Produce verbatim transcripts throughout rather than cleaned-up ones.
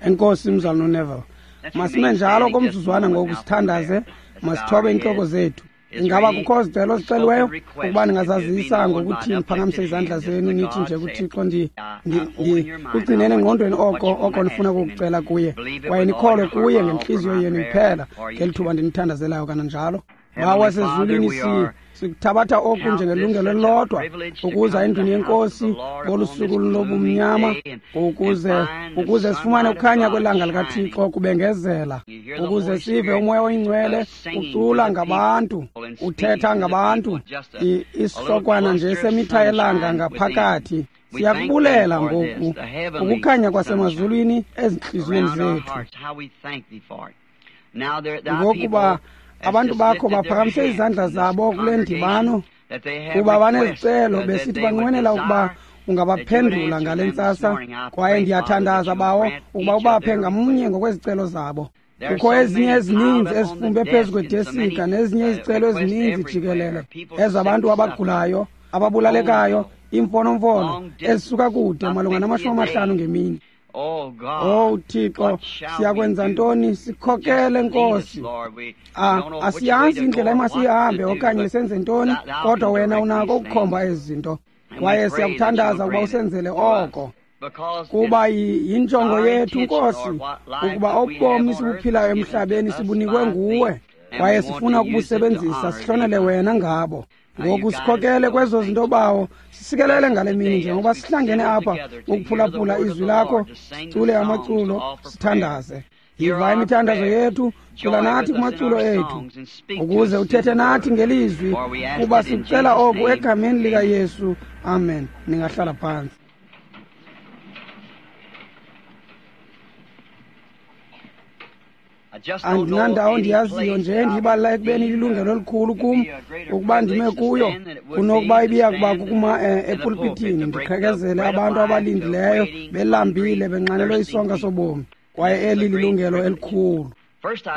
Enkosi mzalwana uNeville. Masime njalo komzuzwana ngoku sithandaze, masithobe iintloko zethu. Ingaba kukho zicelo ziceliweyo ukuba ningazazisa ngokuthi niphakamise izandla zenu nithi nje kuThixo ndi kugcineni engqondweni oko oko nifuna ukukucela kuye, kwaye nikholwe kuye ngentliziyo yenu iphela ngeli thuba ndinithandazelayo kananjalo. Bawo wasezulwini, si sikuthabatha oku njengelungelo elilodwa ukuza endlwini yeNkosi ngolu suku lobumnyama, ukuze ukuze sifumane ukukhanya kwelanga likaThixo kubengezela, ukuze sive uMoya oyiNgcwele ucula ngabantu, uthetha ngabantu, isihlokwana nje semitha yelanga ngaphakathi. Siyakubulela ngoku ukukhanya kwasemazulwini ezintliziyweni zethu, ngokuba abantu bakho baphakamise izandla zabo kule ndibano kuba banezicelo besithi banqwenela ukuba ungabaphendula ngale ntsasa. Kwaye ndiyathandaza bawo ukuba ubaphe ngamnye ngokwezicelo zabo. Kukho ezinye ezininzi ezifumbe phezu kwedesika nezinye izicelo ezininzi jikelele ezabantu abagulayo, ababulalekayo, iimfonomfono ezisuka kude malunga namashumi amahlanu ngemini. Oh Thixo, siyakwenza ntoni? Sikhokele Nkosi. Asiyazi indlela emasiyihambe okanye senze ntoni, kodwa wena unako ukukhomba ezi zinto. Kwaye siyakuthandaza ukuba usenzele oko, kuba yinjongo yethu Nkosi ukuba obomi sibuphilayo emhlabeni sibunikwe nguwe, kwaye sifuna ukubusebenzisa sihlonele wena ngabo. Ngoku sikhokele kwezo zinto bawo, sisikelele ngale mini njengoba sihlangene apha ukuphulaphula izwi lakho, sicule amaculo, sithandaze. Yiva imithandazo yethu, cula nathi kumaculo ethu, ukuze uthethe nathi ngelizwi, kuba sikucela oku egameni likaYesu. Amen. Ningahlala phantsi. Andinandawo ndiyaziyo nje ndiyibalula ekubeni lilungelo elikhulu kum ukuba ndime kuyo kunokuba ibiya kuba kukuma epulpitini ndiqhekezele abantu abalindileyo belambile benxanelwe isonka sobomi, kwaye eli lilungelo elikhulu.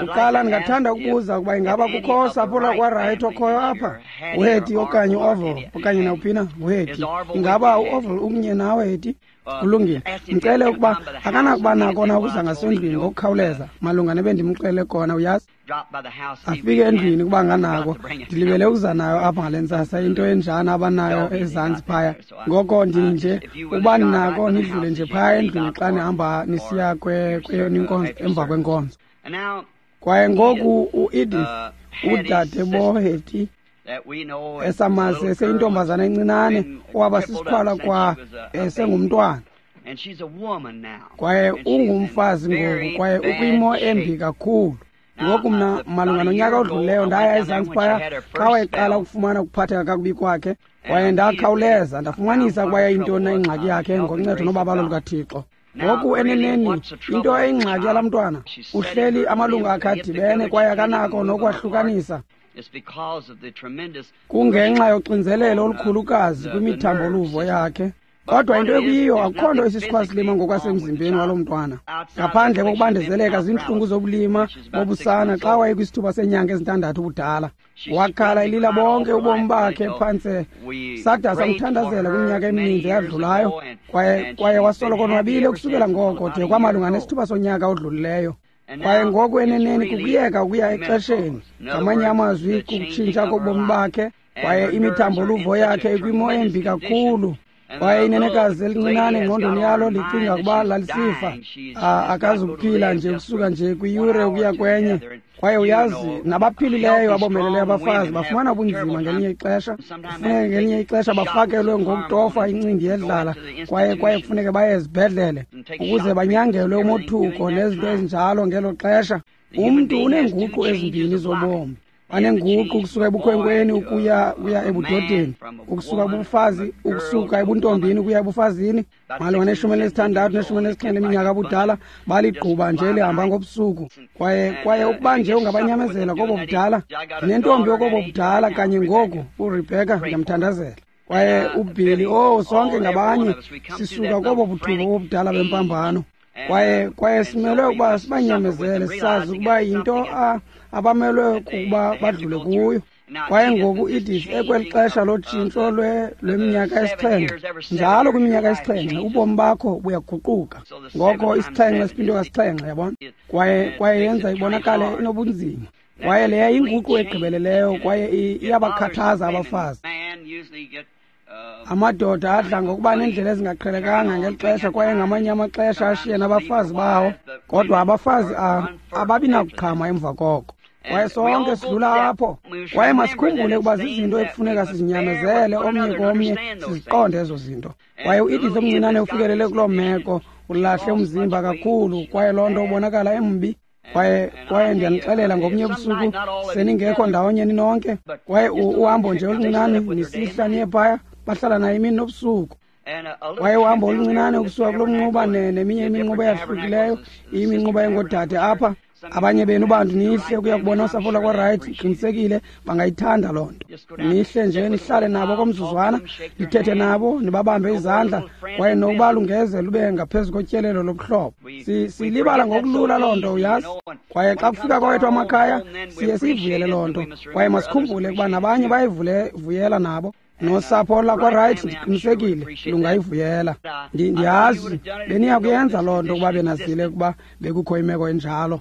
Kuqala ndingathanda ukubuza ukuba ingaba kukho sapho lakwaRight okhoyo apha, uHetty okanye uOville okanye nawuphina. UHetty, ingaba uOville ukunye nawe Hetty? Kulungile. Ndicele ukuba akanakuba nako na ukuza ngasendlwini ngokukhawuleza malunga nebendimxele kona, uyazi. Afike endlwini kuba nganako, ndilibele ukuza nayo apha ngale ntsasa, into enjana abanayo ezantsi phaya. Ngoko ndinje ukuba ninako nidlule nje phaya endlwini xa nihamba nisiya kweyona inkonzo emva kwenkonzo. Kwaye ngoku uEdith, udade boHetty, esamazi eseyintombazana encinane owaba sisikhwala kwa esengumntwana, kwaye ungumfazi ngoku, kwaye ukwimo embi kakhulu. Ngoku mna malunga nonyaka odlulileyo ndaya ezantsi phaya xa wayeqala ukufumana ukuphatheka kakubi kwakhe, kwaye ndakhawuleza ndafumanisa ukuba yayintoni na ingxaki yakhe ngoncedo nobabalo lukaThixo. Ngoku eneneni into eyingxaki yalaa mntwana, uhleli amalungu akhe adibene kwaye akanako nokwahlukanisa. Kungenxa yoxinzelelo olukhulukazi kwimithambo-luvo yakhe. Kodwa into ekuyiyo, akukho nto isisikhwasilima ngokwasemzimbeni walo mntwana, ngaphandle kokubandezeleka ziintlungu zobulima bobusana xa wayekwisithuba seenyanga ezintandathu ubudala. Wakhala elila bonke ubomi bakhe phantse, sada samthandazela kwiminyaka emininzi eyadlulayo, kwaye kwaye wasoloko onwabile ukusukela ngoko de kwamalunga nesithuba sonyaka odlulileyo. Kwaye ngoku eneneni kukuyeka ukuya exesheni, ngamanye amazwi kukutshintsha kobomi bakhe, kwaye imithambo-luvo yakhe ikwimo embi kakhulu. Kwaye inenekazi elincinane engqondweni yalo licinga ukuba lalisifa, akazukuphila nje ukusuka nje kwiyure ukuya kwenye. Kwaye uyazi, nabaphilileyo abomeleleyo abafazi bafumana ubunzima ngelinye ixesha, kufuneke ngelinye ixesha bafakelwe ngokutofa incindi yedlala, kwaye kwaye kufuneke baye ezibhedlele ukuze banyangelwe umothuko nezinto ezinjalo ngelo xesha. Umntu uneenguqu ezimbini zobomi. Banenguqu ukusuka ebukhwenkweni ukuya kuya ebudodeni, ukusuka kubufazi, ukusuka ebuntombini ukuya ebufazini. Malunga neshumi elinesithandathu neshumi elinesixhenxe leminyaka abudala baligquba nje lihamba ngobusuku. Kwaye kwaye ukuba nje ungabanyamezela kobo budala, ndinentombi okobo budala kanye ngoku, uRebecca, ndiyamthandazela. Kwaye uBilly, oh, sonke ngabanye sisuka kobo buthuba bobudala bempambano. Kwaye kwaye simelwe ukuba sibanyamezele, sisazi ukuba yinto abamelwe kukuba badlule kuyo. Kwaye ngoku Edith ekweli xesha lotshintsho lweminyaka esixhenxe, njalo kwiminyaka esixhenxe ubomi bakho buyaguquka. Ngoko isixhenxe siphindwe kasixhenxe, yabona, kwaye kwaye yenza ibonakale inobunzima. Kwaye leya yinguqu egqibeleleyo kwaye iyabakhathaza abafazi. Amadoda adla ngokuba neendlela ezingaqhelekanga ngeli xesha kwaye ngamanye amaxesha ashiye nabafazi bawo, kodwa abafazi ababi nakuqhama emva koko. Kwaye sonke sidlula apho. Kwaye masikhumbule ukuba zizinto ekufuneka sizinyamezele omnye komnye, siziqonde ezo zinto. Kwaye uEdith omncinane ufikelele kuloo meko, ulahle umzimba kakhulu, kwaye loo nto ubonakala embi. Kwaye kwaye ndiyanixelela ngobunye ubusuku seningekho ndawonye ninonke, kwaye uhambo nje oluncinane nisihla niye phaya, bahlala naye imini nobusuku. Kwaye uhambo oluncinane ukusuka kulo mnquba neminye iminquba eyahlukileyo, iminquba engoodade apha. Abanye benu bantu nihle ukuya kubona usapho lwakwaRight, qinisekile bangayithanda loo nto. Nihle nje nihlale nabo komzuzwana, nithethe nabo, nibabambe izandla, kwaye nokuba lungeze lube ngaphezu kotyelelo lobuhlobo. Silibala ngokulula loo nto, uyazi. Kwaye xa kufika kwawethu amakhaya siye siyivuyele loo nto, kwaye masikhumbule ukuba nabanye bayivuyela nabo. Nosapho lakwaRight ndiqinisekile lungayivuyela. Ndiyazi beniya kuyenza loo nto ukuba benazile ukuba bekukho imeko enjalo,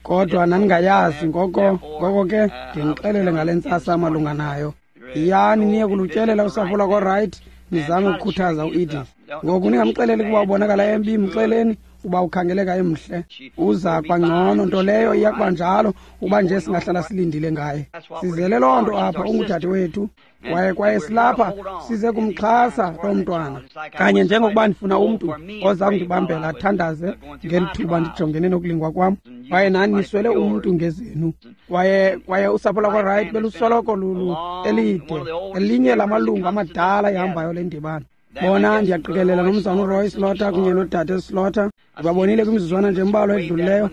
kodwa naningayazi. Ngoko ngoko ke ndinixelele ngale ntsasa malunga nayo. Yiyani niye kulutyelela usapho lakwaRight, nizame ukukhuthaza uEdith. Ngoku ningamxeleli ukuba ubonakala embi, mxeleni uba ukhangeleka emhle. Uza kwangcono, nto leyo iya kuba njalo uba nje singahlala silindile ngaye. Sizele loo nto apha, ungudade wethu, kwaye kwaye silapha size kumxhasa loo mntwana. Kanye njengokuba ndifuna umntu oza kundibambela athandaze ngeli thuba ndijongene nokulingwa kwam, kwaye nani niswele umntu ngezenu. Kwaye kwaye usapho lakwaRight belusoloko lulu elide, elinye lamalungu amadala ihambayo le ndibano. Bona ndiyaqikelela nomzana uRoy Slaughter kunye nodade Slaughter. Ndibabonile kwimizuzwana nje embalwa edlulileyo,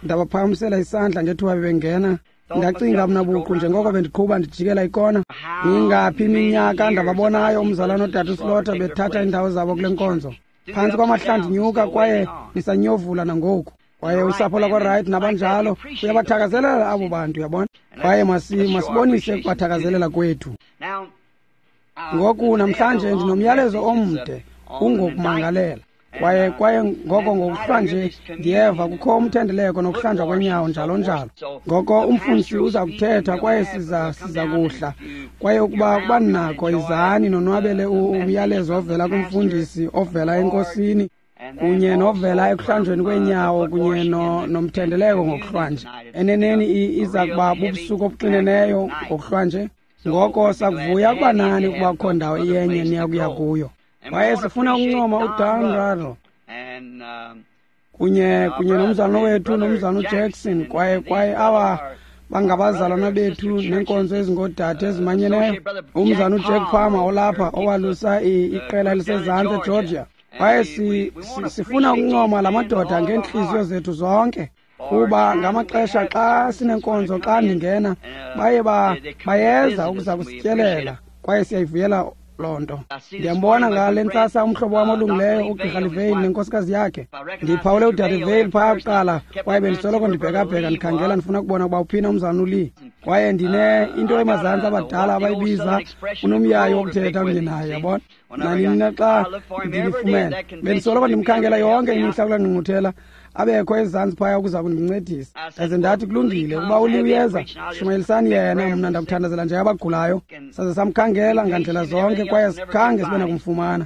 ndabaphakamisela isandla ngethuba bebengena. Ndacinga mna buqu njengoko bendiqhuba ndijikela ikona, ingaphi iminyaka ndababonayo umzalwana nodade Slaughter bethatha iindawo zabo kule nkonzo. Phantsi kwamahlandinyuka kwaye nisanyovula nangoku. Kwaye usapho lakwaRight nabanjalo uyabathakazelela abo bantu, uyabona. Kwaye masibonise ukubathakazelela kwethu. Ngoku namhlanje ndinomyalezo omde ungokumangalela. Kwaye kwaye ngoko ngokuhlwa nje ndiyeva kukho umthendeleko nokuhlanjwa kwenyawo njalo njalo. Ngoko umfundisi uza kuthetha kwaye siza siza kuhla. Kwaye ukuba kuba ninakho izani nonwabele umyalezo ovela kumfundisi ovela enkosini kunye novela ekuhlanjweni kweenyawo kunye nomthendeleko ngokuhlwa nje. Eneneni iza kuba bubusuku obuxineneyo ngokuhlwa nje. Ngoko sakuvuya ukuba nani ukuba kukho ndawo iyenye niya kuya kuyo. Kwaye sifuna ukuncoma uDan Rado kunye kunye nomzalwana wethu nomzalwana uJackson, kwaye kwaye aba bangabazalwana bethu neenkonzo ezingoodade ezimanyeneyo. Umzalwana uJack Palmer olapha owalusa iqela elisezantsi eGeorgia. Kwaye si, si, sifuna ukuncoma la madoda ngeentliziyo zethu zonke, kuba ngamaxesha xa sinenkonzo xa ndingena baye ba bayeza ukuza kusityelela, kwaye siyayivuyela loo nto. Ndiyambona ngale ntsasa umhlobo wam olungileyo uGqirha Livale nenkosikazi yakhe. Ndiphawule udade Vale phaya kuqala, kwaye bendisoloko ndibhekabheka ndikhangela ndifuna ukubona ukuba uphina umzalwana uLee. Kwaye ndine into emazantsi abadala abayibiza unomyayi wokuthetha kunye naye, yabona. Nanini na xa ndilifumene bendisoloko ndimkhangela yonke imihla kulaa ngqungquthela, abekho ezantsi phaya ukuza kundincedisa. Ndaze ndathi kulungile, ukuba uLee uyeza, shumayelisani yena, mna ndakuthandazela nje abagulayo. Saze samkhangela ngandlela zonke kwaye sikhange sibe nakumfumana.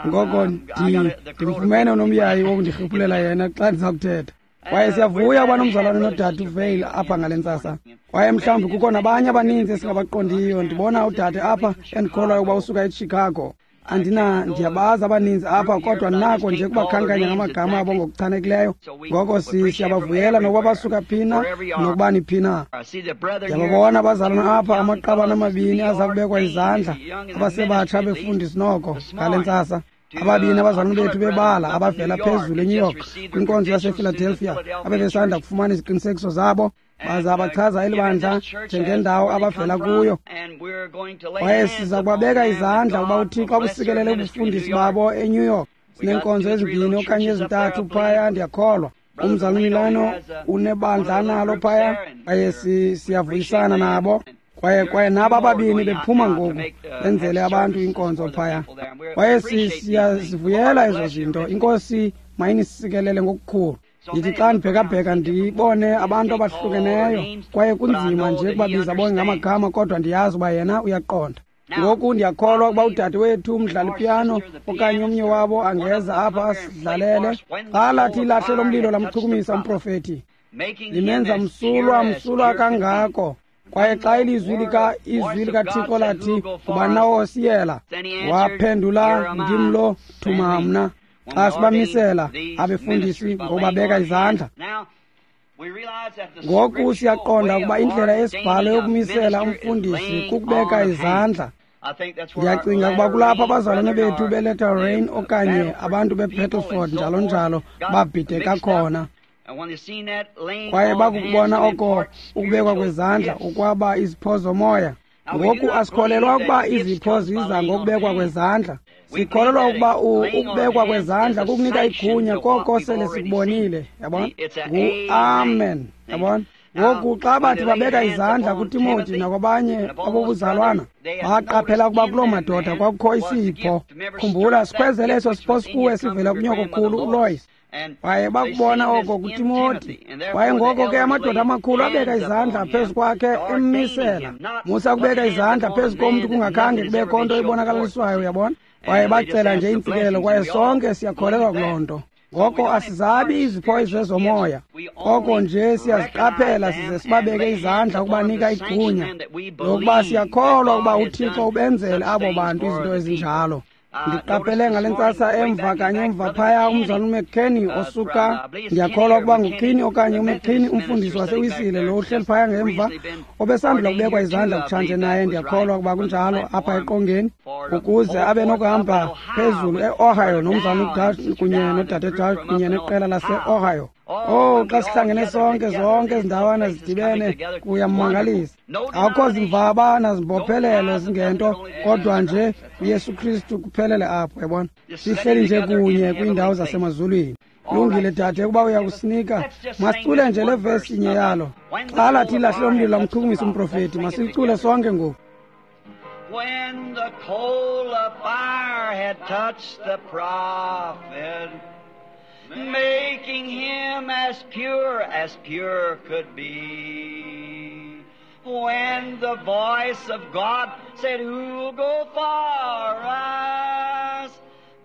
Ngoko ndimfumene unomyayi wokundirhiphulela yena xa ndiza kuthetha. Kwaye siyavuya uba nomzalwane nodade uVale apha ngale ntsasa. Kwaye mhlawumbi kukho nabanye abaninzi esingabaqondiyo. Ndibona udade apha endikholwayo ukuba usuka eChicago. Andina ndiyabazi abaninzi apha, kodwa nako nje kubakhankanya ngamagama abo ngokuchanekileyo. Ngoko siyabavuyela nokuba basuka phi na nokuba niphi na. Ndiyababona abazalwana apha, amaqabane amabini aza kubekwa izandla, abasebatsha befundisi noko ngale ntsasa. Ababini abazalwana bethu bebala abavela phezulu eNew York kwinkonzo yasePhiladelphia abebesanda kufumana iziqinisekiso zabo, baza bachaza elibandla njengendawo abavela kuyo. Kwaye siza kubabeka izandla ukuba uThixo abusikelele ubufundisi babo eNew York. Sineenkonzo ezimbini okanye ezintathu phaya, ndiyakholwa. Umzalwana Milano unebandla analo phaya, kwaye siyavuyisana nabo. Kwaye kwaye naba ababini bephuma ngoku benzele abantu inkonzo phaya. Kwaye siyazivuyela ezo zinto. Inkosi mayinisikelele ngokukhulu. Ndithi xa ndibhekabheka ndibone abantu abahlukeneyo, kwaye kunzima nje ukubabiza bonke ngamagama, kodwa ndiyazi uba yena uyaqonda. Ngoku ndiyakholwa ukuba udade wethu umdlali piano okanye omnye wabo angeza apha asidlalele. Xa lathi ilahle lomlilo lamchukumisa umprofethi, limenza msulwa msulwa kangako. Kwaye xa ilizwi lika izwi likaThixo lathi ubani na osiyela, waphendula, ndim lo, thuma mna. Xa sibamisela abefundisi ngokubabeka izandla. Ngoku siyaqonda ukuba indlela yesibhalo yokumisela umfundisi kukubeka izandla. Ndiyacinga ukuba kulapho abazalwane bethu beLatter Rain okanye abantu beBattleford njalo njalo babhideka khona. Kwaye bakukubona oko ukubekwa kwezandla ukwaba izipho zomoya. Ngoku asikholelwa ukuba izipho ziza ngokubekwa kwezandla. Sikholelwa ukuba ukubekwa kwezandla kukunika igunya koko sele sikubonile, yabona? Ngu-amen, yabona? Ngoku xa bathi babeka izandla kuTimoti nakwabanye abobuzalwana, baqaphela ukuba kuloo madoda kwakukho isipho. Khumbula, sikhwezele eso sipho sikuwe sivela kunyokokhulu uLois. Kwaye bakubona oko kuTimoti. Kwaye ngoko ke amadoda amakhulu abeka izandla phezu kwakhe emmisela. Musa kubeka izandla phezu komntu kungakhange kubekho nto ibonakalaliswayo, uyabona? Kwaye bacela nje intsikelelo, kwaye sonke siyakholelwa kuloo nto. Ngoko asizabi izipho ezezomoya, koko nje siyaziqaphela size sibabeke izandla ukubanika igunya lokuba siyakholwa ukuba uThixo ubenzele abo bantu izinto ezinjalo. Ndiqaphele ngale ntsasa emva kanye emva phaya umzalwana uMcKinney osuka, ndiyakholwa ukuba nguKinney okanye uMcKinney, umfundisi waseWisile lo uhleli phaya ngemva, obesandula kubekwa izandla kutshanje naye, ndiyakholwa ukuba kunjalo, apha eqongeni, ukuze abe nokuhamba phezulu e-Ohio nomzalwana uDash kunye nodade Dash kunye neqela lase-Ohio. Oh, xa sihlangene sonke, zonke ezindawana zidibene, kuyamangalisa. Akukho zimvaba nazimbophelelo zingento, kodwa nje uYesu Kristu kuphelele apho, yabona? Sihleli nje kunye kwiindawo zasemazulwini. Lungile dade, ukuba uyakusinika, masicule nje le vesi inye yalo. Xa lathi ilahle lomlilo lamchukumisa umprofethi, masicule sonke ngoku. When the coal of fire had touched the prophet, making him as pure as pure could be. When the voice of God said, who'll go for us?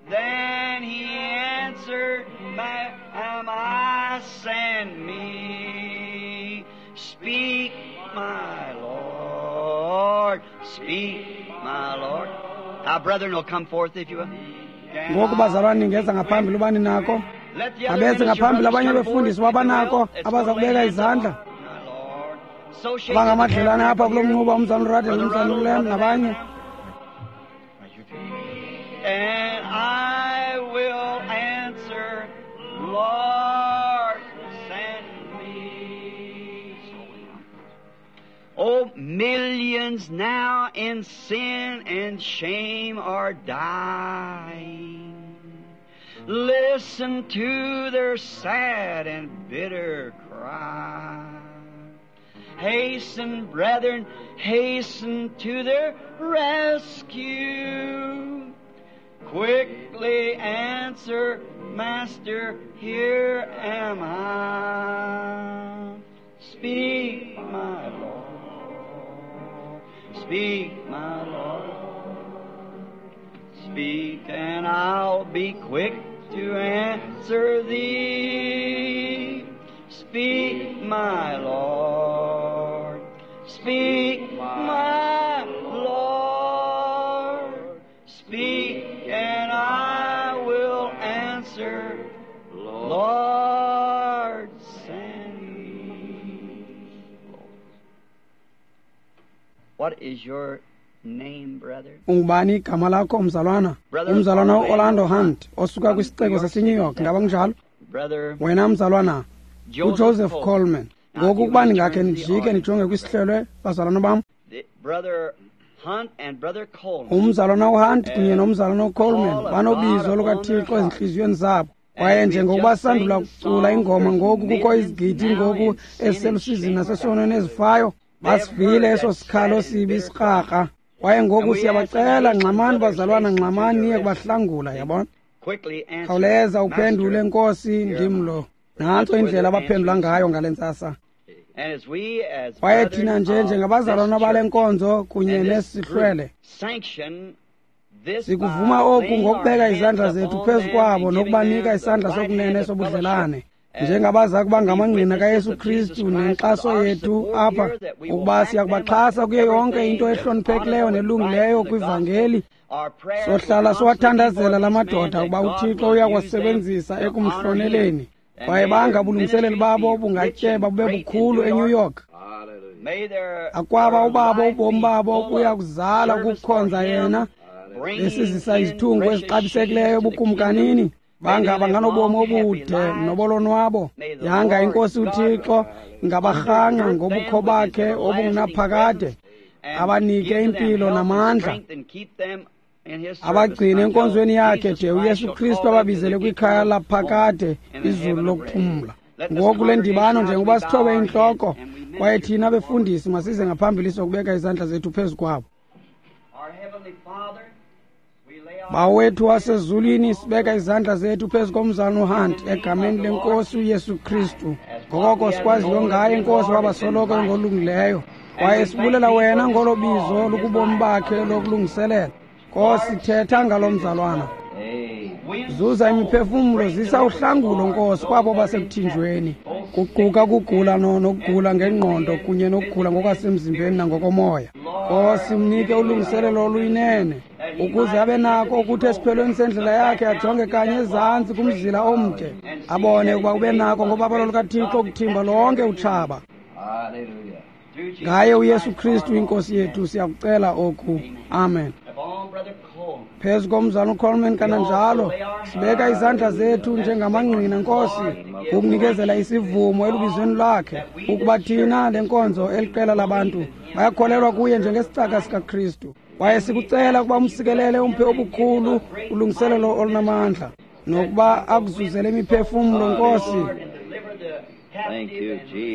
Then he answered, am I, send me. Speak, my Lord, speak, my Lord. Our brethren will come forth if you will. Ngoku bazalwane ningeza ngaphambili ubani nako. Abeze ngaphambili abanye befundisi wabanako abaza kubeka izandla. Abangamadlelane apha kulo mnquba, umzalwana uRadel, umzalwana uLem nabanye. And I will answer, Lord, send me. Oh, millions now in sin and shame are dying. Listen to their sad and bitter cry. Hasten, brethren, hasten to their rescue. Quickly answer, Master, here am I. Speak, my Lord, speak, my Lord. Speak, and I'll be quick to answer thee. Speak, my Lord, speak, my Lord. Speak, and I will answer, Lord, send me. What is your name, brother? Ungubani igama lakho, mzalwana? Umzalwana uOrlando Hunt osuka kwisixeko saseNew York, ngaba kunjalo? Wena mzalwana uJoseph Coleman. Ngoku ukuba ningakhe nijike nijonge kwisihlelwe, bazalwana bam. Umzalwana uHunt kunye nomzalwana uColeman banobizo lukaThixo ezintliziyweni zabo. Kwaye njengokuba sandula kucula ingoma ngoku, kukho izigidi ngoku eziselusizini nasesonweni ezifayo. Basivile eso sikhalo sibi sikrakra. Kwaye ngoku siyabacela, ngxamani bazalwana, ngxamani niye kubahlangula, yabona. Khawuleza uphendule, Nkosi, ndim lo. Nantso indlela abaphendula ngayo ngale ntsasa. Kwaye thina nje njengabazalwana bale nkonzo kunye nesihlwele sikuvuma oku ngokubeka izandla zethu phezu kwabo nokubanika isandla sokunene sobudlelane njengabaza kuba ngamangqina kaYesu Kristu nenkxaso yethu apha, ukuba siyakubaxhasa kuyo yonke into ehloniphekileyo nelungileyo kwivangeli. Sohlala siwathandazela la madoda ukuba uThixo uyakuwasebenzisa ekumhloneleni, kwaye banga ubulungiseleli babo bungatyeba bube bukhulu eNew York. Akwaba ubabo ubomi babo buya kuzala ukukhonza yena, besizisa izithungu ezixabisekileyo ebukumkanini. Banga banganobomi obude nobolonwabo. Yanga iNkosi uThixo ingabarhangqa ngobukho bakhe obungunaphakade, abanike impilo namandla, abagcine enkonzweni yakhe de uYesu Kristu ababizele kwikhaya laphakade, izulu lokuphumla. Ngoku le ndibano, njengoba sithobe intloko, kwaye thina befundisi masize ngaphambili sokubeka izandla zethu phezu kwabo. Bawethu wasezulwini, sibeka izandla zethu phezu komzalwana uHunt egameni lenkosi uYesu Kristu. Ngokoko sikwaziyo ngaye, Nkosi, wabasoloko ngolungileyo, kwaye sibulela wena ngolo bizo lukubomi bakhe lokulungiselela. Nkosi, thetha ngalo mzalwana, zuza imiphefumlo, zisa uhlangulo, Nkosi, kwabo basekuthinjweni, kuquka ukugula nokugula ngengqondo kunye nokugula ngokwasemzimbeni nangokomoya. Nkosi, mnike ulungiselelo oluyinene ukuze abe nako ukuthi esiphelweni sendlela yakhe ajonge kanye ezantsi kumzila omde, abone ukuba ube nako ngobabalo lukaThixo ukuthimba lonke utshaba. Ngaye uYesu Kristu inkosi yethu siyakucela oku. Amen. Phezu komzalwana uColeman kananjalo sibeka izandla zethu njengamangqina, Nkosi, ukunikezela isivumo elubizweni lwakhe, ukuba thina le nkonzo eliqela labantu bayakholelwa kuye njengesicaka sikaKristu. Kwaye sikucela ukuba umsikelele, umphe obukhulu ulungiselelo olunamandla, nokuba akuzuzele imiphefumlo, Nkosi,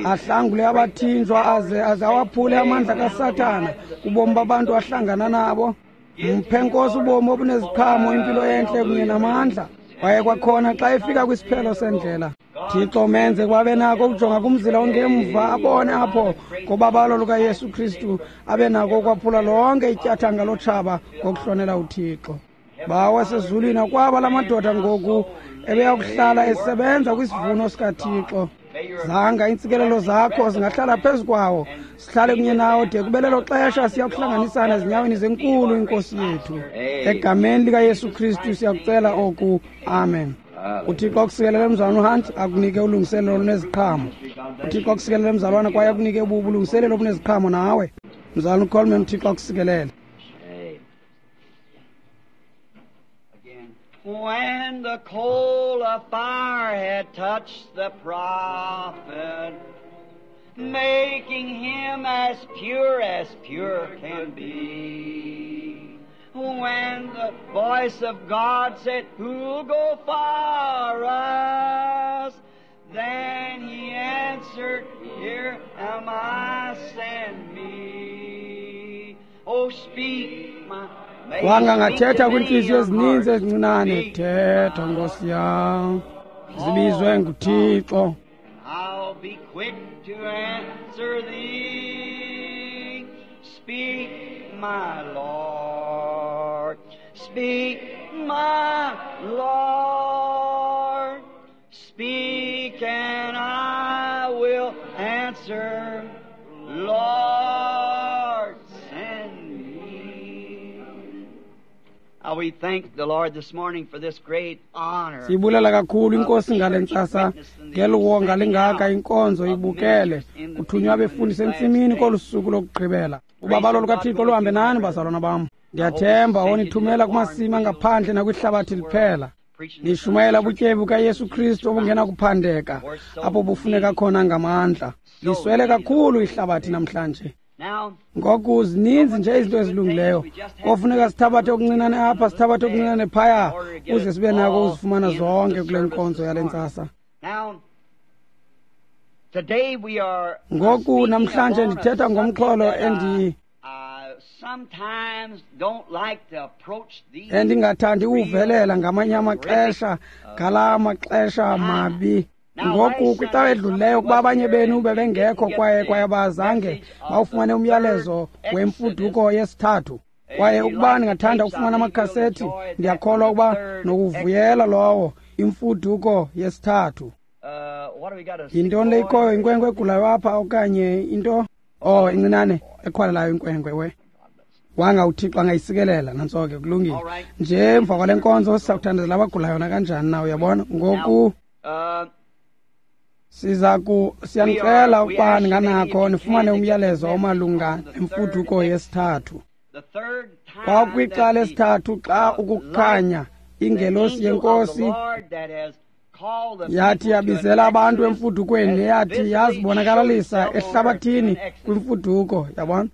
ahlangule abathinjwa aze aze awaphule amandla kaSathana kubomi babantu ahlangana nabo. Mphe, Nkosi, ubomi obuneziqhamo, impilo entle kunye namandla. Kwaye kwakhona xa efika kwisiphelo sendlela, Thixo, menze kwabe nako ukujonga kumzila ongemva, abone apho ngobabalo lukaYesu Kristu abe nako ukwaphula lonke ityathanga lotshaba ngokuhlonela uThixo. Bawo wasezulwini, akwaba la madoda ngoku ebeyakuhlala esebenza kwisivuno sikaThixo. Zanga iintsikelelo zakho zingahlala phezu kwawo, sihlale kunye nawo de kube lelo xesha siyakuhlanganisana ezinyaweni zenkulu inkosi yethu. Egameni likaYesu Kristu siyakucela oku. Amen. uThixo akusikelele, mzalwana uHunt, akunike ulungiselelo oluneziqhamo. uThixo akusikelele, mzalwana, kwaye akunike ubulungiselelo obuneziqhamo nawe. Mzalwana uColeman, uThixo akusikelele. When the coal of fire had touched the prophet, making him as pure as pure can be, when the voice of God said, "Who'll go for us?" Then he answered, "Here am I, send me." Oh, speak, my Wanga ngathetha kwiintliziyo ezininzi ezincinane, thetha, Nkosi yam, zibizwe nguThixo. I'll be quick to answer thee. Speak, my Lord. Speak, my Lord. Speak, and I will answer. Lord, send me. Now we thank the Lord this morning for this great honor. Sibulela kakhulu inkosi ngale ntsasa ngeliwonga lingaka inkonzo ibukele kuthunywa abefundisi entsimini kolu suku lokugqibela. Ubabalo lukaThixo luhambe nani, bazalwana bam. Ndiyathemba onithumela kumasimi angaphandle nakwihlabathi liphela, nishumayela ubutyebi bukaYesu Kristu obungenakuphandeka apho bufuneka khona ngamandla. Liswele kakhulu ihlabathi namhlanje. Ngoku zininzi nje izinto ezilungileyo, kofuneka sithabathe okuncinane apha, sithabathe okuncinane phaya, ukuze sibe nako uzifumana zonke kule nkonzo yale ntsasa. Today we are Ngoku namhlanje ndithetha ngomxholo endi sometimes don't like to approach these endingathandi uvelela ngamanye amaxesha ngala maxesha mabi. Ngoku kwicawa edlulileyo ukuba abanye benu bebengekho kwaye kwaye abazange bawufumane umyalezo wemfuduko yesithathu. Kwaye ukuba ndingathanda ukufumana amakhasethi, ndiyakholwa ukuba nokuvuyela lowo imfuduko yesithathu. Yintoni le ikhoyo, inkwenkwe egulayo apha okanye into? Oh, incinane eqhwalelayo inkwenkwe we. Wanga uThixo angayisikelela, nantso ke, kulungile. Nje emva kwale nkonzo sizawuthandazela abagulayo nakanjani na, uyabona. Ngoku siza ku siyanicela ukuba ninganakho nifumane umyalezo omalunga nemfuduko yesithathu. Kwakwicala lesithathu xa ukukhanya ingelosi yenkosi yathi yabizela abantu emfudukweni, yathi yazibonakalisa ehlabathini kwimfuduko, yabona.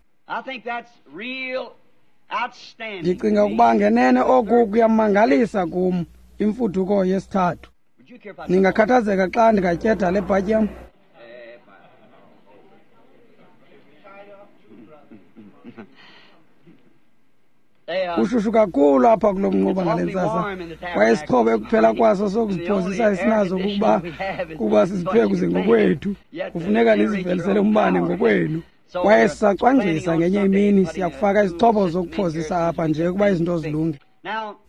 Ndicinga ukuba ngenene oku kuyamangalisa kum, imfuduko yesithathu. Ningakhathazeka xa ndingatyeda le bhatyi yam? Kushushu kakhulu apha kulo mnquba ngale ntsasa, kwaye isixhobo ekuphela kwaso sokuziphozisa esinazo kukuba kuba siziphekuze ngokwethu. Kufuneka nizivelisele umbane ngokwenu. Kwaye sisacwangcisa ngenye imini siyakufaka izixhobo zokuphozisa apha nje ukuba izinto zilunge.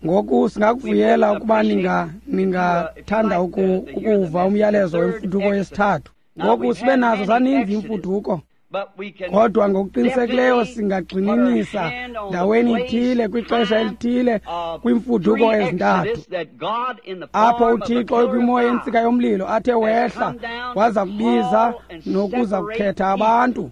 Ngoku singakuvuyela ukuba ninga ningathanda ukuva umyalezo wemfuduko yesithathu. Ngoku sibe nazo zaninzi imfuduko, kodwa ngokuqinisekileyo singagxininisa ndaweni ithile kwixesha elithile kwimfuduko ezintathu, apho uThixo ekwimo yentsika yomlilo athe wehla waza kubiza nokuza kukhetha abantu.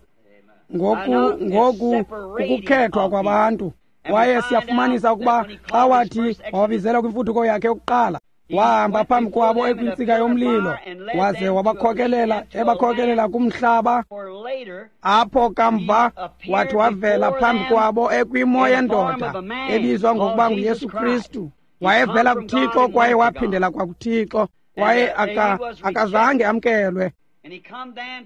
Ngoku ngoku ukukhethwa kwabantu. Kwaye siyafumanisa ukuba xa wathi wababizela kwimfuduko yakhe yokuqala, wahamba phambi kwabo ekwintsika yomlilo, waze wabakhokelela ebakhokelela kumhlaba apho kamva wathi wavela phambi kwabo ekwimo yendoda ebizwa ngokuba nguYesu Kristu. Wayevela kuThixo kwaye waphindela kwakuThixo, kwaye aka akazange amkelwe.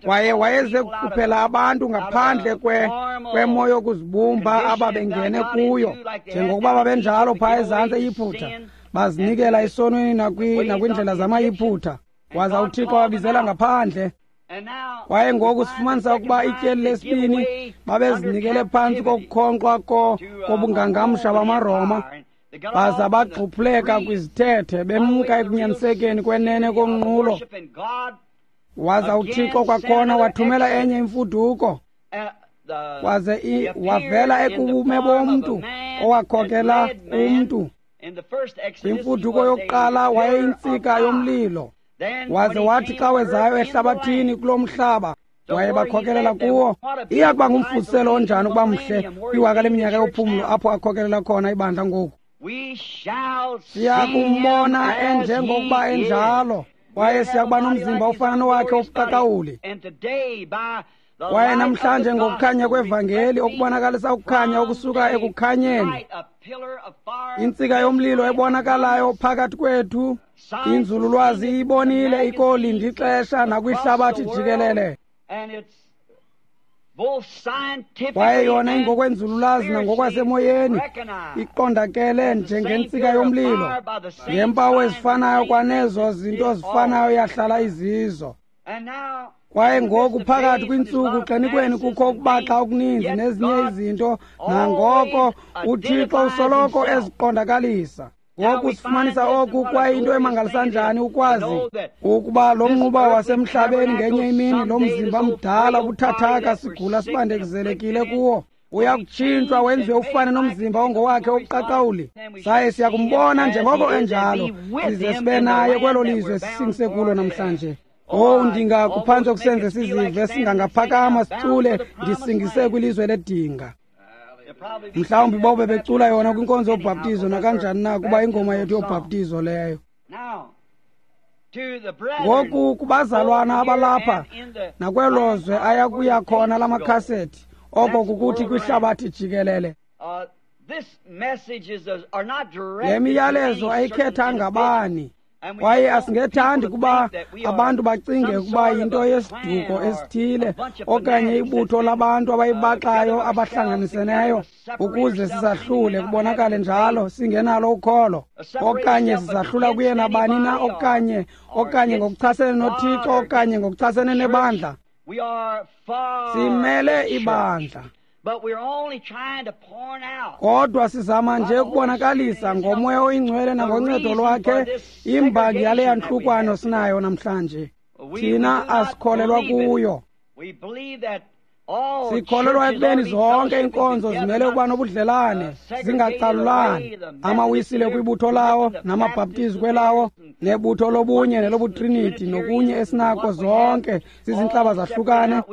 Kwaye wayeze kukhuphela abantu ngaphandle kwe kwemo yokuzibumba ababengene kuyo, njengokuba babenjalo phaa ezantsi eYiphutha, bazinikela esonweni nakwiindlela zamaYiphutha. Waza uThixo wabizela ngaphandle. Kwaye ngoku sifumanisa ukuba ityeli lesibini babezinikele phantsi kokukhonkxwa kobungangamsha bamaRoma, baza bagxuphuleka kwizithethe, bemka ekunyanisekeni kwenene konqulo. Waza uThixo kwakhona wathumela enye imfuduko, waze wavela ekubume bomntu owakhokela umntu. Kwimfuduko yokuqala wayeyintsika yomlilo, waze wathi xa wezayo ehlabathini kulo mhlaba wayebakhokelela kuwo. Iya kuba ngumfuziselo onjani ukuba mhle kwiwaka leminyaka yophumlo apho akhokelela khona ibandla ngoku. Siya kumbona enjengokuba enjalo, kwaye siyakuba nomzimba ofana nowakhe wobuqaqawuli. Kwaye namhlanje ngokukhanya kwevangeli okubonakalisa ukukhanya okusuka ekukhanyeni, intsika yomlilo ebonakalayo phakathi kwethu, inzululwazi iyibonile ikolinda ixesha nakwihlabathi jikelele. Kwaye yona ingokwenzululwazi nangokwasemoyeni iqondakele njengentsika yomlilo, ngeempawu ezifanayo kwanezo zinto zifanayo yahlala izizo. Kwaye ngoku phakathi kwiintsuku xenikweni kukho ukubaxa okuninzi nezinye izinto, nangoko uThixo usoloko eziqondakalisa. Ngoku sifumanisa oku, kwaye into emangalisa njani ukwazi ukuba lo mnquba wasemhlabeni ngenye imini, lo mzimba mdala ubuthathaka sigula sibandezelekile kuwo, uyakutshintshwa wenziwe ufane nomzimba ongowakhe wobuqaqawuli. Saye siyakumbona njengoko enjalo, size sibe naye kwelo lizwe sisingise kulo namhlanje. Oh, ndingakuphantsi kusenze sizive singangaphakama sicule ndisingise kwilizwe ledinga. Mhlawumbi bobe becula yona kwinkonzo yobhaptizo nakanjani na, kuba ingoma yethu yobhaptizo leyo. Ngoku kubazalwana abalapha nakwelo zwe ayakuya khona la makhasethi, oko kukuthi kwihlabathi jikelele. Le miyalezo ayikhethanga bani. Kwaye asingethandi kuba abantu bacinge ukuba yinto yesiduko esithile okanye ibutho labantu abayibaxayo abahlanganiseneyo ukuze sizahlule kubonakale njalo singenalo ukholo, okanye sizahlula kuye nabani na, okanye okanye ngokuchasene noThixo okanye ngokuchasene nebandla. Simele ibandla, kodwa sizama nje ukubonakalisa ngoMoya oyiNgcwele nangoncedo lwakhe imbangi yale yantlukwano sinayo namhlanje. Thina asikholelwa kuyo. Sikholelwa ekubeni zonke iinkonzo zimele ukuba nobudlelane, zingacalulani. Amawisile kwibutho lawo, namabhaptizi kwelawo, nebutho lobunye nelobutriniti nokunye esinako, zonke zizintlaba zahlukane.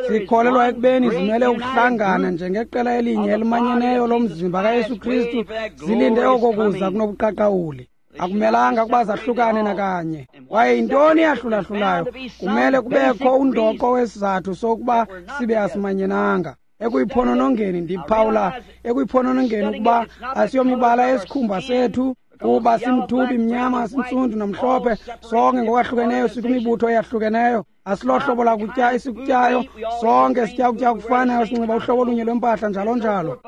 Sikholelwa ekubeni zimele ukuhlangana njengeqela elinye elimanyeneyo lomzimba kaYesu Kristu, zilinde oko kuza kunobuqaqawuli. Akumelanga ukuba zahlukane nakanye. Kwaye yintoni eyahlulahlulayo? Kumele kubekho undoqo wesizathu sokuba sibe asimanyenanga. Ekuyiphononongeni ndiphawula ekuyiphononongeni ukuba asiyomibala yesikhumba sethu, kuba simthubi, mnyama, sintsundu namhlophe, sonke ngokwahlukeneyo sikwimibutho eyahlukeneyo. Asilohlobo lakutya esikutyayo, sonke sitya ukutya okufanayo, sinxiba uhlobo olunye lwempahla, njalo njalo.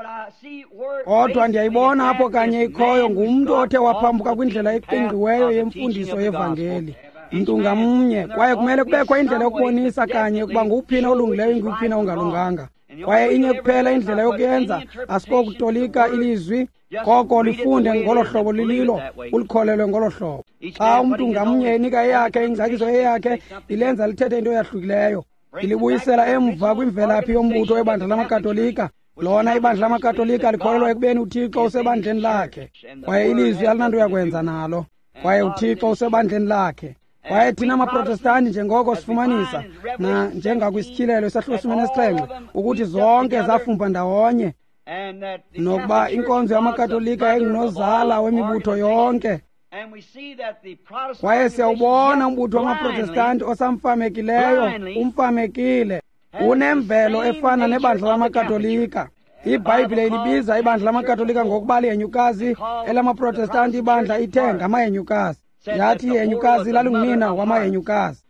Kodwa ndiyayibona apho kanye ikhoyo ngumntu othe waphambuka kwindlela eqingqiweyo yemfundiso yevangeli, mntu ngamnye. Kwaye kumele kubekho indlela yokubonisa kanye ukuba nguwuphina olungileyo inguwuphina ongalunganga. Kwaye inye kuphela indlela yokuyenza, asikokutolika ilizwi, koko lifunde ngolo hlobo lililo, ulikholelwe ngolo hlobo. Xa umntu ngamnye enika eyakhe ingcaciso eyakhe, ilenza lithethe into eyahlukileyo, ilibuyisela emva kwimvelaphi yombutho webandla lamaKatolika. Lona ibandla lamaKatolika likholelwa ekubeni uThixo usebandleni lakhe, kwaye ilizwi alinanto yakwenza nalo, kwaye uThixo usebandleni lakhe. Kwaye thina amaProtestanti, njengoko sifumanisa na njengakwisityhilelo isahluko sesine nesixhenxe, ukuthi zonke zafumba ndawonye, nokuba inkonzo yamaKatolika yayingunozala wemibutho yonke. Kwaye siyawubona umbutho wamaProtestanti osamfamekileyo, umfamekile, unemvelo efana nebandla lamaKatolika. IBhayibhile ilibiza ibandla lamaKatolika ngokuba lihenyukazi, elamaProtestanti ibandla ithe ngamahenyukazi. Yathi ihenyukazi lalingunina wamahenyukazi.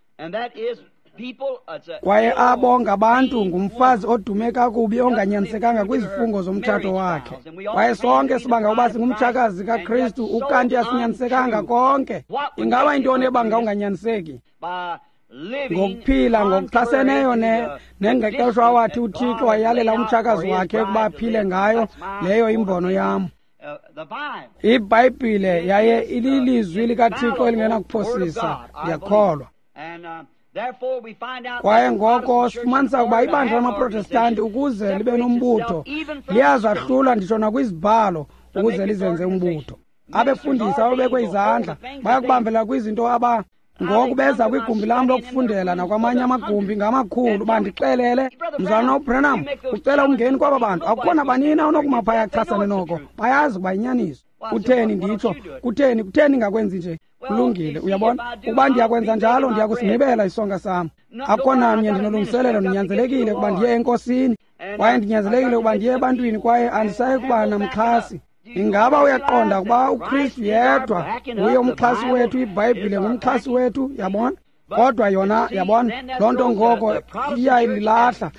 Kwaye abo ngabantu ngumfazi odume kakubi onganyanisekanga kwizifungo zomtshato wakhe. Kwaye sonke sibanga ukuba singumtshakazi kaKristu, ukanti asinyanisekanga konke. Ingaba yintoni ebanga unganyaniseki? Ngokuphila ngokuchaseneyo nengqeqesho awathi uThixo wayalela umtshakazi wakhe ukuba aphile ngayo. Leyo imbono yam. IBhayibhile yaye ililizwi likaThixo elingenakuphosisa, ndiyakholwa. Kwaye ngoko sifumanisa ukuba ibandla lamaProtestanti ukuze libe nombutho liyazahlula nditsho nakwizibhalo ukuze lizenze umbutho. Abefundisi ababekwe izandla bayakubambela kwizinto aba ngoku beza kwigumbi lam lokufundela nakwamanye amagumbi ngamakhulu, bandixelele, Mzalwana uBranham, ucela umngeni kwaba bantu, akukho nabanina onokuma phaya achasane noko, bayazi ukuba yinyaniso. Kutheni nditsho? Kutheni kutheni ngakwenzi nje? Kulungile, uyabona, ukuba ndiyakwenza njalo ndiyakusigqibela isonka sam. Akukho namnye ndinolungiselelo, ndinyanzelekile ukuba ndiye enkosini, kwaye ndinyanzelekile ukuba ndiye ebantwini, kwaye andisayi kuba namxhasi. Ingaba uyaqonda ukuba uKristu yedwa nguye umxhasi wethu, iBhayibhile ngumxhasi wethu, yabona? Kodwa yona, yabona, loo nto ngoko iyayilahla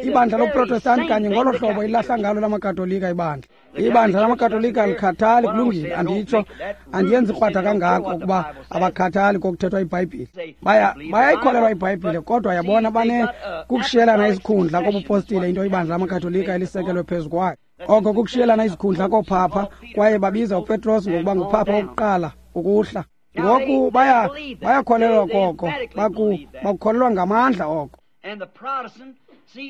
ibandla loProtestanti kanye ngolo hlobo ilahla ngalo lamaKatolika ibandla. Ibandla lamaKatolika alikhathali, kulungile, anditsho, andiyenzi krwada kangako ukuba abakhathali kokuthethwa iBhayibhile. Baya bayayikholelwa iBhayibhile, kodwa yabona bane kukushiyelana isikhundla kobupostile, into ibandla lamaKatolika elisekelwe phezu kwayo. Oko kukushiyelana izikhundla koophapha, kwaye babiza uPetros ngokuba nguphapha wokuqala ukuhla. Ngoku baya bayakholelwa koko, baku bakukholelwa ngamandla oko.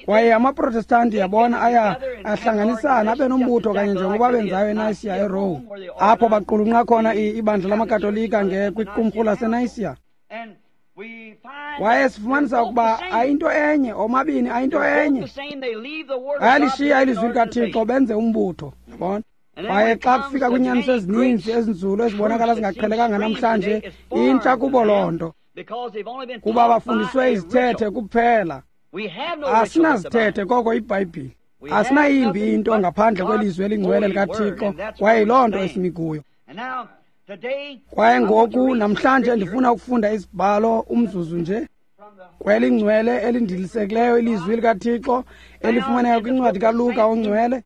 Kwaye amaProtestanti, yabona, aya ahlanganisana abe nombutho kanye njengoba benzayo eNayisiya eRome, apho baqulunqa khona ibandla lamaKatolika nge kwiqumrhu laseNayisiya. Kwaye sifumanisa ukuba ayinto enye, omabini ayinto enye. Bayalishiya ilizwi likaThixo benze umbutho, yabona. Kwaye xa kufika kwiinyaniso ezininzi ezinzulu ezibonakala zingaqhelekanga namhlanje, intsha kubo loo nto, kuba bafundiswe izithethe kuphela. Asinazithethe koko iBhayibhile. Asinayimbi into ngaphandle kwelizwi elingcwele likaThixo, kwaye yiloo nto esimi kuyo. Kwaye ngoku namhlanje ndifuna ukufunda isibhalo umzuzu nje kwelingcwele elindilisekileyo ilizwi likaThixo elifumaneka kwincwadi kaLuka ongcwele,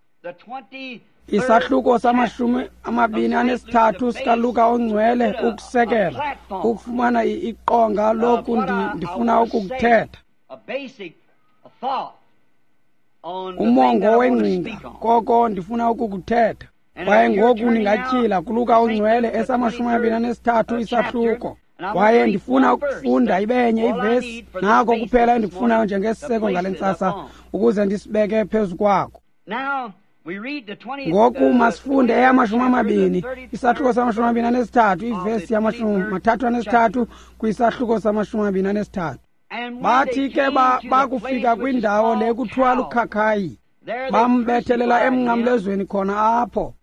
isahluko samashumi amabini anesithathu sikaLuka ongcwele, ukusekela ukufumana iqonga loku ndifuna ukukuthetha, umongo wengcinga koko ndifuna ukukuthetha. Kwaye ngoku ningatyhila kuLuka ongcwele esamashumi amabini anesithathu isahluko, kwaye ndifuna ukufunda ibenye ivesi, nako kuphela endikufunayo njengesiseko ngale ntsasa ukuze ndisibeke phezu kwako. Ngoku masifunde eyamashumi amabini, isahluko samashumi amabini anesithathu, ivesi yamashumi mathathu anesithathu kwisahluko samashumi amabini anesithathu. Bathi ke bakufika kwindawo le kuthiwa lukhakhayi, bambethelela emnqamlezweni khona apho.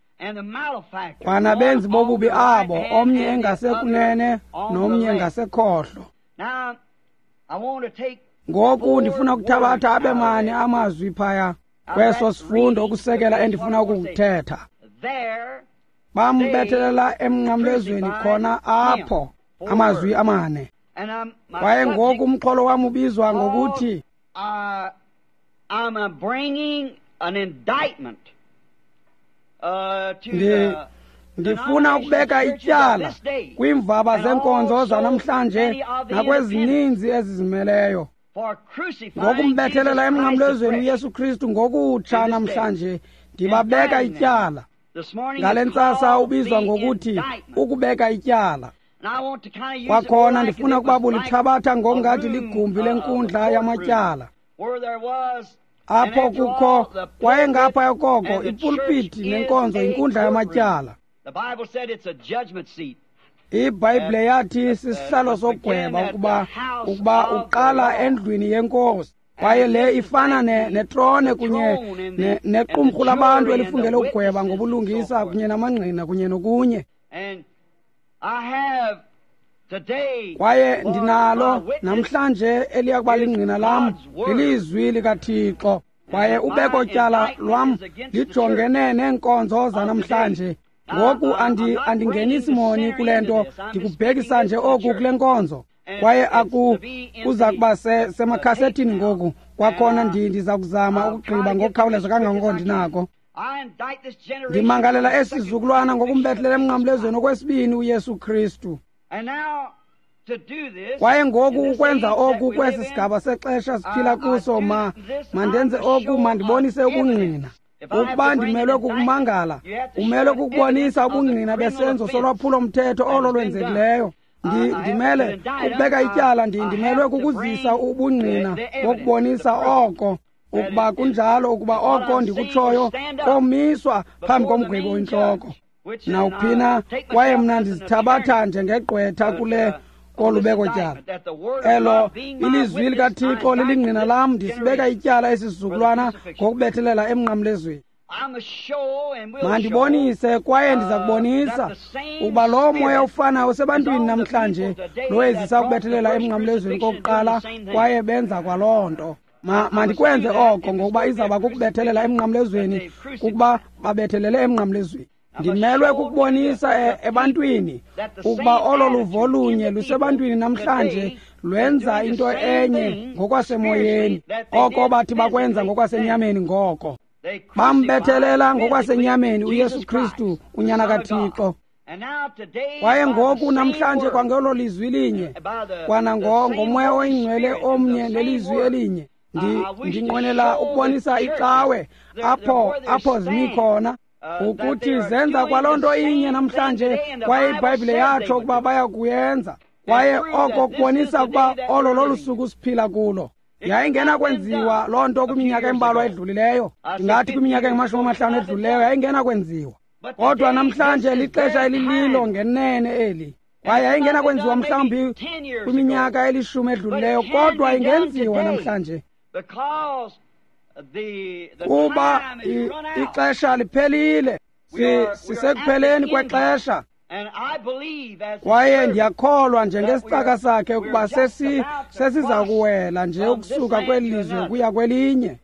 Kwanabenzi bobubi abo, omnye engasekunene nomnye ngasekhohlo. Ngoku ndifuna ukuthabatha abe mane amazwi phaya kweso sifundo ukusekela endifuna ukukuthetha. Bambethelela emnqamlezweni khona apho, amazwi amane. Kwaye ngoku umxholo wam ubizwa ngokuthi I'm bringing an indictment uh, to the ndifuna ukubeka ityala kwiimvaba zenkonzo zanamhlanje nakwezininzi ezizimeleyo ngokumbethelela emnqamlezweni uYesu Kristu ngokutsha namhlanje. Ndibabeka ityala ngale ntsasa ubizwa ngokuthi ukubeka ityala. Kwakhona ndifuna ukuba bulithabatha ngokungathi ligumbi lenkundla yamatyala, apho kukho kwaye ngapha koko ipulpiti nenkonzo inkundla yamatyala. IBhayibhile yathi sisihlalo sokugweba ukuba ukuba uqala endlwini yenkosi, kwaye le ifana netrone kunye nequmrhu labantu elifungele ukugweba ngobulungisa kunye namangqina kunye nokunye. Kwaye ndinalo namhlanje eliya kuba lingqina lam lilizwi likaThixo, kwaye ubeko tyala lwam lijongene neenkonzo zanamhlanje. Ngoku andi andingenisi moni kule nto, ndikubhekisa nje oku kule nkonzo, kwaye aku kuza kuba semakhasetini ngoku. Kwakhona ndiza kuzama ukugqiba ngokukhawuleza kangangoko ndinako. Ndimangalela esi sizukulwana ngokumbethelela emnqamlezweni okwesibini uYesu Kristu. Kwaye ngoku ukwenza oku kwesi sigaba sexesha siphila kuso, ma mandenze oku, mandibonise ubungqina. Ukuba ndimelwe kukumangala, umelwe kukubonisa ubungqina besenzo solwaphulo-mthetho olo lwenzekileyo. Ndimele ukubeka ityala, ndimelwe kukuzisa ubungqina bokubonisa oko, ukuba kunjalo, ukuba oko ndikutshoyo komiswa phambi komgwebi oyintloko nawuphina. Kwaye mna ndizithabatha njengegqwetha kule kolubeko tyala elo ilizwi likaThixo lilingqina lam. Ndisibeka ityala esi sizukulwana ngokubethelela emnqamlezweni. Mandibonise, kwaye ndiza kubonisa ukuba lo moya ufanayo usebantwini namhlanje lowezisa ukubethelela emnqamlezweni kokuqala, kwaye benza kwaloo nto. Ma mandikwenze oko ngokuba izawuba kukubethelela emnqamlezweni, kukuba babethelele emnqamlezweni. Ndimelwe kukubonisa ebantwini ukuba olo luvo lunye lusebantwini namhlanje lwenza into enye ngokwasemoyeni, oko bathi bakwenza ngokwasenyameni. Ngoko bambethelela ngokwasenyameni uYesu Kristu unyana kaThixo. Kwaye ngoku namhlanje kwangelo lizwi linye, kwana ngomoya oyingcwele omnye nelizwi elinye, ndinqwenela ukubonisa icawe apho apho zimi khona ukuthi zenza kwaloo nto inye namhlanje, kwaye iBhayibhile yatsho ukuba baya kuyenza. Kwaye oko kubonisa ukuba olo lolu suku siphila kulo. Yayingenakwenziwa loo nto kwiminyaka embalwa edlulileyo, ndingathi kwiminyaka engamashumi amahlanu edlulileyo yayingenakwenziwa. Kodwa namhlanje lixesha elililo ngenene eli, kwaye yayingenakwenziwa mhlawumbi kwiminyaka elishumi edlulileyo, kodwa ingenziwa namhlanje kuba ixesha liphelile. Sisekupheleni kwexesha, kwaye ndiyakholwa njengesicaka sakhe ukuba sesi sesiza kuwela nje ukusuka kweli lizwe kuya kwelinye.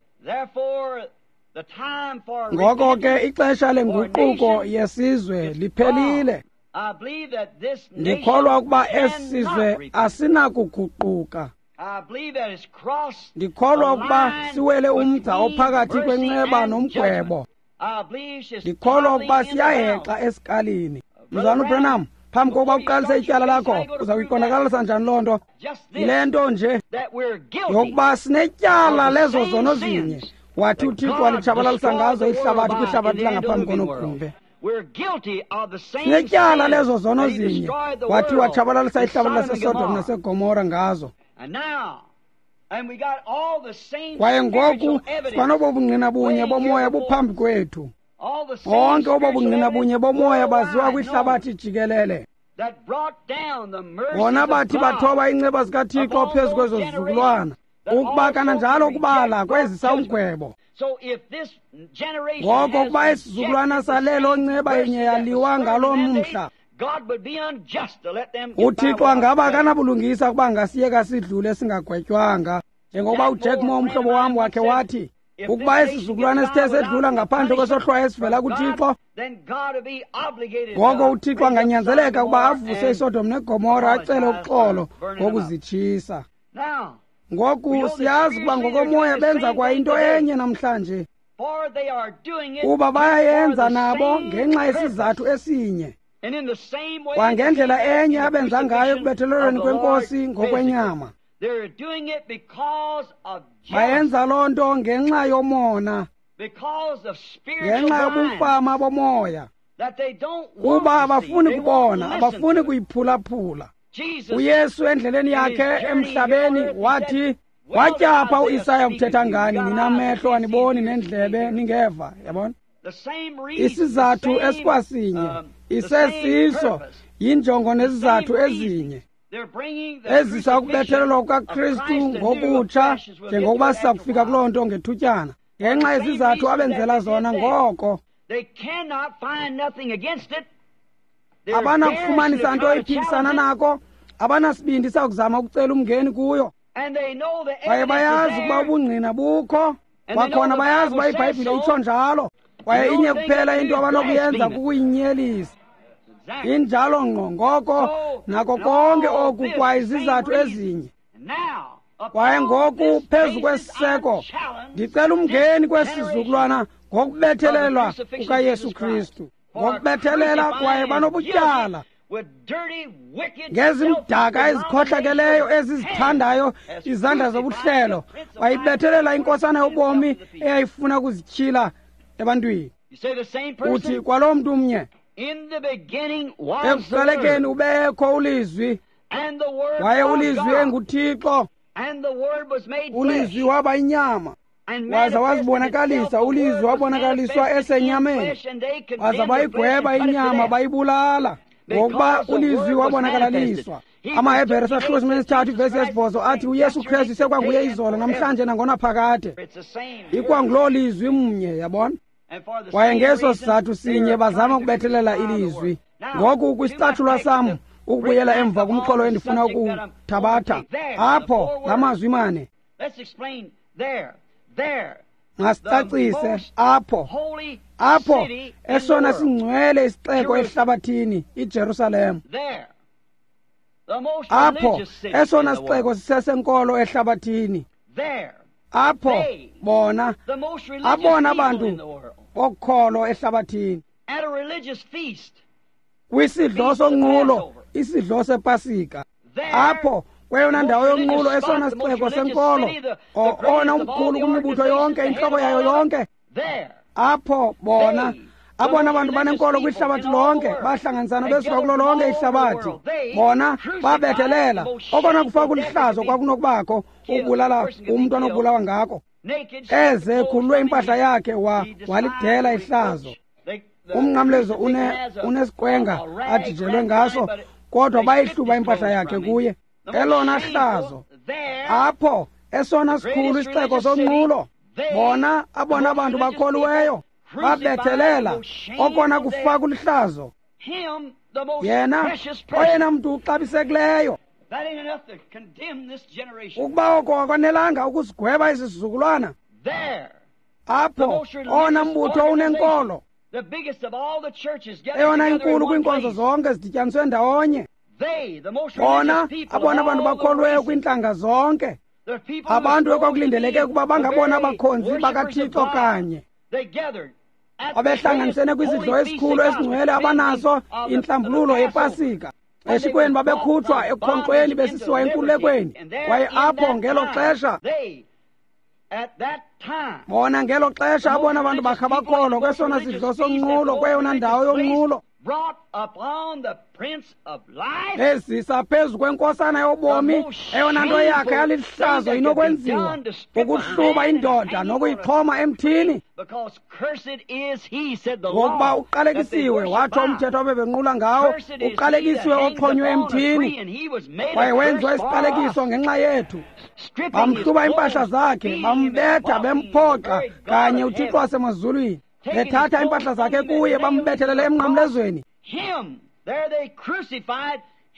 Ngoko ke ixesha lenguquko yesizwe liphelile. Ndikholwa ukuba esi sizwe asinakuguquka. Ndikholwa ukuba siwele umgca ophakathi kwenceba nomgwebo. Ndikholwa ukuba siyahexa esikalini. Mzalwana uBranham, phambi kokuba uqalise ityala lakho, uza kuyiqondakalisa njani loo nto? Yile nto nje yokuba sinetyala lezo zono zinye wathi uThixo walitshabalalisa ngazo ihlabathi kwihlabathi langaphambi konogumbe. Sinetyala lezo zono zinye wathi watshabalalisa ihlabathi laseSodom naseGomora ngazo. Kwaye ngoku sikwanobo bungqina bunye bomoya buphambi kwethu. Bonke obo bungqina bunye bomoya baziwa kwihlabathi jikelele. Bona bathi bathoba iinceba zikaThixo phezu kwezo zizukulwana, ukuba kananjalo ukubala kwezisa umgwebo. Ngoko ukuba isizukulwana salelo nceba inye yaliwa ngaloo mhla, uThixo angaba akanabulungisa ukuba ngasiyeka sidlule singagwetywanga. Njengokuba uJack Moore umhlobo wam wakhe wathi, ukuba isizukulwana esithe sedlula ngaphandle kwesohlwayo esivela kuThixo, ngoko uThixo anganyanzeleka ukuba avuse iSodom neGomora acele uxolo ngokuzitshisa. Ngoku siyazi ukuba ngokomoya benza kwa into enye namhlanje, kuba bayayenza nabo ngenxa yesizathu esinye, kwangendlela enye abenza ngayo ekubethelelweni kweNkosi ngokwenyama. Bayenza loo nto ngenxa yomona, ngenxa yobumfama bomoya, kuba abafuni kubona, abafuni kuyiphulaphula. UYesu endleleni yakhe emhlabeni wathi, watyapha uIsaya ukuthetha ngani, ninamehlo aniboni nendlebe ningeva. Yabona, isizathu esikwasinye isesiso, yinjongo nezizathu ezinye ezisa ukubethelelwa kukaKristu ngokutsha, njengokuba siza kufika kuloo nto ngethutyana, ngenxa yezizathu abenzela zona. Ngoko abanakufumanisa nto iphikisana nako, abanasibindi sakuzama ukucela umngeni kuyo. Kwaye bayazi ukuba ubungqina bukho, kwakhona bayazi uba iBhayibhile itsho njalo. Kwaye inye kuphela into abanokuyenza kukuyinyelisa. Injalo ngqo. Ngoko nako konke oku kwaye izizathu ezinye. Kwaye ngoku phezu kwesiseko ndicela umngeni kwesizukulwana ngokubethelelwa kukaYesu Kristu, ngokubethelela. Kwaye banobutyala ngezimdaka ezikhohlakeleyo ezizithandayo izandla zobuhlelo, bayibethelela inkosana yobomi eyayifuna ukuzityhila ebantwini. Uthi kwaloo mntu mnye, ekuqalekeni ubekho uLizwi, waye uLizwi enguThixo, uLizwi waba inyama waza wazibonakalisa. uLizwi wabonakaliswa esenyameni, waza bayigweba inyama bayibulala, ngokuba uLizwi wabonakalaliswa. AmaHebhere sahluko sesithathu ivesi yesibhozo athi uYesu Kristu sekwanguye izolo namhlanje nangonaphakade. Ikwanguloo Lizwi mnye, yabona. Kwaye ngeso sizathu sinye bazama ukubethelela iLizwi. Ngoku kwisicatshulwa sam, ukubuyela emva kumxholo endifuna ukuwuthabatha apho, la mazwi mane masicacise apho. Apho esona singcwele isixeko ehlabathini, iJerusalem. Apho esona sixeko sisesenkolo ehlabathini. Apho bona abona abantu bokholo ehlabathini kwisidlo sonqulo, isidlo sePasika. Apho kweyona ndawo yonqulo, esona sixeko senkolo, ona umkhulu kwimibutho yonke, intloko yayo yonke. Apho bona abona bantu banenkolo kwihlabathi lonke bahlanganisana besuka kulo lonke ihlabathi. Bona babethelela okona kufa kulihlazo kwakunokubakho ukubulala umntu anokubulawa ngako. Eze khululwe impahla yakhe wa walidela ihlazo. Umnqamlezo une unesiqwenga adijelwe ngaso, kodwa bayihluba impahla yakhe kuye. Elona hlazo. Apho esona sikhulu isixeko sonqulo, bona abona bantu bakholiweyo babethelela okona kufa kulihlazo. Yena oyena mntu uxabisekileyo. Ukuba oko akwanelanga ukusigweba isizukulwana, apho owona mbutho unenkolo, Eyona inkulu kwiinkonzo zonke zidityaniswe ndawonye. Bona abona bantu bakholweyo kwiintlanga zonke, abantu ekwakulindeleke ukuba bangabona abakhonzi bakaThixo kanye, babehlanganisene kwisidlo esikhulu esingcwele abanaso, intlambululo yePasika. Eshikweni babekhutshwa ekukhonkxweni besisiwa enkululekweni, kwaye apho ngelo xesha, bona ngelo xesha abona bantu bakha bakholwa kwesona sidlo sonqulo, kweyona ndawo yonqulo, ezisa phezu kwenkosana yobomi, eyona nto yakhe yalihlazo inokwenziwa, ukuhluba indoda nokuyixhoma emthini, ngokuba uqalekisiwe, watsho umthetho abebenqula ngawo, uqalekisiwe oxhonywe emthini, kwaye wenziwa isiqalekiso ngenxa yethu. Bamhluba iimpahla zakhe, bambetha, bemphoxa kanye uThixo wasemazulwini, bethatha iimpahla zakhe kuye, bambethelele emnqamlezweni.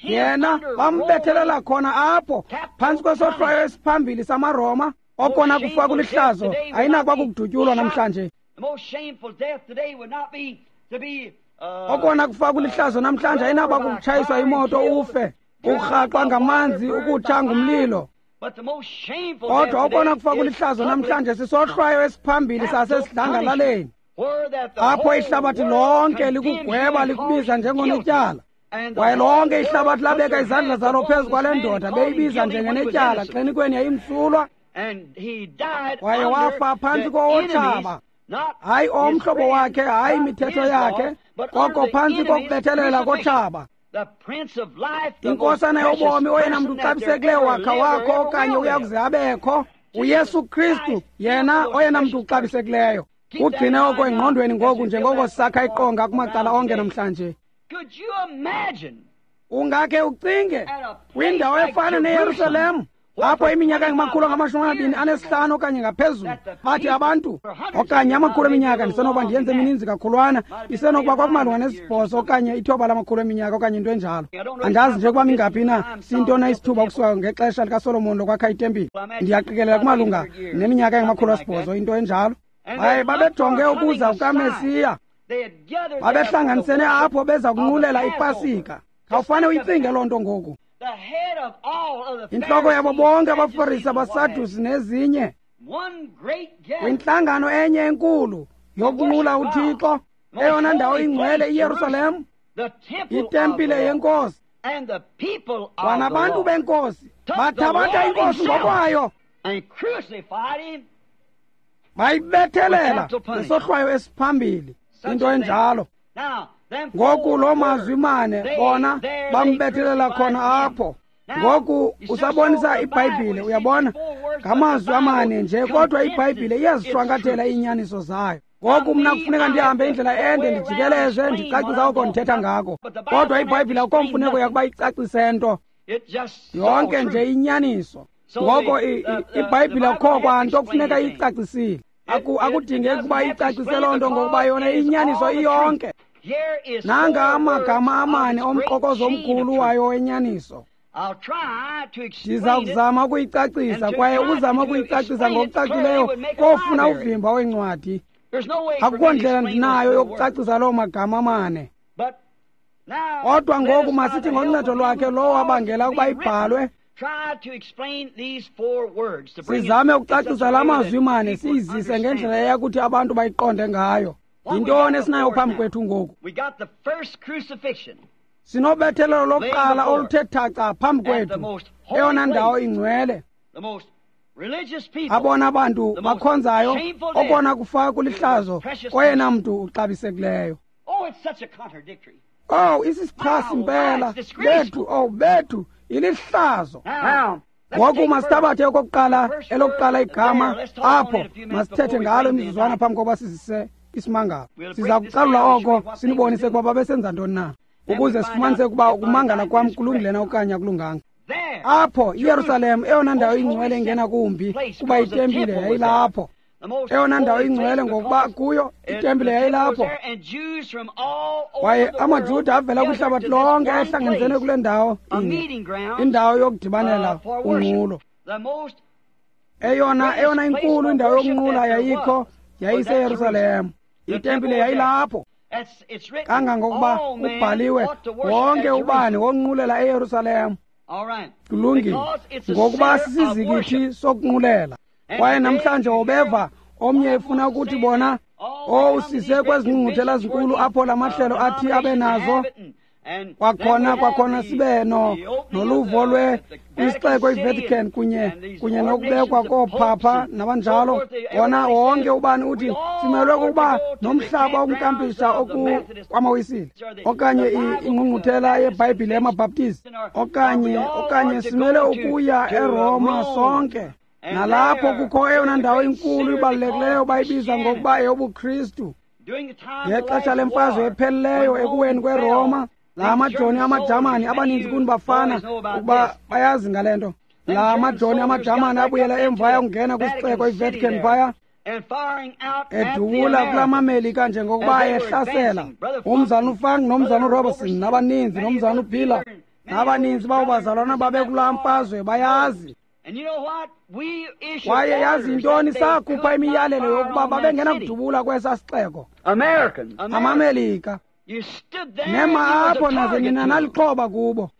Yena bambethelela khona apho phantsi kwesohlwayo esiphambili samaRoma. Okona kufa kulihlazo ayinakuba kukudutyulwa namhlanje. Okona kufa kulihlazo namhlanje ayinakuba kukutshayiswa imoto ufe, ukurhaxwa ngamanzi, ukutsha ngumlilo. Kodwa okona kufa kulihlazo namhlanje sisohlwayo esiphambili sasesidlangalaleni, apho ihlabathi lonke likugweba likubiza njengonetyala. Kwaye lonke ihlabathi labeka izandla zalo phezu kwale ndoda, beyibiza njengenetyala, xenikweni yayimsulwa. Kwaye wafa phantsi kowotshaba, hayi omhlobo wakhe, hayi imithetho yakhe, koko phantsi kokubethelela kotshaba. Inkosana yobomi, oyena mntu uxabisekileyo wakha wakho okanye uyakuze abekho, uYesu Kristu, yena oyena mntu uxabisekileyo. Kugcine oko engqondweni ngoku njengoko sisakha iqonga kumacala onke namhlanje. Ungakhe ucinge kwindawo efana neYerusalem, apho iminyaka engamakhulu angamashumi amabini anesihlanu okanye ngaphezulu, bathi abantu, okanye amakhulu eminyaka, ndisenokuba ndiyenze emininzi kakhulwana, isenokuba kwakumalunga nesibhozo okanye ithoba lamakhulu eminyaka okanye into enjalo. Andazi nje ukuba mingaphi na, sintona isithuba ukusuka ngexesha likaSolomon lokwakha itempile. Ndiyaqikelela kumalunga neminyaka engamakhulu asibhozo, into enjalo. Hayi, babejonge ukuza kukaMesiya, babehlanganisene apho beza kunqulela iPasika. Khawufane uyicinge loo nto ngoku. Intloko yabo bonke abaFarisi, abaSadusi nezinye, kwintlangano enye enkulu yokunqula uThixo, eyona ndawo ingcwele iYerusalem, itempile yenkosi. Kwanabantu benkosi bathabatha inkosi ngokwayo, bayibethelela ngesohlwayo esiphambili, into enjalo. Ngoku loo mazwi mane, bona bambethelela khona apho. Ngoku usabonisa iBhayibhile, uyabona, ngamazwi amane nje, kodwa iBhayibhile iyazishwankathela iinyaniso zayo. Ngoku mna kufuneka ndihambe indlela ende, ndijikeleze, ndicacisa oko ndithetha ngako, kodwa iBhayibhile akukho mfuneko yakuba icacise nto, yonke nje inyaniso. Ngoko iBhayibhile akukho kwanto kufuneka iyicacisile. Akudingeki ukuba icacise loo nto, ngokuba yona inyaniso iyonke. Nanga amagama amane omqokozo omkhulu wayo wenyaniso. Ndiza kuzama ukuyicacisa, kwaye ukuzama ukuyicacisa ngokucacileyo kofuna uvimba wencwadi. Akukho ndlela ndinayo yokucacisa loo magama amane. Kodwa ngoku masithi ngoncedo lwakhe lowo wabangela ukuba ibhalwe, sizame ukucacisa la mazwi mane, siyizise ngendlela eyakuthi abantu bayiqonde ngayo. Yintoni esinayo phambi kwethu ngoku? Sinobethelelo lokuqala oluthe thaca phambi kwethu, eyona ndawo ingcwele, abona bantu bakhonzayo, okona kufa kulihlazo koyena mntu uxabisekileyo. Oh, isisichasi impela bethu, oh bethu, ilihlazo. Ngoku masithabathe okokuqala, elokuqala igama apho, masithethe ngalo imizuzwana phambi kokuba sizise isimangalo. Siza kucalula oko, sinibonise ukuba babesenza ntoni na, ukuze sifumanise ukuba ukumangala kwam kulungile na okanye akulunganga. Apho iYerusalem, eyona ndawo ingcwele ingena kumbi, kuba itempile yayilapho. Eyona ndawo ingcwele ngokuba kuyo itempile yayilapho. Kwaye amaJuda avela kwihlabathi lonke ehlanganisene kule ndawo inye, indawo yokudibanela unqulo. Eyona eyona inkulu indawo yokunqula yayikho yayiseYerusalem. Itempile yayilapho. Kangangokuba ubhaliwe wonke ubani wonqulela eYerusalem. Kulungile, ngokuba sisizikithi sokunqulela. Kwaye namhlanje ubeva omnye efuna ukuthi bona oh sise kwezingqungquthela zinkulu apho lamahlelo athi abe nazo. Kwakhona kwakhona sibe no noluvo lwe isixeko iVatican kunye kunye nokubekwa koophapha nabanjalo. Wona wonke ubani uthi simelwe ukuba nomhlaba wokunkampisha oku kwamawisile okanye ingqungquthela yeBhayibhile yamaBaptist okanye okanye simele ukuya eRoma sonke. Nalapho kukho eyona ndawo inkulu ibalulekileyo bayibiza ngokuba eyobuKristu. Ngexesha lemfazwe epheleleyo ekuweni kweRoma, la majoni amaJamani abaninzi kuni bafana ukuba bayazi ngale nto. La majoni amaJamani abuyela emva ayongena kwisixeko iVatican phaya edubula kula maMelika njengokuba ehlasela. Umzana uFunk nomzana uRobertson nabaninzi nomzana uPiller nabaninzi babo bazalwana babekulaa mfazwe bayazi. Kwaye yazi intoni, sakhupha imiyalelo yokuba babengenakudubula kwesa sixeko. AmaMelika nema apho naze nina nalixhoba kubo.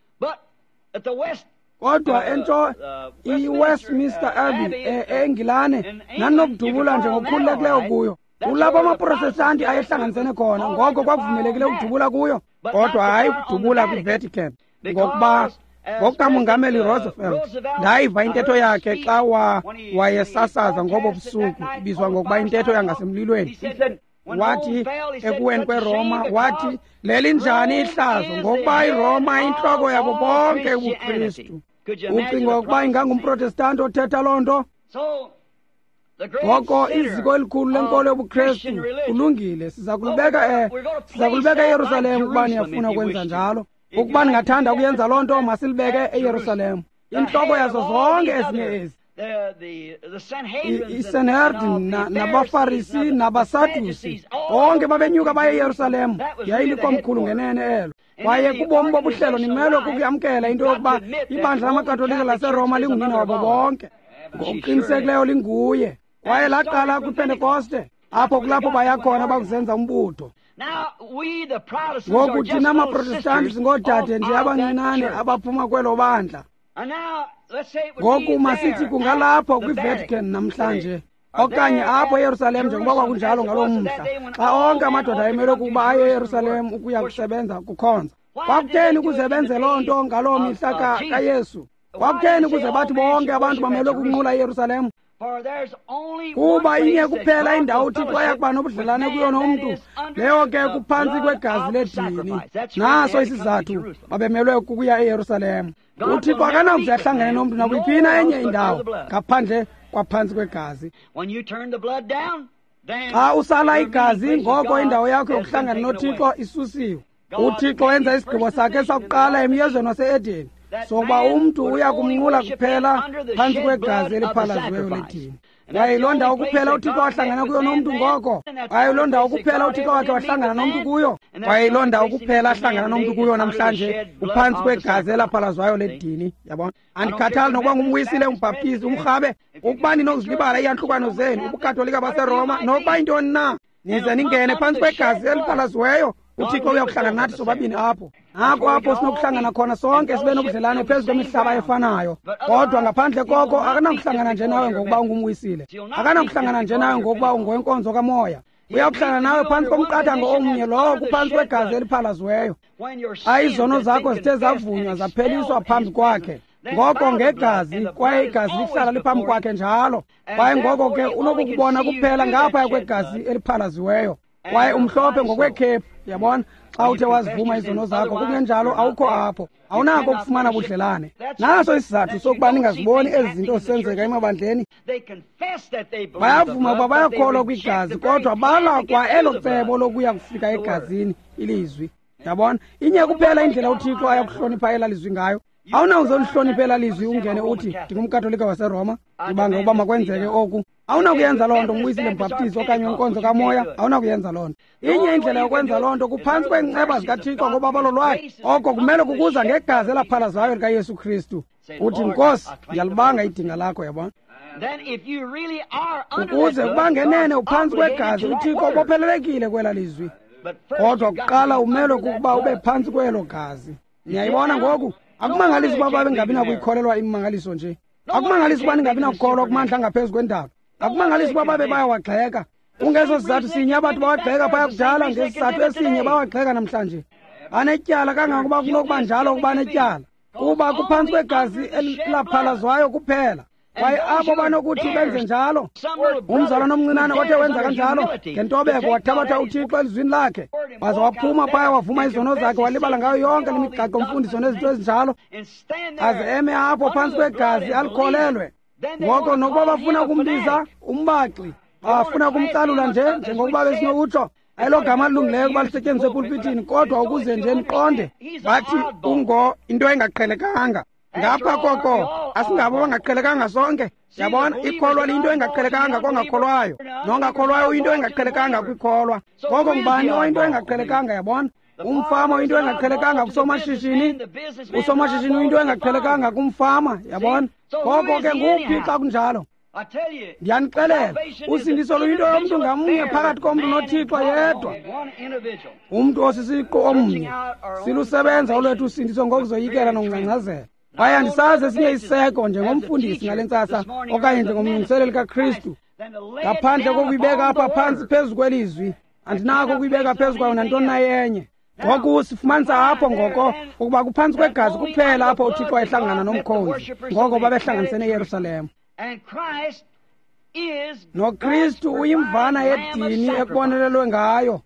Kodwa ento iWestminster Abbey eNgilane naninokudubula nje ngokukhululekileyo kuyo. Kulapho amaProtestanti ayehlanganisene khona, ngoko kwakuvumelekile ukudubula kuyo, kodwa hayi ukudubula kwiVatican. Ngokuba ngokukaMongameli Roosevelt ndayiva intetho yakhe xa wayesasaza ngobo busuku, ibizwa ngokuba intetho yangasemlilweni. Wathi ekuweni kweRoma, wathi lelinjani ihlazo ngokuba iRoma intloko yabo bonke ubuKristu. Ucinga ukuba ingangumProtestanti othetha loo nto? Ngoko iziko elikhulu lenkolo yobuKristu kulungile, siza kulibeka siza kulibeka eYerusalem ukuba niyafuna ukwenza njalo. Ukuba ningathanda ukuyenza loo nto, masilibeke eYerusalem, intloko yazo zonke ezinye ezi. ISanhedrin nabaFarisi nabaSadusi bonke babenyuka baye eYerusalem. Yayilikomkhulu ngenene elo. Kwaye kubomi bobuhlelo nimelwe kukuyamkela into yokuba ibandla lamaKatolika laseRoma lingunina wabo bonke. Ngokuqinisekileyo linguye. Kwaye laqala kwiPentekoste, apho kulapho baya khona bakuzenza umbutho. Ngoku thina maProtestanti singoodade nje abancinane abaphuma kwelo bandla. Ngoku masithi kungalapho kwiVatican namhlanje okanye apho eYerusalem njengoba kwakunjalo ngaloo mhla, xa onke amadoda emelwe kukuba aye eYerusalem ukuya kusebenza kukhonza. Kwakutheni ukuze benze loo nto ngaloo mihla kaYesu? Kwakutheni ukuze bathi bonke abantu bamelwe kunqula eYerusalem? Kuba inye kuphela indawo uThixo ayakuba nobudlelane kuyo nomntu, leyo ke kuphantsi kwegazi ledini. Naso isizathu babemelwe kukuya eYerusalem. uThixo akanakuze ahlangane nomntu nakwiphi na enye indawo ngaphandle kwaphantsi kwegazi. Xa usala igazi, ngoko indawo yakho yokuhlangana noThixo isusiwe. uThixo wenza isigqibo sakhe sakuqala emyezweni wase-Edeni sokuba umntu uya kumnqula kuphela phantsi kwegazi eliphalaziweyo ledini. Kwaye yiloo ndawo kuphela uThixo wahlangana kuyo nomntu ngoko. Kwaye yiloo ndawo kuphela uThixo wakhe wahlangana nomntu kuyo. Kwaye yiloo ndawo kuphela ahlangana nomntu kuyo namhlanje, uphantsi kwegazi elaphalazwayo ledini. Yabona? Andikhathali nokuba ngumwisile, umbhaptizi, umrhabe, ukuba ninokuzilibala iiyantlukwano zenu, ubuKatolika baseRoma, nokuba yintoni na, nize ningene phantsi kwegazi eliphalaziweyo. uThixo uyakuhlangana nathi sobabini apho. Nako apho sinokuhlangana khona sonke sibe nobudlelane phezu kwemihlaba efanayo. Kodwa ngaphandle koko akanakuhlangana nje nawe ngokuba ungumwisile. Akanakuhlangana nje nawe ngokuba ungowenkonzo kamoya. Uyakuhlangana nawe phantsi komqathango omnye, lowo kuphantsi kwegazi eliphalaziweyo. Xa izono zakho zithe zavunywa zapheliswa phambi kwakhe, ngoko ngegazi, kwaye igazi lihlala liphambi kwakhe njalo. Kwaye ngoko ke unokukubona kuphela ngaphaya kwegazi eliphalaziweyo. Kwaye umhlophe ngokwekhephu, yabona, xa uthe wazivuma izono zakho, kungenjalo awukho apho, awunako ukufumana budlelane. Naso isizathu sokuba ningaziboni ezi zinto zisenzeka emabandleni. Bayavuma ukuba bayakholwa kwigazi, kodwa bala kwa elo cebo lokuya kufika egazini, ilizwi. Yabona, inye kuphela indlela uThixo ayakuhlonipha elaa lizwi ngayo. Awunawuze ulihloniphe elaa lizwi ungene uthi ndingumKatolika waseRoma, ndibanga ukuba makwenzeke oku. Awunakuyenza loo nto umwisile, mbhaptizi okanye wenkonzo kamoya, awunakuyenza loo nto. Inye indlela yokwenza loo nto kuphantsi kweenceba zikaThixo ngobabalo lwakhe. Oko kumele kukuza ngegazi elaphalazwayo likaYesu Kristu. Uthi, Nkosi, ndiyalibanga idinga lakho, yabona. Ukuze kuba ngenene uphantsi kwegazi, uThixo ubophelelekile kwela lizwi. Kodwa kuqala umelwe kukuba ube phantsi kwelo gazi. Niyayibona ngoku? Akumangalisi uba babengabi nakuyikholelwa imimangaliso nje. Akumangalisi uba ningabi nakukholwa kumandla angaphezu kwendalo. Akumangalisi uba babe bayawagxeka. Kungeso sizathu sinye abantu bawagxeka phaya kudala, ngesizathu esinye bawagxeka namhlanje. Banetyala kangangokuba kunokuba njalo ukuba netyala, kuba kuphantsi kwegazi elaphalazwayo kuphela. Kwaye abo banokuthi benze njalo, umzalwana omncinane othe wenza kanjalo ngentobeko wathabatha uThixo elizwini lakhe, waze waphuma phaya wavuma izono zakhe, walibala ngayo yonke le migaqo mfundiso nezinto ezinjalo, aze eme apho phantsi kwegazi alikholelwe. Ngoko nokuba bafuna ukumbiza umbaxi, bafuna ukumcalula nje njengokuba besinokutsho, ayilo gama lilungileyo ukuba lisetyenziswe epulpitini, kodwa ukuze nje niqonde, bathi ungo into engaqhelekanga. Ngapha koko asingabo bangaqhelekanga sonke. Yabona, ikholwa liyinto engaqhelekanga kongakholwayo, nongakholwayo uyinto engaqhelekanga kwikholwa. Ngoko ngubani oyinto engaqhelekanga? Yabona, umfama uyinto engaqhelekanga kusomashishini, usomashishini uyinto engaqhelekanga kumfama. Yabona, ngoko ke nguphi xa kunjalo? Ndiyanixelela, usindiso luyinto yomntu ngamnye phakathi komntu noThixo yedwa. Umntu osisiqu omnye silusebenza olwethu usindiso ngokuzoyikela nokungcangcazela. Kwaye andisazi esinye isiseko njengomfundisi ngale ntsasa okanye njengomlungiseleli kaKristu, ngaphandle kokuyibeka apha phantsi phezu kwelizwi. Andinako ukuyibeka phezu kwayo nantoni na yenye. Ngoku sifumanisa apho ngoko ukuba kuphantsi kwegazi kuphela apho uThixo wayehlangana nomkhonzi, ngoko babehlanganisene eYerusalem. NoKristu uyimvana yedini ekubonelelwe ngayo.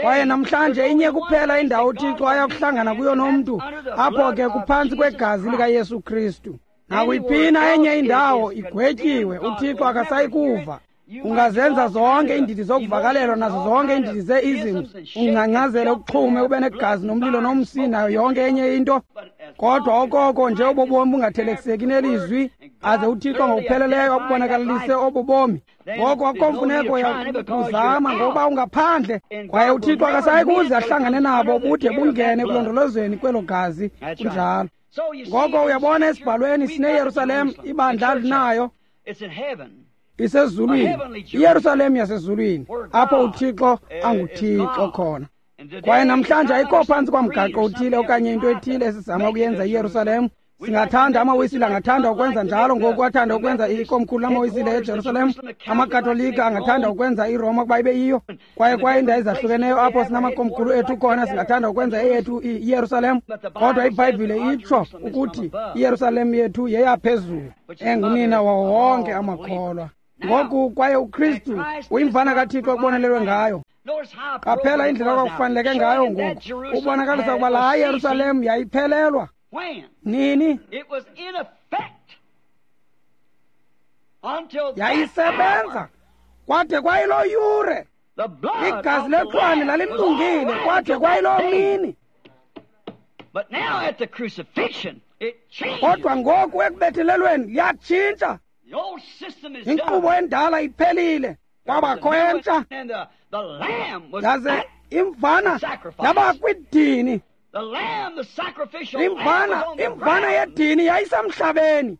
Kwaye namhlanje inye kuphela indawo uThixo ayakuhlangana kuyo nomntu, apho ke kuphantsi kwegazi likaYesu Kristu. Nakuyiphina enye indawo igwetyiwe, uThixo akasayi kuva. Ungazenza zonke iindidi zokuvakalelwa nazo zonke iindidi zee-isms, ungcangcazele, uxhume, ube negazi nomlilo nomsi nayo yonke enye into, kodwa okoko nje obo bomi bungathelekiseki nelizwi, aze uThixo ngokupheleleyo abubonakalise obo bomi. Ngoko akukho mfuneko yakuzama, ngokuba ungaphandle, kwaye uThixo akasayi kuze ahlangane nabo bude bungene ekulondolozweni kwelo gazi. Kunjalo. Ngoko uyabona esibhalweni sineYerusalem, ibandla linayo isezulwini, iYerusalem yasezulwini, apho uThixo anguThixo khona. Kwaye namhlanje ayikho phantsi kwamgaqo uthile okanye into ethile esizama ukuyenza iYerusalem. Singathanda, amaWisile angathanda ukwenza njalo ngoku, athanda ukwenza ikomkhulu lamaWisile eJerusalem. AmaKatolika angathanda ukwenza iRoma ukuba ibe yiyo. Kwaye kwaye iindawo ezahlukeneyo apho sinamakomkhulu ethu khona, singathanda ukwenza eyethu iYerusalem. Kodwa iBhayibhile itsho ukuthi iYerusalem yethu yeyaphezulu, engunina wawo wonke amakholwa. Ngoku kwaye uKristu uyimvana kaThixo ekubonelelwe ngayo. Qaphela indlela okwakufaneleke ngayo ngoku, ubonakalisa ukuba laa Yerusalem yayiphelelwa. Nini? Yayisebenza kwade kwayiloo yure. Igazi lexhwane lalilungile kwade kwayiloo mini. Kodwa ngoku ekubethelelweni liyatshintsha. Inkqubo endala iphelile, kwabakho entsha. Yaze imvana yaba kwidini. Imvana, imvana yedini yayisemhlabeni.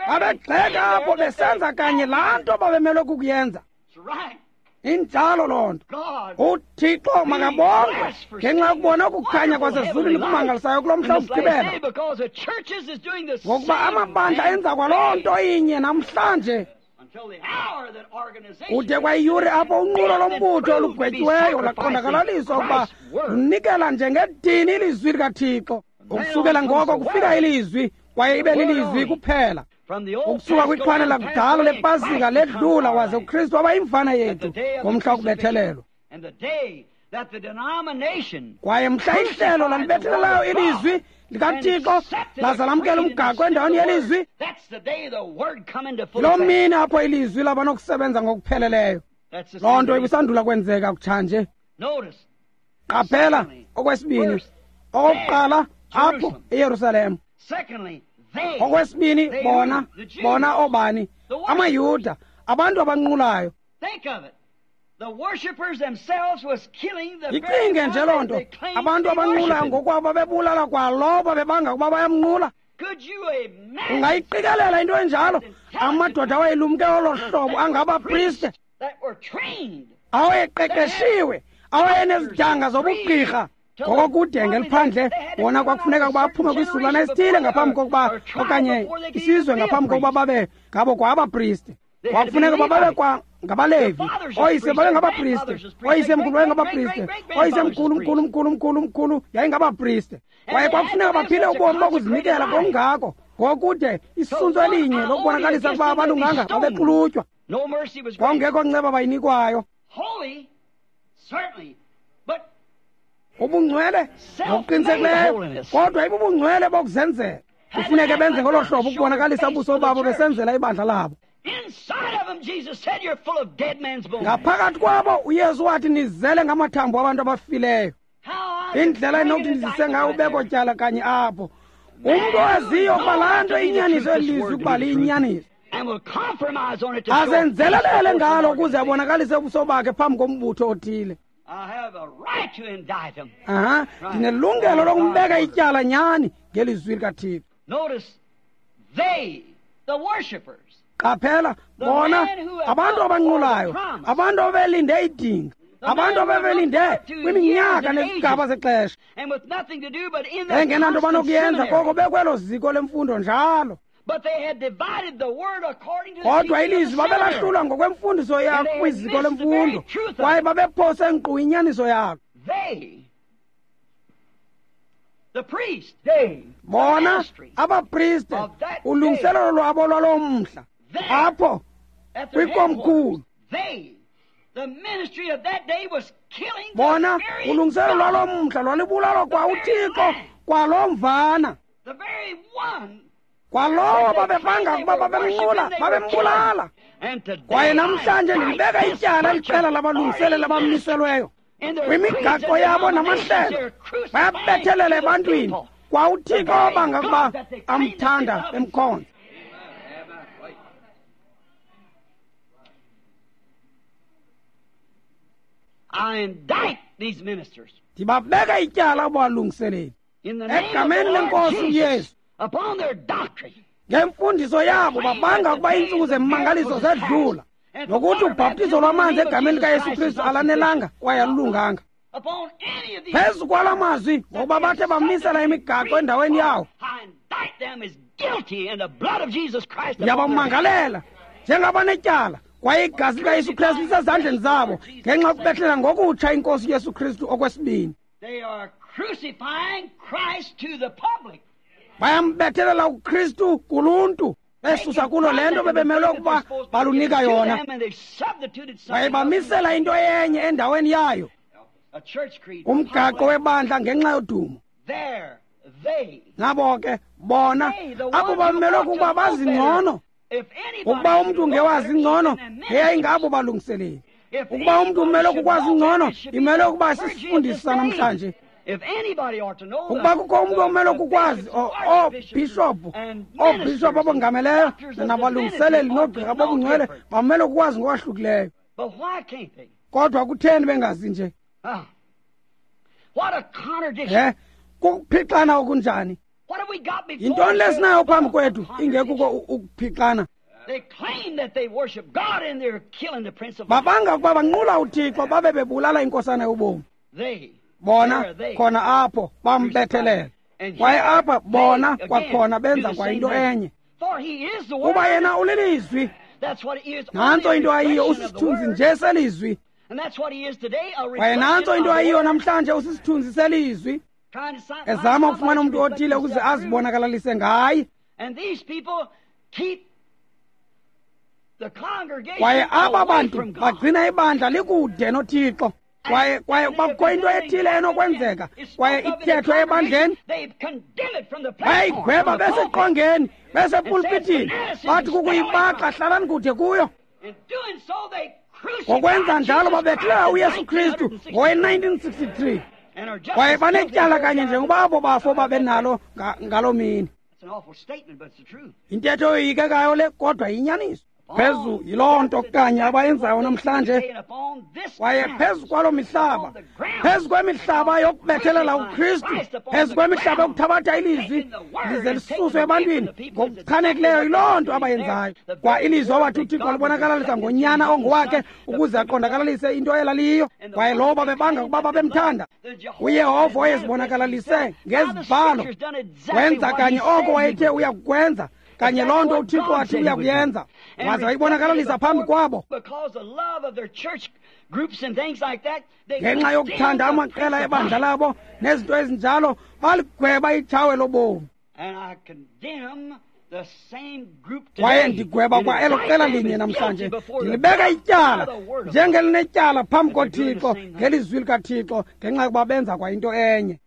Babegxeka apho besenza kanye laa nto babemelwe kukuyenza. Injalo loo nto. UThixo makabongwe ngenxa yokubona ukukhanya kwasezulwini kumangalisayo kulo mhla wokugqibela, ngokuba amabandla enza kwaloo nto inye namhlanje. Kude kwayiyure apho unqulo lombutho olugwetyiweyo laqondakalaliswa ukuba lunikela njengedini ilizwi likaThixo. Ukusukela ngoko kufika ilizwi, kwaye ibe lilizwi kuphela. Ukusuka kwixhwane lakudala lepasika ledlula, waze uKristu waba yimvana yethu ngomhla wokubethelelwa. Kwaye mhla ihlelo lalibethelelayo ilizwi likaThixo laza lamkela umgaqo endaweni yelizwi, loo mini apho ilizwi laba nokusebenza ngokupheleleyo. Loo nto ibisandula kwenzeka kutshanje. Qaphela okwesibini, okokuqala apho eYerusalem. Okwesibini, bona bona obani? AmaYuda, abantu abanqulayo. Icinge nje loo nto, abantu abanqulayo ngokwabo babebulala kwalowo babebanga ukuba bayamnqula. Ungayiqikelela into enjalo? Amadoda awayelumke olo hlobo angabapriste Awayeqeqeshiwe, awayenezidanga zobugqirha. Ngokokude ngeliphandle bona kwakufuneka ukuba aphume kwisizukulwana esithile ngaphambi kokuba okanye isizwe ngaphambi kokuba babe ngabo kwa abapriste. Kwakufuneka ukuba babe kwa ngabalevi. Oyise babe ngabapriste, oyisemkhulu wayengabapriste, oyisemkhulu mkhulu mkhulu mkhulu mkhulu yayingabapriste. Kwaye kwakufuneka baphile ubomi bokuzinikela ngokungako, ngokude isuntsu elinye lokubonakalisa ukuba abalunganga babexulutywa. Kwakungekho nceba bayinikwayo. Ubungcwele ngokuqinisekileyo, kodwa ibubungcwele bokuzenzela. Kufuneke benze ngolo hlobo ukubonakalisa ubuso babo besenzela ibandla labo. Ngaphakathi kwabo uYesu wathi nizele ngamathambo abantu abafileyo. Indlela enokuthi ndizise ngayo ubeko tyala kanye apho. Umntu owaziyo ukuba laa nto inyaniso elizwi ukuba liyinyaniso, azenzelelele ngalo ukuze abonakalise ubuso bakhe phambi kombutho othile. Aha, ndinelungelo lokumbeka ityala nyani ngelizwi likaThixo. Qaphela, bona abantu abanqulayo, abantu ababelinde idinga, abantu ababelinde kwiminyaka nezigaba zexesha, engenanto banokuyenza koko bekwelo ziko lemfundo njalo. Kodwa ilizwi babelahlulwa ngokwemfundiso yabo kwiziko lemfundo, kwaye babephose nkqu inyaniso yalo. Bona abapriste, ulungiselelo lwabo lwaloo mhla apho kwikomkhulu. Bona ulungiselelo lwaloo mhla lwalibulalwa kwa uThixo kwaloo mvana, kwalowo babebanga ukuba babemnqula, babembulala. Kwaye namhlanje ndilibeka ityala iqela labalungiseleli abamiselweyo kwimigaqo yabo namahlelo, bayabethelela ebantwini kwa uThixo obanga ukuba amthanda emkhonza. Ndibabeka ityala abalungiseleli egameni lenkosi uYesu. Ngemfundiso yabo babanga ukuba iintsuku zemmangaliso zedlula, nokuthi ubhaptizo lwamanzi egameni likaYesu Kristu alanelanga kwaye alulunganga. Phezu kwala mazwi, ngokuba bathe bamisela imigaqo endaweni yawo, ndiyabamangalela njengabanetyala, kwaye igazi likaYesu Kristu lisezandleni zabo ngenxa yokubethlela ngokutsha inkosi uYesu Kristu okwesibini. Bayambethelela uKristu kuluntu, besusa kulo le nto bebemelwe ukuba balunika yona, kwaye bamisela into enye endaweni yayo, umgaqo webandla ngenxa yodumo. Nabo ke bona abo bamelwe ukuba bazi ngcono. Ukuba umntu ngewazi ngcono, ngeyayingabo balungiseleli. Ukuba umntu umelwe kukwazi ngcono, imelwe ukuba sisifundisa namhlanje. Ukuba kukho umntu omelwe kukwazi, oobhishophu, oobhishophu abongameleyo nabalungiseleli noogqirha bobungcwele bamelwe kukwazi ngokwahlukileyo. Kodwa kutheni bengazi nje? Eh, kukuphixana okunjani? Yintoni lesinayo phambi kwethu ingekuko ukuphixana? Babanga ukuba banqula uThixo babe bebulala inkosana yobomi. Bona khona apho bambethelela, kwaye apha bona kwakhona benza kwayinto enye. Kuba yena ulilizwi, nantso into ayiyo, usisithunzi nje selizwi. Kwaye nantso into ayiyo namhlanje, usisithunzi selizwi, ezama ukufumana umntu othile ukuze azibonakalalise ngaye. Kwaye aba bantu bagcina ibandla likude noThixo. Kwaye kwaye bakho into ethile enokwenzeka, kwaye ithethwe ebandleni, bayigweba beseqongeni, besepulpitini, bathi kukuyibaxa, hlalani kude kuyo. Ngokwenza njalo babethela uYesu Kristu ngowe nineteen sixty-three. Kwaye banetyala kanye njengoba abo bafo babenalo ngaloo mini. Intetho yoyikekayo le, kodwa yinyaniso. Phezu yiloo nto kanye abayenzayo namhlanje. Kwaye phezu kwaloo mihlaba, phezu kwemihlaba yokubethelela uKristu, phezu kwemihlaba yokuthabatha ilizwi lize lisuswe ebantwini ngokuchanekileyo, yiloo nto abayenzayo. Kwa ilizwi awathi uThixo alibonakalalisa ngonyana ongowakhe ukuze aqondakalalise into elaliyo. Kwaye lowo babebanga ukuba babemthanda, uYehova wayezibonakalalise ngezibhalo, wenza kanye oko wayethe uya kukwenza, kanye loo nto uThixo wathi uya kuyenza, waze wayibonakalalisa phambi kwabo. Ngenxa yokuthanda amaqela ebandla labo nezinto ezinjalo, baligweba itshawe lobomi. Kwaye ndigweba kwa elo qela linye namhlanje, ndilibeka ityala njengelinetyala phambi koThixo ngelizwi likaThixo, ngenxa yokuba benza kwa into enye.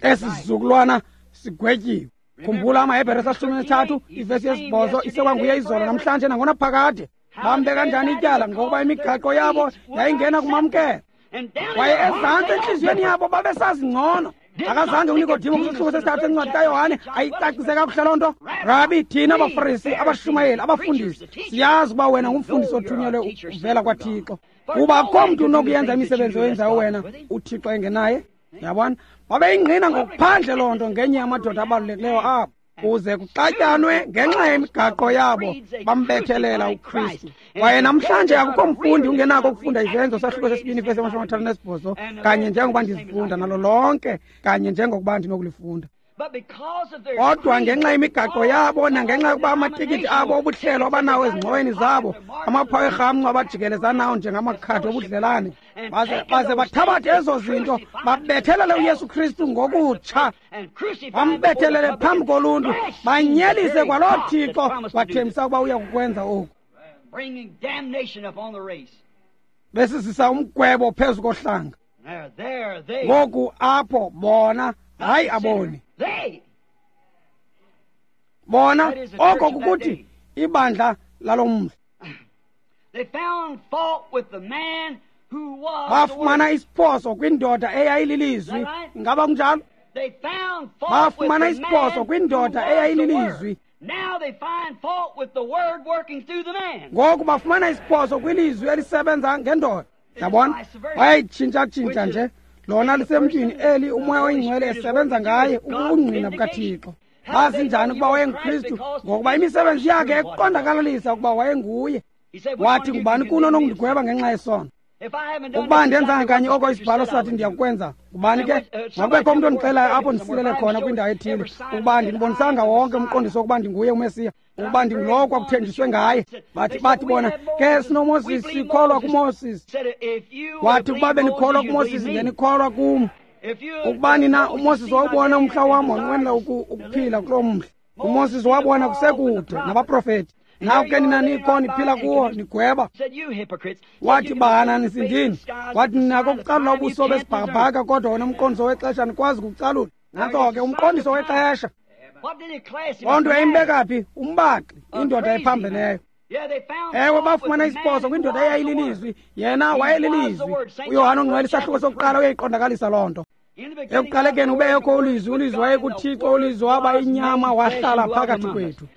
Esi sizukulwana sigwetyiwe. Khumbula amaHebhere sashumi nesithathu ivesi yesibhozo, isekwanguye izolo namhlanje nangona phakade. Bambeka njani ityala? Ngokuba imigaqo yabo yayingena kumamkela, kwaye ezantsi entliziyweni yabo babesazi ngcono. Akazange uNikodimo kwisahluko sesithathu sencwadi kaYohane ayicacise kakuhle loo nto. Rabi, thina abaFarisi, abashumayeli, abafundisi, siyazi uba wena ngumfundisi othunyelwe uvela kwaThixo, kuba akukho mntu unokuyenza imisebenzi oyenzayo wena uThixo engenaye. Yabona, babeyingqina ngokuphandle loo nto ngenye yamadoda abalulekileyo apho, kuze kuxatyanwe ngenxa yemigaqo yabo bambethelela uKristu. Kwaye namhlanje akukho mfundi ungenako ukufunda izenzo sahluko sesibini ivesi yamashumi amathathu nesibhozo kanye njengokuba ndizifunda nalo lonke kanye njengokuba ndinokulifunda. Kodwa ngenxa yemigaqo yabo nangenxa yokuba amatikiti abo obuhlelo abanawo ezingxoweni zabo, amaphawu erhamncwa abajikeleza nawo njengamakhadi obudlelane, baze baze bathabathe ezo zinto babethelele uYesu Kristu ngokutsha, bambethelele phambi koluntu, banyelise kwaloo Thixo wathembisa ukuba uya kukwenza oku, besizisa umgwebo phezu kohlanga. Ngoku apho bona, hayi aboni bona, oko kukuthi ibandla lalo mhla. Bafumana isiphoso kwindoda eyayililizwi. Ingaba kunjalo? Bafumana isiphoso kwindoda eyayililizwi. Ngoku bafumana isiphoso kwilizwi elisebenza ngendoda. Yabona, bayayitshintsha-tshintsha nje. Lona lisemntwini eli uMoya oyiNgcwele esebenza ngaye ubungqina bukaThixo. Bazi njani ukuba wayenguKristu? Ngokuba imisebenzi yakhe ekuqondakalalisa ukuba wayenguye. Wathi, ngubani kuno onokundigweba ngenxa yesono? Ukuba ndenzanga kanye oko isibhalo sathi ndiyakwenza, ngubani ke? Makubekho umntu ondixelayo apho ndisilele khona kwindawo ethile, ukuba ndinibonisanga wonke umqondiso wokuba ndinguye uMesiya, ukuba ndingulowo kwakuthenjiswe ngaye. Bathi bathi bona ke sinoMoses, sikholwa kuMoses. Wathi, ukuba benikholwa kuMoses, ngenikholwa kum. Ukuba nina uMoses wawubona umhla wam, wanqwenela ukuphila kuloo mhla. UMoses wabona kusekude nabaprofeti. Naku ke nina nikho niphila kuwo nigweba. Wathi, bahananisindini. Wathi, ninako ukucalula ubuso besibhakabhaka, kodwa wona umqondiso wexesha nikwazi ukucalula. Nantso ke umqondiso wexesha. Loo nto yayimbeka phi? Umbaxi, indoda ephambeneyo. Ewe, bafumana isiphoso kwindoda eyayililizwi. Yena wayelilizwi. UYohane oNgcwele isahluko sokuqala uyayiqondakalisa loo nto. Ekuqalekeni ubekho ulizwi, ulizwi wayekuThixo, ulizwi waba inyama wahlala phakathi kwethu.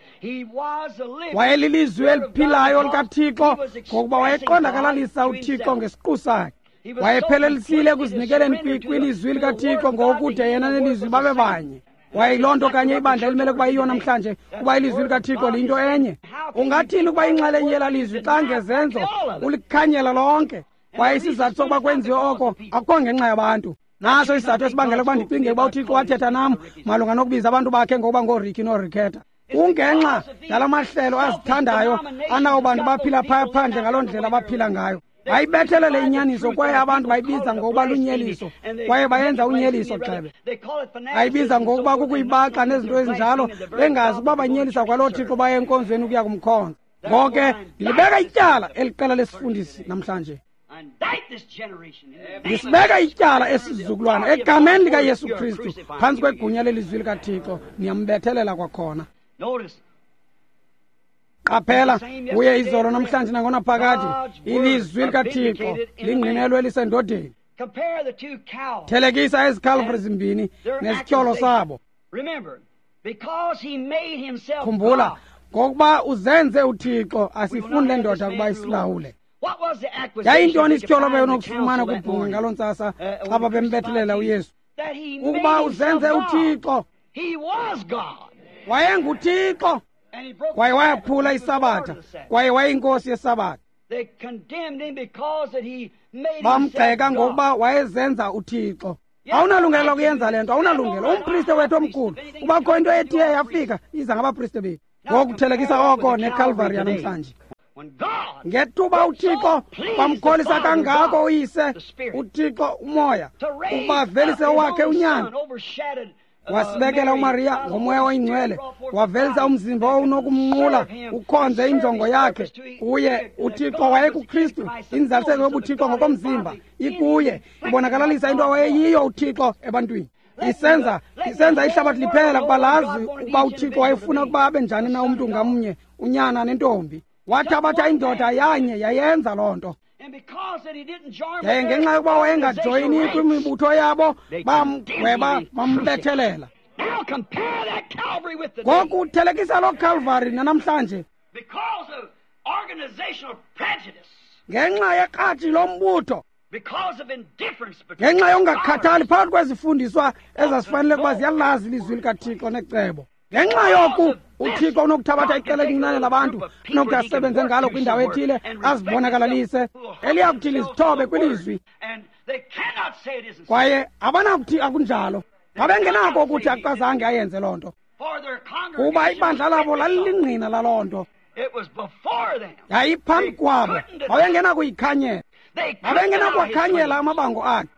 Wayelilizwi eliphilayo likaThixo, ngokuba wayeqondakalalisa uThixo ngesiqu sakhe. Wayephelelisile ekuzinikeleni kwilizwi likaThixo ngokude yena nelizwi babe banye. Kwaye yiloo nto kanye ibandla elimele ukuba yiyo namhlanje, kuba ilizwi likaThixo liyinto enye. Ungathini ukuba inxalenye yelaa lizwi xa ngezenzo ulikhanyela lonke? Kwaye isizathu sokuba kwenziwe oko akukho ngenxa yabantu. Naso isizathu esibangela ukuba ndicinge ukuba uThixo wathetha nam malunga nokubiza abantu bakhe ngokuba ngooRicky nooRicketta. Kungenxa yala mahlelo azithandayo anawo bantu baphila phaya phandle ngaloo ndlela baphila ngayo. Bayibethelele inyaniso kwaye abantu bayibiza ngokuba lunyeliso, kwaye bayenza unyeliso gxebe. Bayibiza ngokuba kukuyibaxa nezinto ezinjalo, bengazi ukuba banyelisa kwaloo Thixo baye enkonzweni ukuya kumkhonza. Ngoko ke ndilibeka ityala eli qela lesifundisi namhlanje. Ndisibeka ityala esizukulwana egameni likaYesu Kristu phantsi kwegunya lelizwi likaThixo, niyambethelela kwakhona. Qaphela, uye izolo namhlanje nangonaphakade, ilizwi likaThixo lingqinelwe elisendodeni. Thelekisa ezi Calvary zimbini nesityholo sabo. Khumbula, Ngokuba uzenze uThixo, asifuni le ndoda ukuba isilawule. Yayintoni isityholo ababenokufumana kubhunga ngaloo ntsasa xa babembethelela uYesu? Ukuba uzenze uThixo. WayenguThixo. Kwaye wayaphula isabatha, kwaye wayeyinkosi yesabatha. Bamgxeka ngokuba wayezenza uThixo. Awunalungelo lokuyenza le nto, awunalungelo. Umpriste wethu omkhulu, ubakho into ethiye yafika, iza ngabapriste bethu. Ngokuthelekisa oko neKalvari yanamhlanje. Ngethuba uThixo bamkholisa kangako uyise, uThixo umoya, ukuba avelise owakhe unyana, wasibekela uMaria ngomoya oyingcwele, wavelisa umzimba owunokumnqula ukhonze injongo yakhe. Kuye uThixo wayekuKristu, inzaliseko yobuThixo ngokomzimba ikuye, ibonakalalisa into awayeyiyo uThixo ebantwini. Isenza isenza ihlabathi liphela kuba lazi ukuba uThixo wayefuna ukuba abe njani na umntu ngamnye, unyana nentombi. Wathabatha indoda yanye yayenza loo nto. Yaye ngenxa yokuba wayengajoyini kwimibutho yabo, bamgweba bambethelela. Ngoku thelekisa loo Calvary nanamhlanje. Ngenxa yekratshi lombutho, ngenxa yokungakhathali phakathi kwezifundiswa ezazifanele ukuba ziyalazi ilizwi likaThixo necebo. Ngenxa yoku uThixo unokuthabatha iqela elincinane labantu anokuthi asebenze ngalo kwindawo ethile, azibonakalise, eliyakuthi lizithobe kwilizwi. Kwaye abanakuthi akunjalo. Babengenako ukuthi akazange ayenze loo nto, kuba ibandla labo lalilingqina laloo nto. Yayiphambi kwabo, babengenakuyikhanyela, babengenakuwakhanyela amabango akhe.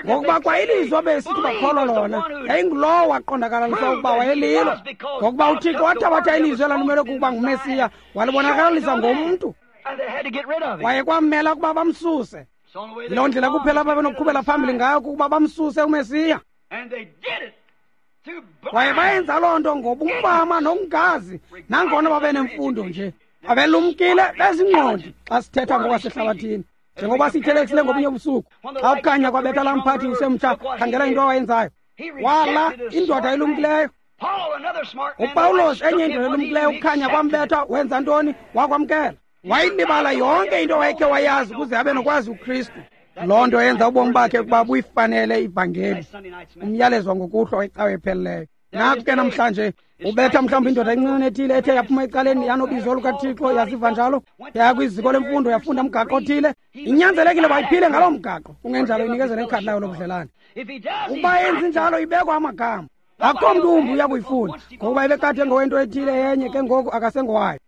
Ngokuba kwa ilizwi abesithi bakholwa lona, yayingulowo waqondakalalisa ukuba wayelilo. Ngokuba uThixo wathabatha ilizwi elalimele kukuba nguMesiya, walibonakalisa ngomntu. Kwaye kwamela ukuba bamsuse. Yiloo ndlela kuphela ababenokuqhubela phambili ngayo, kukuba bamsuse uMesiya. Kwaye bayenza loo nto ngobumfama nokungazi, nangona babenemfundo nje. Babelumkile bezingqondi xa sithetha ngokwasehlabathini. Njengoba sithelekisile ngobunye ubusuku, xa ukukhanya kwabetha laa mphathi usemtsha, khangela into awayenzayo. Wala indoda elumkileyo. UPawulos, enye indoda elumkileyo, ukukhanya kwambetha, wenza ntoni? Wakwamkela. Wayilibala yonke into wayekhe wayazi ukuze abe nokwazi uKristu. Loo nto yenza ubomi bakhe ukuba buyifanele ivangeli, umyalezo ngokuhlwa wecawe epheleleyo. Naku ke namhlanje ubetha mhlawumbi indoda encinane ethile ethe yaphuma ecaleni yanobizo lukaThixo, yaziva njalo, yaya kwiziko lemfundo, yafunda umgaqo othile. Inyanzelekile bayiphile ngaloo mgaqo, kungenjalo inikezele ikhadi layo lobudlelane. Ukuba yenzi njalo ibekwa amagama. Akukho mntu wumbi uya kuyifuna, ngokuba ebekade ngowento ethile yenye, ke ngoku akasengowayo.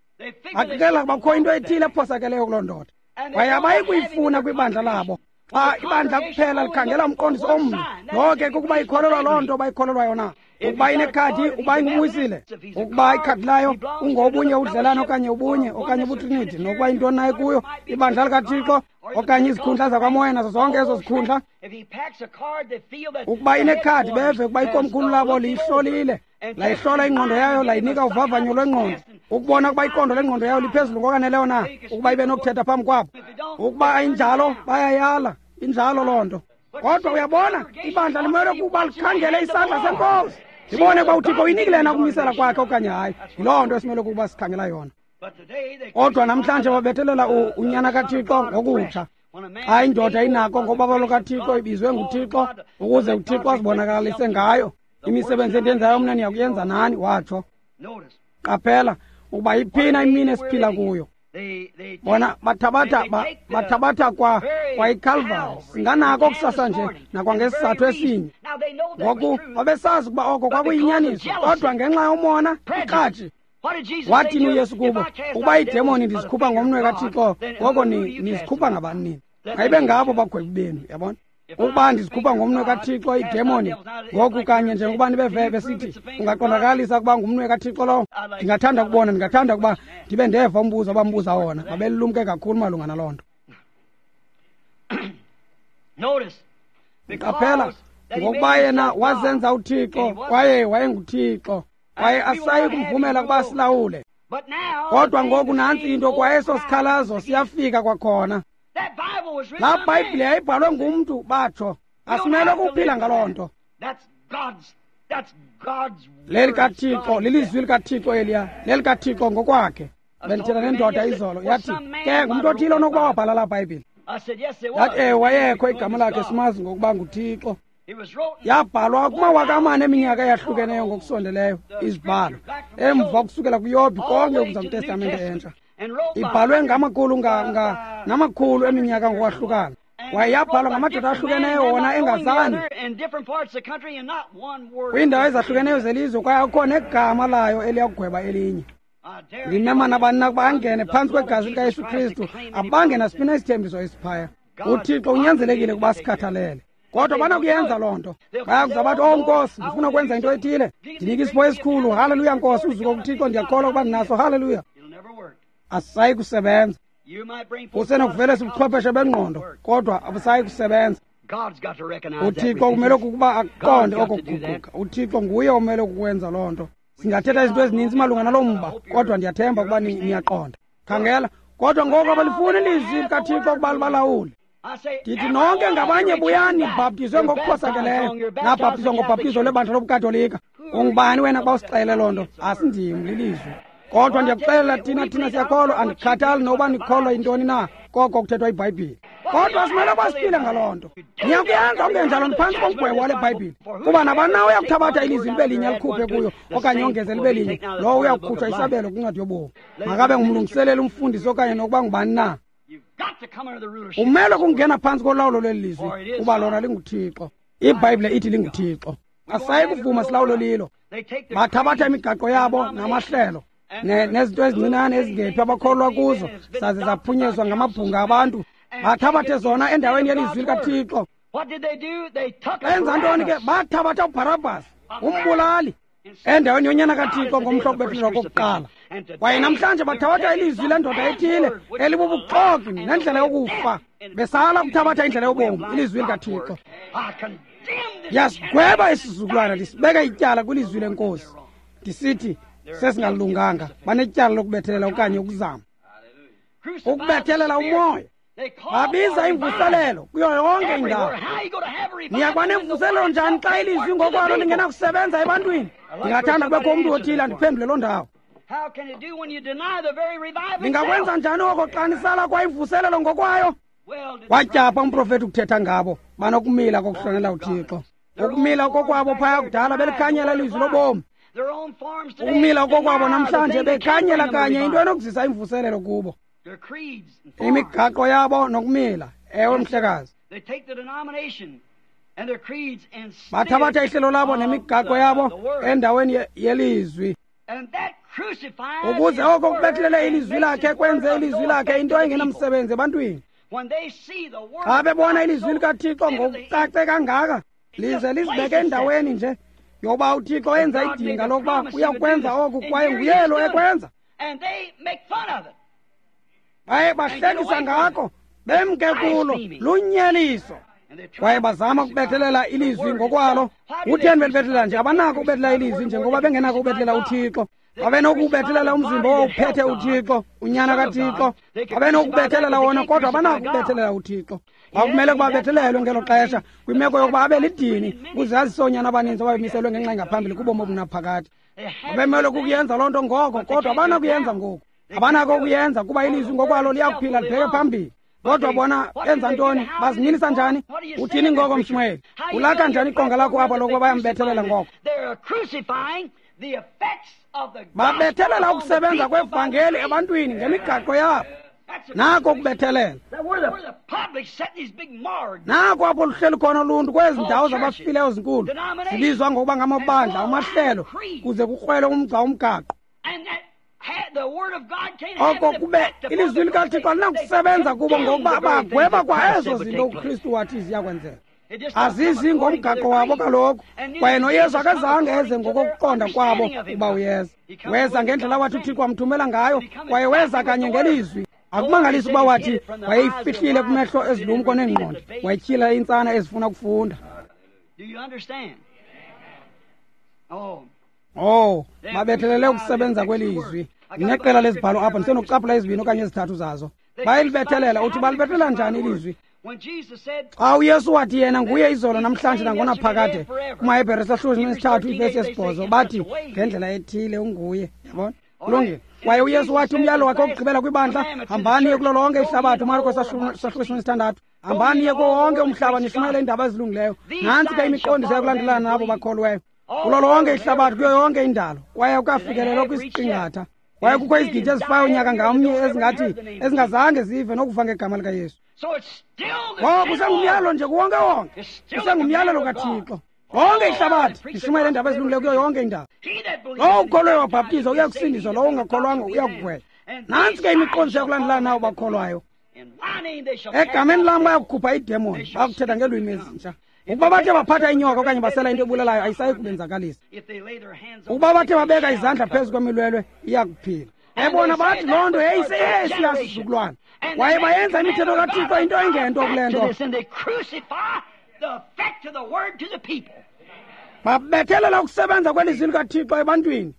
Baqikelela ukuba kukho into ethile ephosakeleyo kuloo ndoda, kwaye abayi kuyifuna kwibandla labo. Xa ibandla kuphela likhangela umqondiso omnye, loo ke kukuba ikholelwa loo nto bayikholelwa yona. Ukuba inekhadi, uba ingumwisile. Ukuba ikhadi layo ungobunye udlelane okanye ubunye okanye ubutriniti, nokuba yintoni naye kuyo, ibandla likaThixo okanye izikhundla zakwamoya nazo zonke ezo zikhundla. Ukuba inekhadi, beve ukuba ikomkhulu labo liyihlolile, layihlola ingqondo yayo, layinika uvavanyo lwengqondo, ukubona ukuba iqondo lengqondo yayo liphezulu ngokwaneleyo na ukuba ibe nokuthetha phambi kwabo. Ukuba ayinjalo, bayayala. Injalo loo nto. Kodwa uyabona, ibandla limele ukuba likhangele isandla senkosi, libone ukuba uThixo uyinikile na ukumisela kwakhe okanye hayi. Yiloo nto esimele ukuba sikhangela yona. Kodwa namhlanje babethelela unyana kaThixo ngokutsha. Xa indoda inako ngobabalo kaThixo, ibizwe nguThixo ukuze uThixo azibonakalise ngayo. Imisebenzi endiyenzayo mna niyakuyenza nani, watsho. Qaphela ukuba iphina imini esiphila kuyo. Bona bathabatha bathabatha kwa kwa iCalvary, singanako kusasa nje nakwangesizathu esinye. Ngoku babesazi ukuba oko kwakuyinyaniso, kodwa ngenxa yomona ikratshi. Wathini uYesu kubo? Ukuba iidemoni ndizikhupha ngomnwe kaThixo, ngoko nizikhupha ngabani nini? Mayibe ngabo bagwebi benu, yabona. Ukuba ndizikhupha ngomnwe kaThixo iidemoni, ngoku kanye njengokuba nibeve besithi ungaqondakalisa ukuba ngumnwe kaThixo lowo. Ndingathanda ukubona, ndingathanda ukuba ndibe ndeva umbuzo abambuza wona. Babelumke kakhulu malunga naloo nto. Qaphela, ngokuba yena wazenza uThixo, kwaye wayenguThixo, kwaye asayi kumvumela ukuba silawule. Kodwa ngoku nantsi into, kwaye eso sikhalazo siyafika kwakhona. Laa Bhayibhile yayibhalwe ngumntu, batsho. Asimele ukuphila ngaloo nto. LelikaThixo, lilizwi likaThixo eliya, lelikaThixo ngokwakhe. Bendithetha nendoda izolo, yathi, ke ngumntu othile onokuba wabhala laa Bhayibhile. Yathi, ewe, wayekho igama lakhe simazi ngokuba nguThixo. Yabhalwa kumawaka amane eminyaka eyahlukeneyo ngokusondeleyo izibhalo, emva kusukela kuYobhi konke ukuza kwiTestamente entsha. Ibhalwe ngamakhulu namakhulu eminyaka ngokwahlukana. Kwaye yabhalwa ngamadoda ahlukeneyo wona engazani kwiindawo ezahlukeneyo zelizwe, kwaye akukho negama layo eliyakugweba elinye. Ndimema nabani na ukuba angene phantsi kwegazi likaYesu Kristu, abange nasiphi na isithembiso esiphaya. UThixo unyanzelekile ukuba sikhathalele. Kodwa banakuyenza loo nto. Bayakuza bathi, oh Nkosi, ndifuna ukwenza into ethile, ndinike isipho esikhulu, haleluya Nkosi, uzuko kuThixo, ndiyakholwa ukuba ndinaso, haleluya. Asisayi kusebenza. Usenokuvelisa ubuchwepheshe bengqondo, kodwa abusayi kusebenza. UThixo kumele ukuba aqonde oko kuguquka. UThixo nguye omele ukwenza loo nto. Singathetha izinto ezininzi malunga naloo mba, kodwa ndiyathemba ukuba niyaqonda. Khangela, kodwa ngoku abalifuni ilizwi likaThixo ukuba libalawule. Ndithi nonke ngabanye buyani nibhaptizwe ngokuphosakeleyo, nabhaptizwa ngobhaptizo lwebandla lobuKatolika. Ungubani wena xa usixelele loo nto? Asindim, lilizwi. Kodwa ndiyakuxelela thina, thina siyakholwa, andikhathali noba nikholwa yintoni na, koko kuthethwa iBhayibhile. Kodwa simele ukuba siphile ngaloo nto. Niyakuyenza okungenjalo niphantsi komgwebo wale Bhayibhile. Kuba nabani na uyakuthabatha ilizwi libe linye alikhuphe kuyo, okanye ongeze libe linye, lowo uyakukhutshwa isabelo kwincwadi yobomi. Makabe ngumlungiseleli, umfundisi okanye nokuba ngubani na. Umele kungena phantsi kolawulo lweli lizwi, kuba lona linguThixo. IBhayibhile ithi linguThixo. Asayi kuvuma silawulo lilo. Bathabatha imigaqo yabo namahlelo nezinto ezincinane ezingephi abakholwa kuzo, saze zaphunyezwa ngamabhunga abantu. Bathabathe zona endaweni yelizwi likaThixo. Benza ntoni ke? Bathabatha uBharabhas, umbulali, endaweni yonyana kaThixo ngomhla wokubethelelwa kokuqala. Kwaye namhlanje bathabatha ilizwi lendoda ethile elibubuxoki nendlela yokufa, besala ukuthabatha indlela yobomi, ilizwi likaThixo. Ndiyasigweba isizukulwana, ndisibeka ityala kwilizwi lenkosi, ndisithi sesingalunganga, banetyala lokubethelela okanye ukuzama ukubethelela umoya. Babiza imvuselelo kuyo yonke indawo. Niyakuba nemvuselelo njani xa ilizwi ngokwalo lingenakusebenza ebantwini? Ndingathanda kubekho umntu othile andiphendule loo ndawo. Ningakwenza njani oko xa nisala kwa imvuselelo ngokwayo? Watyapha umprofethi ukuthetha ngabo banokumila kokuhlonela uThixo. Ukumila kokwabo phaya kudala belikhanyela ilizwi lobomi. Ukumila kokwabo namhlanje bekhanyela kanye into enokuzisa imvuselelo kubo. Imigaqo yabo nokumila, ewe mhlekazi. Bathabatha ihlelo labo nemigaqo yabo endaweni yelizwi, ukuze oko kubethelele ilizwi lakhe, kwenze ilizwi lakhe into engenamsebenzi ebantwini. Xa bebona ilizwi likaThixo ngokucace kangaka, lize lizibeke endaweni nje yoba uThixo enza idinga lokuba uyakwenza oku, kwaye nguye lo ekwenza. Baye bahlekisa ngako, bemke kulo, lunyeliso. Kwaye bazama ukubethelela ilizwi ngokwalo. Kutheni belibethelela nje? Abanako ukubethelela ilizwi njengoba bengenako ukubethelela uThixo. Babenokubethelela umzimba owawuphethe uThixo, unyana kaThixo. Babenokubethelela wona, kodwa abanako ukubethelela uThixo. Kwakumele ukuba bethelelwe ngelo xesha, kwimeko yokuba abe lidini, ukuze azise oonyana abaninzi ababemiselwe ngenxa engaphambili kubomi obunaphakade. Babemele ukuyenza loo nto ngoko, kodwa abanakuyenza ngoku. Abanako ukuyenza kuba ilizwi ngokwalo liyakuphila libheke phambili. Kodwa bona benza ntoni? Bazimilisa njani? Uthini ngoko, Mshumayeli? Ulakha njani iqonga lakho apha lokuba bayambethelela ngoko? Babethelela ukusebenza kwevangeli ebantwini ngemigaqo yabo. Nako ukubethelela. Nako apho luhleli khona uluntu kwezi ndawo zabafileyo zinkulu, zibizwa ngokuba ngamabandla, amahlelo, kuze kukrwelwe umgca umgaqo. Oko kube ilizwi likaThixo alinakusebenza kubo ngokuba bagweba kwa ezo zinto uKristu wathi ziyakwenzeka. Azizi ngomgaqo wabo kaloku, kwaye noYesu akazange eze ngokokuqonda kwabo uba uyeza. Weza ngendlela wathi uThixo wamthumela ngayo, kwaye weza kanye ngelizwi. Akumangalisi ukuba wathi wayeyifihlile kumehlo ezilumko neengqondo, wayityhila iintsana ezifuna ukufunda. Oh, babethelele ukusebenza kwelizwi. Ndineqela lezibhalo apha, ndisenokucaphula ezibini okanye ezithathu zazo. Bayalibethelela. Uthi balibethelela njani ilizwi? Xa uYesu wathi yena nguye izolo namhlanje nangonaphakade, kumaHebhere sahluko sesithathu ivesi yesibhozo, bathi ngendlela ethile unguye. Yabona? Kulungile. Kwaye uYesu wathi umyalo wakhe wokugqibela kwibandla, hambani niye kulo lonke ihlabathi, uMarko sahluko sesithandathu, hambani niye kuwo wonke umhlaba nishumayele iindaba ezilungileyo. Nantsi ke imiqondiso yakulandelana nabo bakholweyo kulo lonke ihlabathi, kuyo yonke indalo. Kwaye kukafikelelwa kwisiqingatha. Kwaye kukho izigidi ezifayo unyaka ngamnye ezingathi ezingazange zive nokuva ngegama likaYesu. Ngoko kusengumyalelo nje kuwonke wonke, kusengumyalelo kaThixo. Lonke ihlabathi lishumayele iindaba ezilungileyo kuyo yonke indawo. Lowo ukholweyo wabhaptizwa uya kusindiswa, lowo ungakholwanga uya kugwetshwa. Nantsi ke imiqondiso yakulandelana nabo bakholwayo. Egameni lam bayakukhupha iidemoni, bayakuthetha ngeelwimi ezintsha. Ukuba bathe baphatha inyoka okanye basela into ebulalayo, ayisayi kubenzakalisa. Ukuba bathe babeka izandla phezu kwemilwelwe, iya kuphila. Ebona bathi loo nto yayiseyesiya sizukulwana. Kwaye bayenza imithetho kaThixo into engento kule nto. Babethelela ukusebenza kwelizwi likaThixo ebantwini.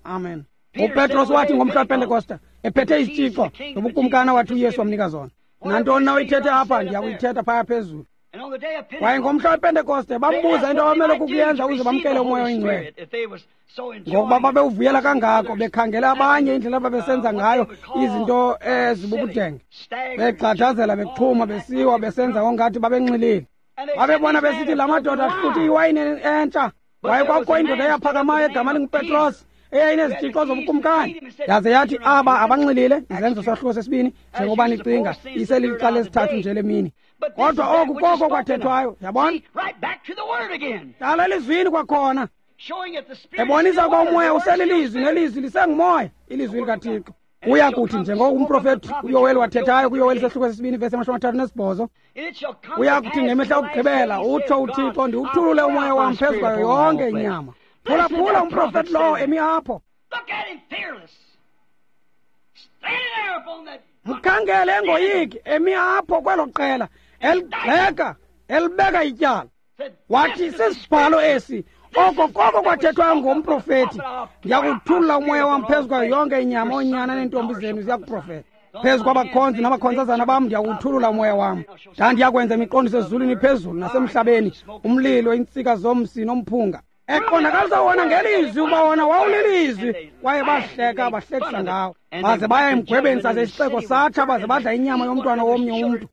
Amen. UPetros wathi ngomhla wePentekoste, ephethe izitshixo nobukumkani wathi uYesu wamnika zona. Nantoni na uyithethe apha, ndiya kuyithetha phaya phezulu. Kwaye ngomhla wePentekoste bambuza into abamele kukuyenza ukuze bamkele uMoya oyiNgcwele. Ngokuba babewuvuyela kangako, bekhangela abanye indlela ababesenza ngayo izinto ezibubudenge, begxadazela, bexhuma, besiwa, besenza ongathi babenxilile. Babebona besithi la madoda ahluthe iwayini entsha. Kwaye kwakukho indoda eyaphakamayo egama linguPetros, eyayinezitshixo zobukumkani. Yaze yathi aba abanxilile, izenzo sahluko sesibini, njengoba nicinga, iselilixa lesithathu nje lemini. Kodwa oku koko kwathethwayo, yabona? Dala elizwini kwakhona, ebonisa ukuba umoya uselilizwi nelizwi lisengumoya, ilizwi likaThixo. Uya kuthi njengoko umprofethi uYoweli wathethayo kuYoweli sahluko sesibini vesi amashumi amathathu nesibhozo, uya kuthi ngemihla yokugqibela, utsho uThixo, ndiwuthulule umoya wam phezu kwayo yonke inyama. Phulaphula umprofethi lowo emi apho. Mkhangele engoyiki emi apho kwelo qela eligxeka, elibeka ityala. Wathi sisibhalo esi, oko koko kwathethwayo ngomprofethi, ndiyakuthulula umoya wam phezu kwayo yonke inyama, oonyana neentombi zenu ziyakuprofetha. Phezu kwabakhonzi nabakhonzazana bam ndiyakuthulula umoya wam. Ndandiyakwenza imiqondiso ezulwini phezulu nasemhlabeni, umlilo, iintsika zomsi nomphunga. Eqondakalisa wona ngelizwi ukuba wona wawulilizwi. Kwaye bahleka, bahlekisa ngawo. Baze baya emgwebeni saze isixeko satsha, baze badla inyama yomntwana womnye umntu.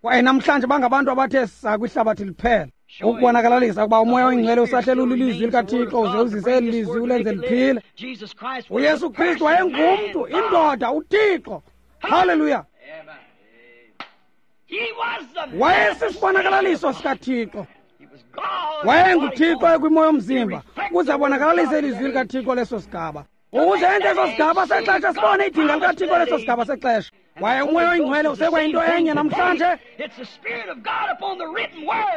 Kwaye namhlanje bangabantu abathe saa kwihlabathi liphela, ukubonakalalisa ukuba umoya oyingcwele usahleli ulilizwi likaThixo, uze uzise eli lizwi ulenze liphile. UYesu Kristu wayengumntu, indoda, uThixo. Haleluya! Wayesisibonakalaliso sikaThixo. WayenguThixo ekwimo yomzimba ukuze abonakalise ilizwi likaThixo leso sigaba, ukuze enze eso sigaba sexesha sibone idinga likaThixo leso sigaba sexesha. Kwaye umoya oyingcwele usekwayinto enye namhlanje.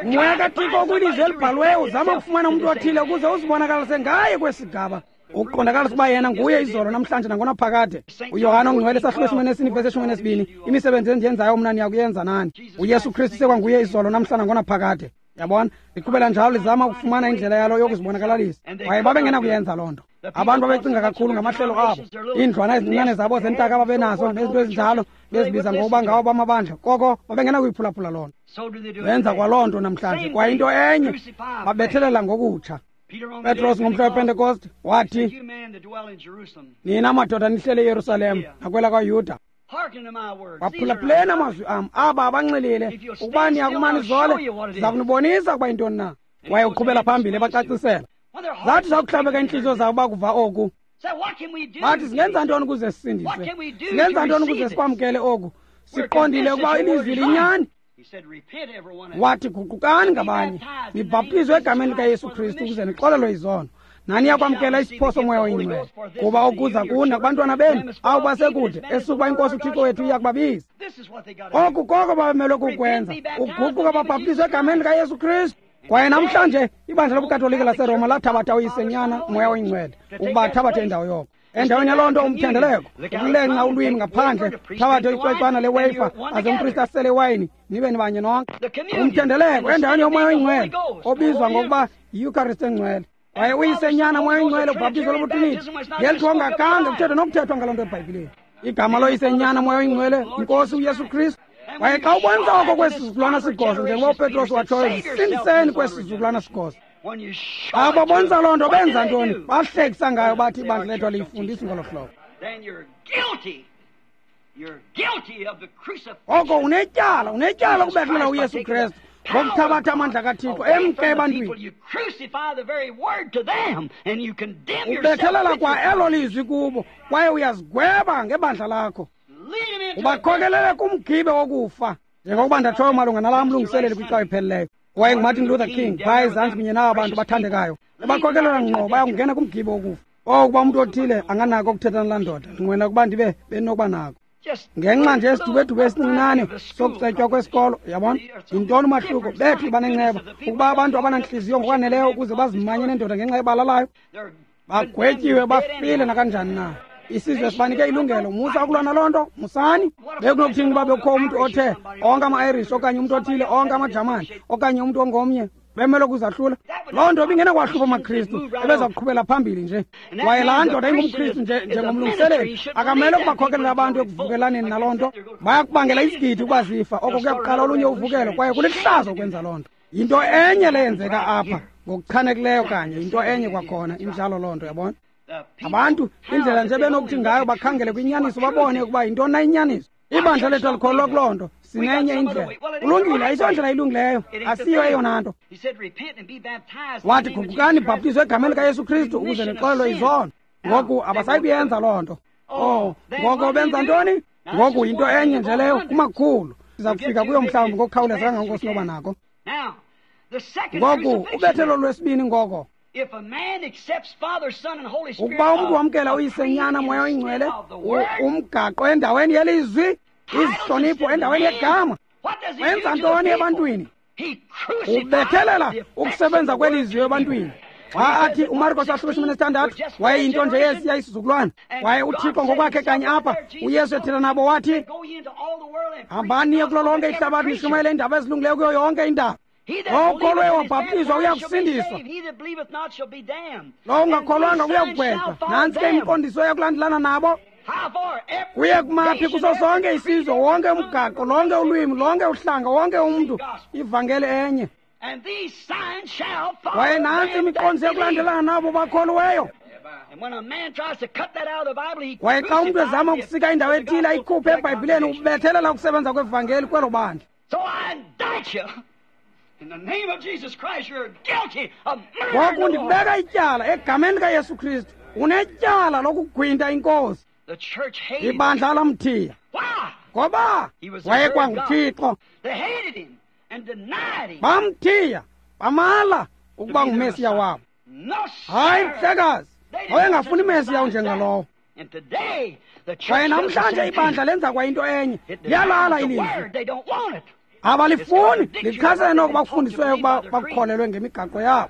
Umoya kaThixo ukwilizwi elibhaliweyo uzama ukufumana umntu othile ukuze uzibonakalise ngaye kwesigaba, ukuqondakalisa ukuba yena nguye izolo namhlanje nangonaphakade. UYohane ongcwele sahluko eshumi nesine ivesi eshumi nesibini, imisebenzi endiyenzayo mna niyakuyenza nani. uYesu Kristu sekwanguye izolo namhlanje nangonaphakade. Yabona, liqhubela njalo lizama ukufumana indlela yalo yokuzibonakalalisa. Kwaye babengenakuyenza loo nto. Abantu babecinga kakhulu ngamahlelo abo, iindlwana ezincinane zabo zentaka ababenazo nezinto ezinjalo, bezibiza ngokuba ngawo bamabandla. Koko babengenakuyiphulaphula loo nto. Benza kwaloo nto namhlanje. Kwaye into enye babethelela ngokutsha. Petros ngomhla wePentekoste wathi, nina madoda nihlele eYerusalem nakwela kwaYuda, waphulaphuleni amazwi am, aba abanxilile, ukuba niyakumana izole, ndiza kunibonisa ukuba yintoni na. Kwaye uqhubela phambili ebacacisela. Zathi zakuhlabeka iintliziyo zabo bakuva oku, bathi singenza ntoni ukuze sisindiswe? Singenza ntoni ukuze sikwamkele oku? Siqondile ukuba ilizwi linyani. Wathi guqukani ngabanye, nibhaptizwe egameni likaYesu Kristu ukuze nixolelwe izono, nani yakwamkela isipho somoya oyingcwele, kuba okuza kuni nakubantwana benu abo basekude, esukuba iNkosi uThixo wethu iya kubabiza. Oku koko babemelwe kukwenza, ukuguquka babhaptizwe egameni likaYesu Kristu. Kwaye namhlanje ibandla lobuKatolika laseRoma lathabatha uyisenyana umoya oyingcwele ukuba athabathe indawo yoko. Endaweni yaloo nto umthendeleko, ukulenqa ulwimi ngaphandle, thabathe icwecwana leweyifa aze umpristi asele iwayini, nibe nibanye nonke. Umthendeleko endaweni yomoya oyingcwele obizwa ngokuba yiYukarist engcwele. Kwaye uyisenyana moya oyingcwele ubhaptizo lobutriniti, ngelithi ongakange kuthethwa nokuthethwa ngaloo nto eBhayibhileni. Igama loYise, Nyana, Moya oyiNgcwele, iNkosi uYesu Kristu. Kwaye xa ubonisa oko kwesi sizukulwana sigoso, njengoba uPetros watshoyo, zisindiseni kwesi sizukulwana sigoso. Xa babonisa loo nto benza ntoni? Bahlekisa ngayo, bathi ibandla lethu aliyifundisi ngolo hlobo. Oko unetyala, unetyala ukubethulela uYesu Kristu ngokuthabatha amandla kaThixo emke ebantwini. Ubethelela kwa elo lizwi kubo, kwaye uyazigweba ngebandla lakho. Ubakhokelele kumgibe wokufa, njengokuba ndatshoyo malunga nalaa mlungiseleli kwicawa epheleleyo. Waye nguMartin Luther King phaya ezantsi kunye naba bantu bathandekayo, ebakhokelela ngqo bayakungena kumgibe wokufa. Oh, ukuba umntu othile anganako ukuthetha nalaa ndoda, ndinqwena ukuba ndibe benokuba nako. Ngenxa nje yesidubedube esincinane sokucetywa kwesikolo, yabona? Yintoni umahluko? Bethu banenceba ukuba abantu abanantliziyo ngokwaneleyo ukuze bazimanye nendoda ngenxa yebala layo. Bagwetyiwe, bafile nakanjani na. Isizwe sibanike ilungelo. Musa ukulwa naloo nto, musani. Bekunokuthini ukuba bekukho umntu othe onke ama-Irish okanye umntu othile onke amaJamani okanye umntu ongomnye bemele ukuzahlula? Loo nto ibingenakwahlupha amaKristu, ebeza kuqhubela phambili nje. Kwaye laa ndoda ingumKristu nje njengomlungiseleli, akamele ukubakhokelela abantu ekuvukelaneni naloo nto. Bayakubangela isigidi ukuba zifa, oko kuyakuqala olunye uvukelo, kwaye kulihlazo ukwenza loo nto. Yinto enye leyenzeka apha ngokuchanekileyo kanye, yinto enye kwakhona, injalo loo nto, yabona? Abantu indlela nje benokuthi ngayo bakhangele kwinyaniso babone ukuba yintoni na inyaniso. Ibandla lethu alikholelwa kuloo nto, sinenye indlela. Kulungile, ayisondlela ilungileyo, asiyo eyona nto. Wathi, guqukani bhaptizwe egameni likaYesu Kristu ukuze nixolelwe izono. Ngoku abasayi kuyenza loo nto. Oh, ngoko benza ntoni? Ngoku yinto enye nje leyo kumakhulu. Siza kufika kuyo mhlawumbi ngokukhawuleza kangangoko sinoba nako. Ngoku ubethelo lwesibini ngoko. Ukuba umntu wamkela uYise, Nyana, Moya oyiNgcwele, umgaqo endaweni yelizwi, izihlonipho endaweni yegama, wenza ntoni ebantwini? Ubethelela ukusebenza kwelizwi ebantwini. Xa athi uMarko sahluko ishumi nesithandathu, wayeyinto nje yesiya isizukulwana, kwaye uThixo ngokwakhe kanye apha, uYesu ethetha nabo wathi, hambani niye kulo lonke ihlabathi nishumayele iindaba ezilungileyo kuyo yonke indawo. Okholweyo wabhaptizwa uyakusindiswa, lowo ungakholwanga uyakugwetywa. Nantsi ke imiqondiso eyakulandelana nabo. Kuye kumaphi kuso sonke isizwe, wonke umgaqo, lonke ulwimi, lonke uhlanga, wonke umntu, ivangeli enye. Kwaye nantsi imiqondiso eyakulandelana nabo bakholweyo. Kwaye xa umntu ezama ukusika indawo ethile ayikhuphe eBhayibhileni, ubethelela ukusebenza kwevangeli kwelo bandla. Ngoku ndikubeka ityala egameni likaYesu Kristu, unetyala lokugwinta iNkosi. Ibandla lamthiya ngoba wayekwanguThixo. Bamthiya, bamala ukuba nguMesiya wabo. Hayi, mhlekazi, wayengafuni Mesiya unjengalowo. Kwaye namhlanje ibandla lenza kwayinto enye, liyalala ilizwi. Abalifuni, lichasene noko bakufundisweyo ukuba bakukholelwe ngemigaqo yabo.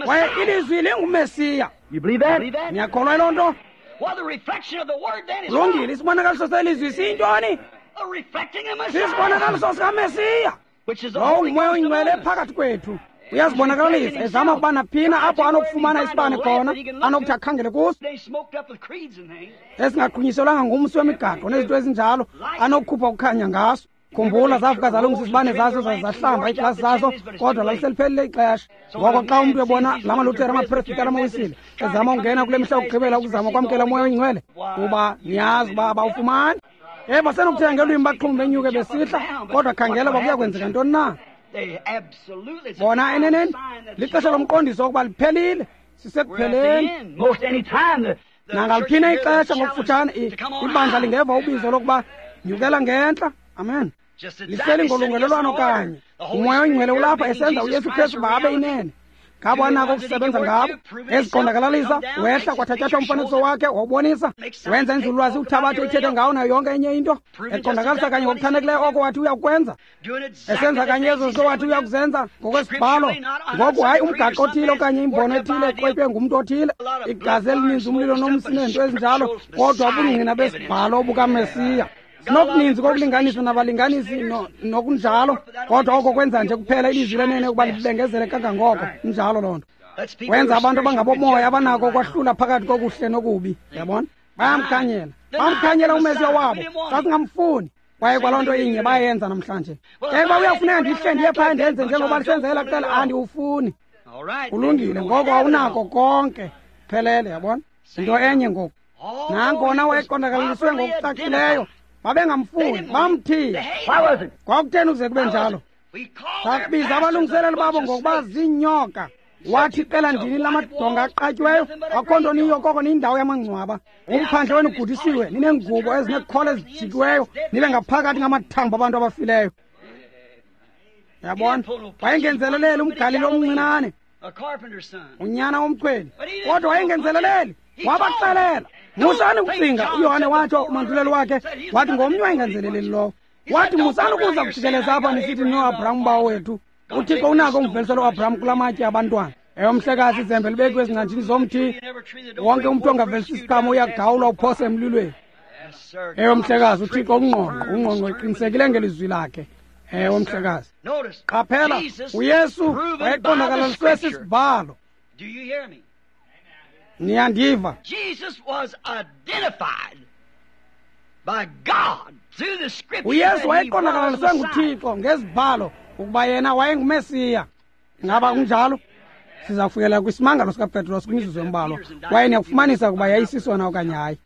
Kwaye ilizwi linguMesiya. Niyakholwa yiloo nto? Kulungile, isibonakaliso selizwi siyintoni? Sisibonakaliso sikaMesiya. Lowo nguMoya oyiNgcwele phakathi kwethu. Uyazibonakalisa ezama ukuba naphina apho anokufumana isibane khona, anokuthi akhangele kuso, esingaqhunyiselwanga ngumsi wemigaqo nezinto ezinjalo, anokukhupha ukukhanya ngaso. Khumbula, zavuka zalungisa izibane zaso, zahlamba iiglasi zaso, kodwa laliseliphelile ixesha. Ngoko xa umntu ebona la maLuthere, amaPresbiteri, amaWisile ezama ukungena kule mihla yokugqibela ukuzama ukwamkela uMoya oyiNgcwele, kuba niyazi uba abawufumani. Eh, basenokuthetha ngelwimi baxhume benyuke besihla, kodwa khangela uba kuya kwenzeka ntoni na. Bona eneneni lixesha lomqondiso wokuba liphelile, sisekupheleni. Nangaliphina ixesha ngokufutshane ibandla lingeva ubizo lokuba nyukela ngentla. Amen. Lihleli ngolungelelwano kanye. UMoya oyiNgcwele ulapha esenza uYesu Kristu babe inene. Ngabo anako ukusebenza ngabo, eziqondakalalisa, wehla kwathatyathwa umfanekiso wakhe, wawubonisa, wenza inzululwazi uthabathe ithethe ngawo nayo yonke enye into, eqondakalisa kanye ngokuchanekileyo oko wathi uyakwenza, esenza kanye ezo zinto wathi uyakuzenza ngokwesibhalo. Ngoku hayi umgaqo othile okanye imbono ethile eqwetywe ngumntu othile, igazi elininzi, umlilo nomsi nezinto ezinjalo, kodwa ubungqina besibhalo bukaMesiya. Sinokuninzi kokulinganiswa nabalinganisi nokunjalo, kodwa oko kwenza nje kuphela ilizwi lenene ukuba libengezele kangangoko. Injalo loo nto. Wenza abantu abangabomoya abanako ukwahlula phakathi kokuhle nokubi. Yabona? Bayamkhanyela. Bamkhanyela uMesiya wabo, sasingamfuni. Kwaye kwaloo nto inye bayenza namhlanje. Ke uba uyafuneka ndihle ndiye phaya ndenze njengoba lisenzela kuqala, andiwufuni. Kulungile, ngoko awunako konke. Phelele, yabona? Into enye ngoku. Nangona wayeqondakalisiwe ngokucacileyo, babengamfuni, bamthiya. Kwakutheni ukuze kube njalo? Sakubiza abalungiseleli babo ngokuba ziinyoka. Wathi iqela ndini lamadonga aqatyiweyo, akukho nto niyo koko niyindawo yamangcwaba. Umphandle wenu ugudisiwe, nineengubo ezineekhola ezijikiweyo, nibe ngaphakathi ngamathambo abantu abafileyo. Yabona, wayengenzeleleli umGalili omncinane, unyana womchweli, kodwa wayengenzeleleli, wabaxelela. Musani ukucinga, uYohane watsho umanduleli wakhe, wathi ngomnye wayengenzeleleli lowo. Wathi musani ukuza kujikeleza apha nisithi noAbraham bawo wethu. UThixo unako umvelisela uAbraham kula matye abantwana. Ewe mhlekazi, izembe libekiwe ezingcanjini zomthi. Wonke umntu ongavelisi isiqhamo uyagawulwa uphose emlilweni. Ewe mhlekazi, uThixo ungqongqo, ungqongqo eqinisekile ngelizwi lakhe. Ewe mhlekazi. Qaphela, uYesu wayeqondakalaliswe sisibhalo. Niyandiva? uYesu wayeqondakalaliswe nguThixo ngezibhalo ukuba yena wayenguMesiya. Ngaba kunjalo? Siza kufikela kwisimangalo sikaPetros kwimizuzu embalwa, kwaye niyakufumanisa ukuba yayisisona okanye hayi.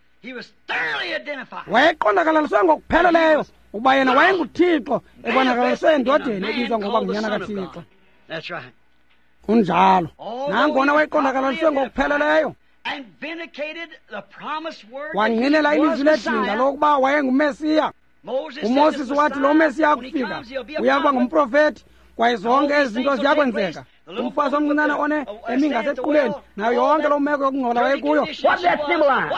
Wayeqondakalaliswe ngokupheleleyo ukuba yena wayenguThixo ebonakaliswe endodeni ebizwa ngokuba ngunyana kaThixo. Kunjalo. Nangona wayeqondakalaliswe ngokupheleleyo, wangqinela ilizwi ledinga lokuba wayenguMesiya. uMoses wathi lo Mesiya akufika uya kuba ngumprofethi, kwaye zonke ezi zinto ziyakwenzeka. Umfazi omncinane one emi ngasequleni, nayo yonke loo meko yokungcola wayekuyo.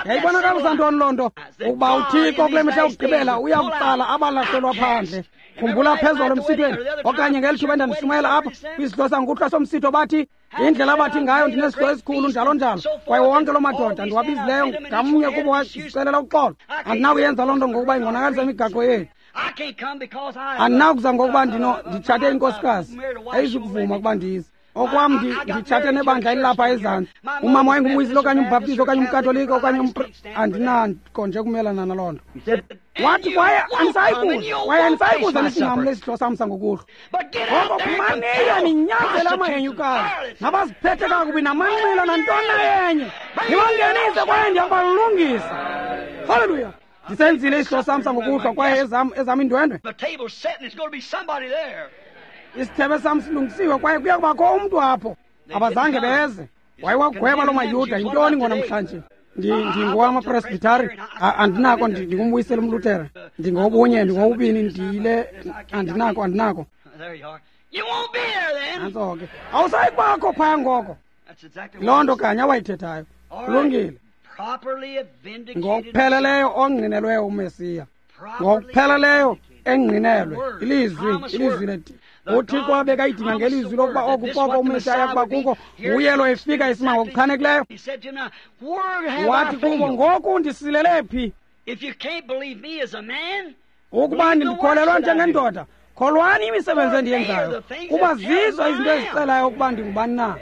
Yayibonakalisa ntoni loo nto? Ukuba uThixo kule mihla yokugqibela uya kutsala abalahlelwa phandle. Khumbula phezolo emsithweni, okanye ngeli thuba endandishumayela apha kwisidlo sangokuhlwa somsitho, bathi indlela abathi ngayo ndinesidlo esikhulu njalo njalo, kwaye wonke loo madoda ndiwabizileyo ngamnye kubo wazicelela uxolo. Andinakuyenza loo nto ngokuba ingonakalisa imigaqo yethu. Andinakuza ngokuba ndino nditshate inkosikazi, ayizukuvuma ukuba ndize. Okwam nditshate nebandla elilapha ezantsi. Umama wayengumwisile okanye umbhaptizi okanye umkatolika okanye andinako nje kumelana naloo nto. Wathi kwaye andisayi kuza, kwaye andisayi kuza nisinqamle isidlo sam sangokuhlwa. Ngoko phumaniyo ninyanzele amahenyukazi nabaziphethe kakubi namanxila nantoni na enye, nibangenise kwaye ndiyakubalungisa. Haleluya! Ndisenzile isidlo sam sangokuhlwa kwaye ezam ezam iindwendwe. Isithebe sam silungisiwe kwaye kuya kubakho umntu apho. Abazange beze. Wayewagweba loo maYuda. Yintoni ngonamhlanje? Ndingowamapresbitari, andinako, ndingumbuyisela umLuthere, ndingobunye, ndingowubini, ndiyile, andinako, andinako. Nantso ke. Awusayi kubakho phaya ngoko. Loo nto kanye awayithethayo. Kulungile. Ngokupheleleyo ongqinelweyo uMesiya. Ngokupheleleyo engqinelwe ilizwi, ilizwi leti. UThixo abekayidinga ngelizwi lokuba oku koko uMesiya ayakuba kuko, nguye lo efika isima ngokuchanekileyo. Wathi kubo, ngoku ndisilele phi? Ukuba ndikholelwa njengendoda, kholwani imisebenzi endiyenzayo, kuba zizo izinto ezixelayo ukuba ndingubani na.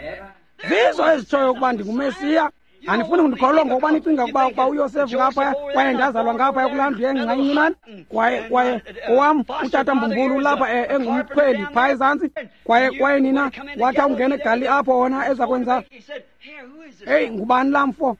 Zizo ezitshoyo ukuba ndinguMesiya. Andifuni kundikholelwa ngokuba nicinga ukuba ukuba uYosefu ngaphaya kwaye ndazalwa ngaphaya kulaa ndlu yengca incinane, kwaye kwaye owam utata Mbumbulu ulapha engumkhweli phaa ezantsi, kwaye kwaye nina wathi awungena eGalili apho wona eza kwenza. Heyi, ngubani laa mfo?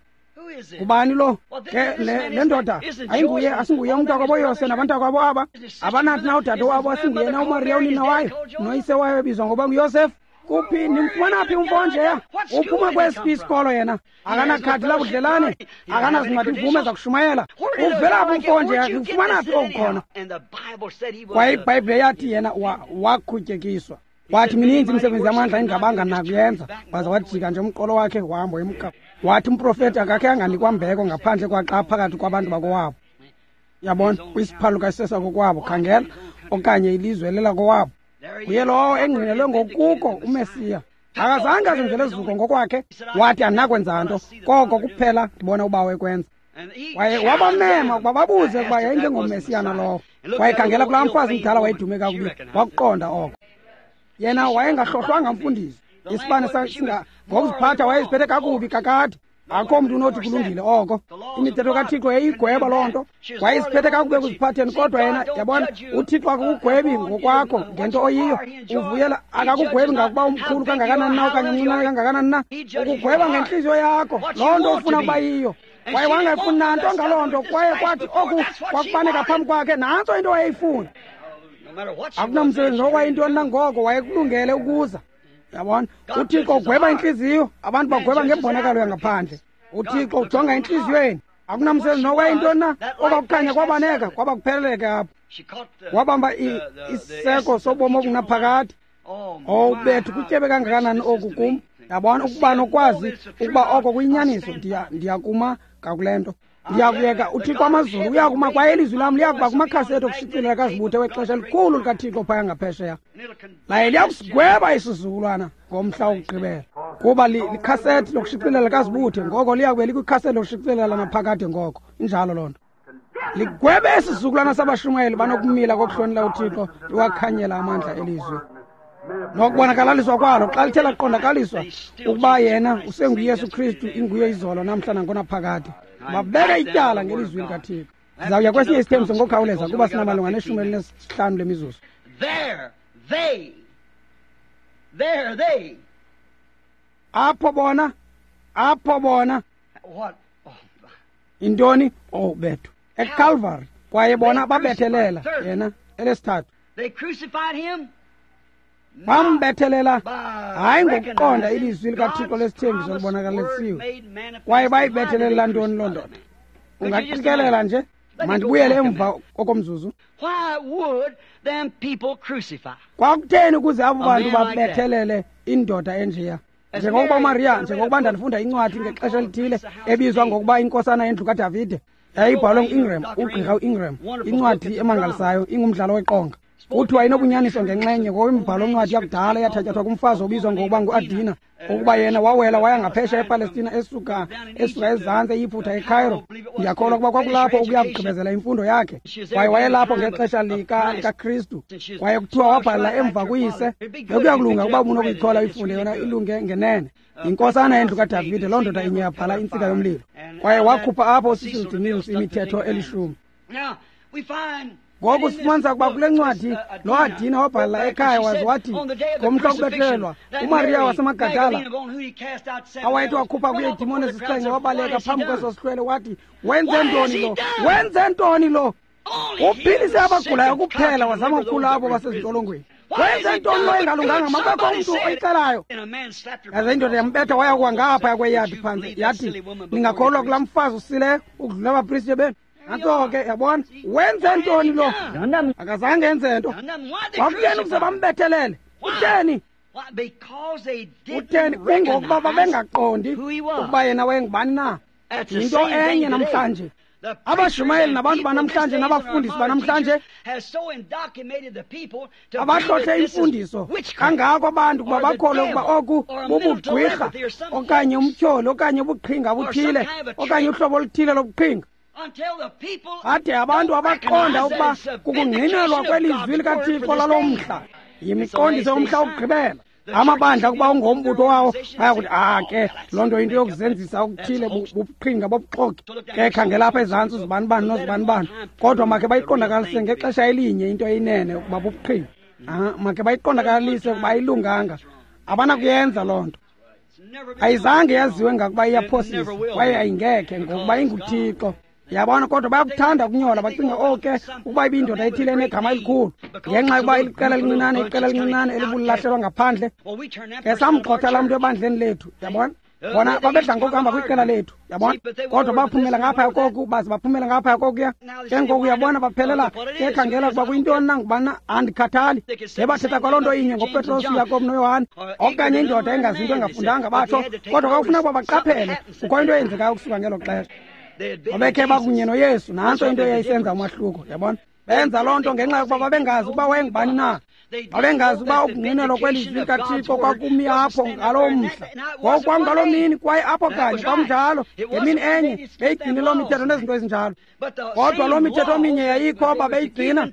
Ngubani lo? Ke le, le ndoda ayinguye, asinguye umntakwabo Yose nabantakwabo aba. Abanathi na udade wabo, asinguye na uMariya unina wayo, noyise wayo ebizwa ngokuba nguYosefu. Kuphi nimfumana phi umfo njeya? Uphuma kwesiphi isikolo yena? Akanakhadi labudlelane, akanazincwadi mvume zakushumayela. Uvela phi umfo njeya? Nimfumana phi okukhona? Kwaye iBhayibhile yathi yena wakhutyekiswa. Wathi mininzi imisebenzi yamandla endingabanga nakuyenza. Waza wajika nje umqolo wakhe wahamba wemka. Wathi umprofeti akakhe anganikwa mbeko ngaphandle kwaxa phakathi kwabantu bakowabo. Yabona, kwisiphaluka sesakokwabo, khangela, okanye ilizwe lelakowabo. Nguye lowo engqinelwe ngokuko uMesiya. Akazange azenzele zuko ngokwakhe. Wathi andinakwenza nto, koko kuphela ndibona ubawo ekwenza. Waye wabamema ukuba babuze ukuba yayingengoMesiya na lowo. Wayekhangela kulaa mfazi mdala wayedume kakubi, wakuqonda oko. Yena wayengahlohlwanga mfundisi. Isibane singa ngokuziphatha wayeziphethe kakubi kakade. Akho mntu unothi kulungile oko. Imithetho kaThixo yayiyigweba loo nto. Wayeziphethe kakubi ekuziphatheni, kodwa yena, yabona, uThixo akakugwebi ngokwakho ngento oyiyo. Uvuyela, akakugwebi ngakuba umkhulu kangakanani na okanye umncinane kangakanani na. Ukugweba ngentliziyo yakho, loo nto ufuna ukuba yiyo. Kwaye wangayifuni nanto ngaloo nto, kwaye kwathi oku kwakubaneka phambi kwakhe, nantso into wayeyifuna. Akunamsebenzi okwayintoni nangoko, wayekulungele ukuza. Yabona, uThixo ugweba intliziyo, abantu bagweba ngembonakalo yangaphandle. UThixo ujonga entliziyweni. Akunamsebenzi nokwayintoni na, okwakukhanya kwabaneka, kwaba kupheleleke apho. Wabamba isiseko sobomi obungunaphakade. Oh bethu, kutyebe kangakanani oku kum. Yabona, ukuba nokwazi ukuba oko kuyinyaniso, ndiya ndiyakuma ngakule nto. Ndiyakuyeka uThixo amazulu uyakuma, kwaye ilizwi lam liyakuba kumakhasi ethu okushicilela kazibuthe wexesha elikhulu likaThixo phaya ngaphesheya. Laye liyakusigweba isizukulwana ngomhla wokugqibela, kuba likhasethi lokushicilela kazibuthe, ngoko liyakube likwikhaseti lokushicilela naphakade ngoko. Injalo loo nto. Ligwebe isizukulwana sabashumayeli banokumila kokuhlonela uThixo, liwakhanyela amandla elizwi nokubonakalaliswa kwalo xa lithe laqondakaliswa ukuba yena usenguYesu Kristu, inguye izolo namhla nangonaphakade. Babeka ityala ngelizwi likaThixo. Sizawuya kwesinye isithembiso ngokukhawuleza kuba sinamalunga neshumi elinesihlanu lemizuzu. There they, there they. Apho bona, apho bona. What? Oh. Intoni? Oh bethu. ECalvary. Kwaye bona babethelela yena elesithathu. They crucified him. Bambethelela hayi ngokuqonda ilizwi likaThixo lesithembiso libonakalisiwe. Kwaye bayibethelela ntoni loo ndoda? Ungaqikelela nje? Mandibuyele emva okomzuzu. Why would them people crucify? Kwakutheni ukuze abo bantu babethelele indoda enjeya? Njengokuba uMaria, njengokuba ndandifunda incwadi ngexesha elithile ebizwa ngokuba inkosana yendlu kaDavide, yayibhalwe ngu-Ingram, ugqirha u-Ingram, incwadi emangalisayo, ingumdlalo weqonga. Kuthiwa inobunyaniso ngenxenye ngokwemibhalo ncwadi yakudala eyathatyathwa kumfazi obizwa ngokuba ngu-Adina, ukuba yena wawela waya ngaphesheya ePalestina esuka esuka ezantsi eYiphutha eCairo. Ndiyakholwa ukuba kwakulapho ukuya kugqibezela imfundo yakhe. Kwaye wayelapho ngexesha lika likaKristu. Kwaye kuthiwa wabhala emva kuyise. Bekuya kulunga ukuba ubunokuyikhola uyifunde yona ilunge ngenene. Inkosana yendlu kaDavide, loo ndoda inye yabhala intsika yomlilo. Kwaye wakhupha apho uCecil DeMille imithetho elishumi. Ngoku sifumanisa ukuba kule ncwadi lo Adina wabhala ekhaya waze wathi ngomhla wokubethelelwa uMaria waseMagadala awayethi wakhupha kuye iidimoni ezisixhenxe wabaleka phambi kweso sihlwele wathi, wenze ntoni lo? Wenze ntoni lo? Uphilise abagulayo kuphela, wazama ukukhula abo basezintolongweni. Wenze ntoni lo engalunganga? Makubekho umntu oyicelayo. Yaze indoda yambetha waya kuwa ngaphaya kweyadi phantsi, yathi, ningakholwa kulaa mfazi usileyo ukudlula abapriste benu. Nantso ke, yabona, wenze ntoni lo? Akazange enze nto. Kwakutheni ukuze bambethelele? Kutheni? Kutheni? Kungokuba babengaqondi ukuba yena wayengubani na. Yinto enye namhlanje. Abashumayeli nabantu banamhlanje nabafundisi banamhlanje abahlohle imfundiso kangako abantu ukuba bakholwe ukuba oku bubugqwirha okanye umtyholi okanye ubuqhinga obuthile okanye uhlobo oluthile lobuqhinga. Ade abantu abaqonda ukuba kukungqinelwa kwelizwi likaThixo lalo mhla, yimiqondiso yomhla wokugqibela. Amabandla kuba ungombutho wawo bayakuthi, ah ke loo nto yinto yokuzenzisa okuthile, bubuqhinga bobuxoki. Ke khangela apha ezantsi uzibanibani nozibanibani, kodwa makhe bayiqondakalise ngexesha elinye into eyinene ukuba bubuqhinga. Ah, makhe bayiqondakalise ukuba ayilunganga. Abanakuyenza loo nto. Ayizange yaziwe ngakuba iyaphosisa, kwaye ayingekhe ngokuba inguThixo. Yabona, kodwa bayakuthanda ukunyola, bacinga oh ke ukuba ibindoda ethile enegama elikhulu, ngenxa yokuba iliqela elincinane, iqela elincinane elibulahlelwa ngaphandle. Ke samgxotha laa mntu ebandleni lethu, yabona. Bona babedla ngokuhamba kwiqela lethu, yabona. Kodwa baphumela ngaphaya koku, baze baphumela ngaphaya kokuya. Ke ngoku uyabona baphelela ke khangela ukuba kuyintoni na, ngubani na, andikhathali. Ngebathetha kwaloo nto inye ngoPetros, uYakobi noYohane, okanye indoda engazinto engafundanga batsho, kodwa kwakufuneka ukuba baqaphele kukho into eyenzekayo ukusuka ngelo xesha. Babekhe bakunye noYesu, nantso into eyayisenza umahluko, yabona. Benza loo nto ngenxa yokuba babengazi ukuba wayengubani na. Babengazi ukuba ukungqinelwa kwelizwi likaThixo kwakumi apho ngaloo mhla. Ngoku kwakungaloo mini kwaye apho kanye kwakunjalo ngemini enye beyigcine loo mithetho nezinto ezinjalo. Kodwa loo mithetho minye yayikho babeyigcina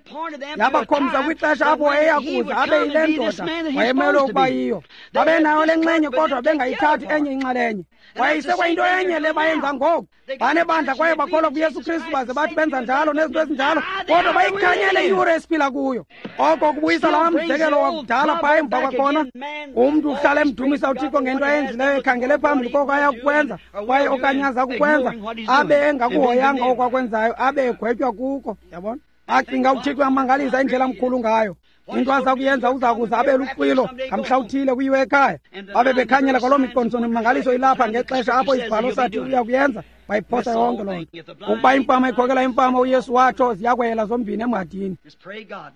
yabakhombisa kwixesha apho wayeya kuza abe yile ndoda wayemelwe ukuba yiyo. Babenayo le nxenye kodwa bengayithathi enye inxalenye. Kwaye isekwayinto enye le bayenza ngoku. Banebandla kwaye bakholwa kuYesu Kristu baze bathi benza njalo nezinto ezinjalo, kodwa bayikhanyele iyure esiphila kuyo. Oko kubuyisa laa mzekelo wakudala phaa emva kwakhona. Umntu uhlala emdumisa uThixo ngento ayenzileyo, ekhangele phambili koko ayakukwenza kwaye okanye aza kukwenza, abe engakuhoyanga oko akwenzayo, abe egwetywa kuko. Yabona? Acinga uThixo uyamangalisa indlela amkhulu ngayo. Into aza kuyenza uza kuza abe luxwilo ngamhla uthile kuyiwe ekhaya. Babe bekhanyela kwaloo miqondiso nemimangaliso ilapha ngexesha apho isibhalo sathi uya kuyenza, bayiphosa yonke loo nto. Ukuba imfama ikhokela imfama, uYesu watsho, ziyakwela zombini emhadini.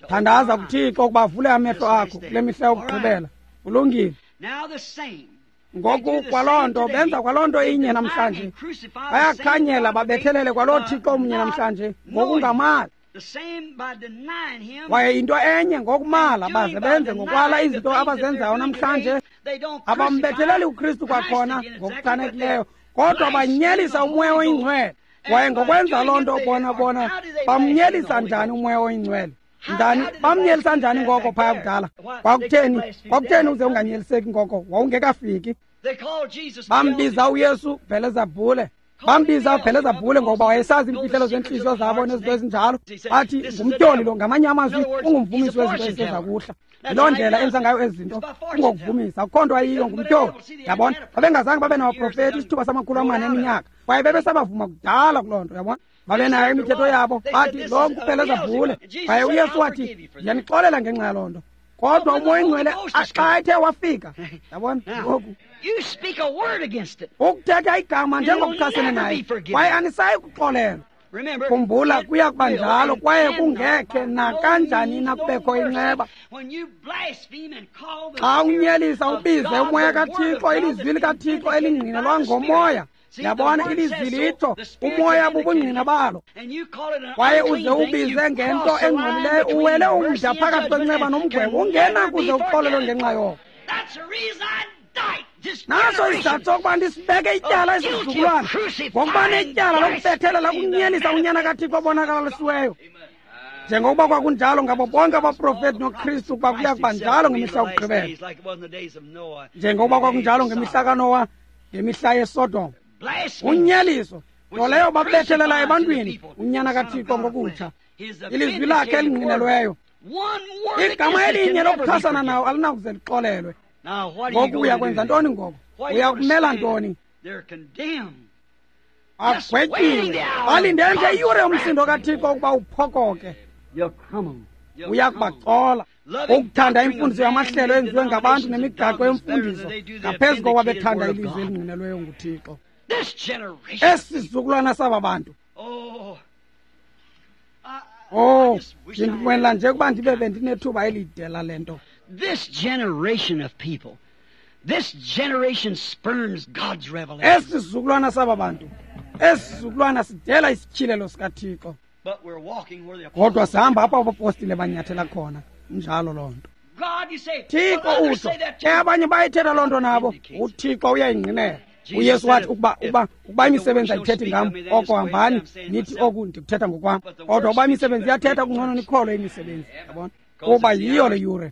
Thandaza kuThixo ukuba avule amehlo akho kule mihla yokugqibela. Kulungile. Ngoku kwaloo nto benza kwaloo nto inye namhlanje. Bayakhanyela babethelele kwaloo Thixo mnye namhlanje ngokungamali. Kwaye into enye ngokumala baze benze ngokwala izinto abazenzayo namhlanje. Abambetheleli uKristu kwakhona ngokuchanekileyo, kodwa banyelisa uMoya oyiNgcwele. Kwaye ngokwenza loo nto bona bona bamnyelisa njani uMoya oyiNgcwele? Njani bamnyelisa njani ngoko phaya kudala? Kwakutheni? Kwakutheni uze unganyeliseki ngoko? Wawungekafiki. Bambiza uYesu Bhelezebhule. Bambiza Bhelezebhule ngoba wayesazi iimfihlelo zentliziyo zabo nezinto ezinjalo. Bathi ngumtyholi lo, ngamanye amazwi ungumvumisi wezinto eziseza kuhla. Yiloo ndlela enza ngayo ezi zinto, ungokuvumisa. Akukho nto ayiyo, ngumtyholi. Yabona? Babengazange babe nabaprofeti isithuba samakhulu amane eminyaka, kwaye bebesabavuma kudala kuloo nto. Yabona? Babenayo imithetho yabo. Bathi lo nguBhelezebhule. Kwaye uYesu wathi, ndiyanixolela ngenxa yaloo nto. Kodwa uMoya oyiNgcwele xa ethe wafika, yabona ngoku, ukuthetha igama njengokuchasene naye, kwaye anisayi kuxolelwa. Khumbula, kuya kuba njalo, kwaye kungekhe nakanjani na kubekho inceba. Xa unyelisa ubize uMoya kaThixo, ilizwi likaThixo elingqinelwa ngoMoya. Yabona, ilizwi litsho, uMoya bubungqina balo. Kwaye uze ubize ngento engcolileyo, uwele umda phakathi kwenceba nomgwebo, ungena kuze uxolelwe ngenxa yoko. Naso isizathu sokuba ndisibeke ityala esizukulwana, ngokuba netyala lokubethelela kunyelisa uNyana kaThixo obonakalisiweyo. Njengokuba kwakunjalo ngabo bonke abaprofeti noKristu, ukuba kuya kuba njalo ngemihla yokugqibela. Njengokuba kwakunjalo ngemihla kaNowa, ngemihla yeSodom. Unyeliso nto leyo babethelela ebantwini uNyana kaThixo ngokutsha, ilizwi lakhe elingqinelweyo. Igama elinye lokuchasana nawo alinakuze lixolelwe. Ngoku uya kwenza ntoni ngoku? Uya kumela ntoni? Agwetyiwe. Balinde nje iyure yomsindo kaThixo ukuba uphokoke. Uya kubacola. Ukuthanda imfundiso yamahlelo enziwe ngabantu nemigaqo yemfundiso ngaphezu kokuba bethanda ilizwi elingqinelweyo nguThixo. Esi sizukulwana saba bantu. Oh, ndinqwenela nje ukuba ndibe bendinethuba elide lale nto. This generation of people, this generation spurns God's revelation. Esi sizukulwana saba bantu, esi sizukulwana sidela isityhilelo sikaThixo. Kodwa sihamba apho abapostile banyathela khona. Njalo loo nto. Thixo utsho, ke abanye bayithetha loo nto nabo. UThixo uyayingqinela. uYesu wathi ukuba ukuba ukuba imisebenzi ayithethi ngam, oko hambani nithi oku ndikuthetha ngokwam. Kodwa ukuba imisebenzi iyathetha, kungcono nikholwe imisebenzi. Yabona? Kuba yiyo le yure.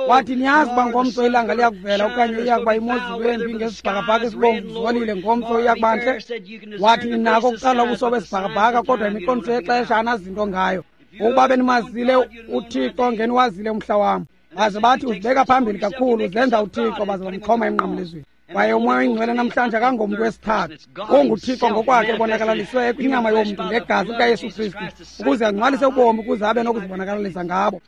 Wathi niyazi uba ngomso ilanga liyakuvela okanye iyakuba imozulu embi ngesibhakabhaka esibomvu zolile, ngomso iyakuba ntle. Wathi ninako ukuqala ubuso besibhakabhaka, kodwa imiqondiso yexesha anazinto ngayo. Ukuba benimazile uThixo, ngeniwazile umhla wam. Baze bathi uzibeka phambili kakhulu, uzenza uThixo, baze bamxhoma emnqamlezweni. Kwaye uMoya oyiNgcwele namhlanje akangomntu wesithathu, unguThixo ngokwakhe ebonakalaliswe kwinyama yomntu ngegazi likaYesu Kristu, ukuze angcwalise ubomi, ukuze abe nokuzibonakalisa ngabo.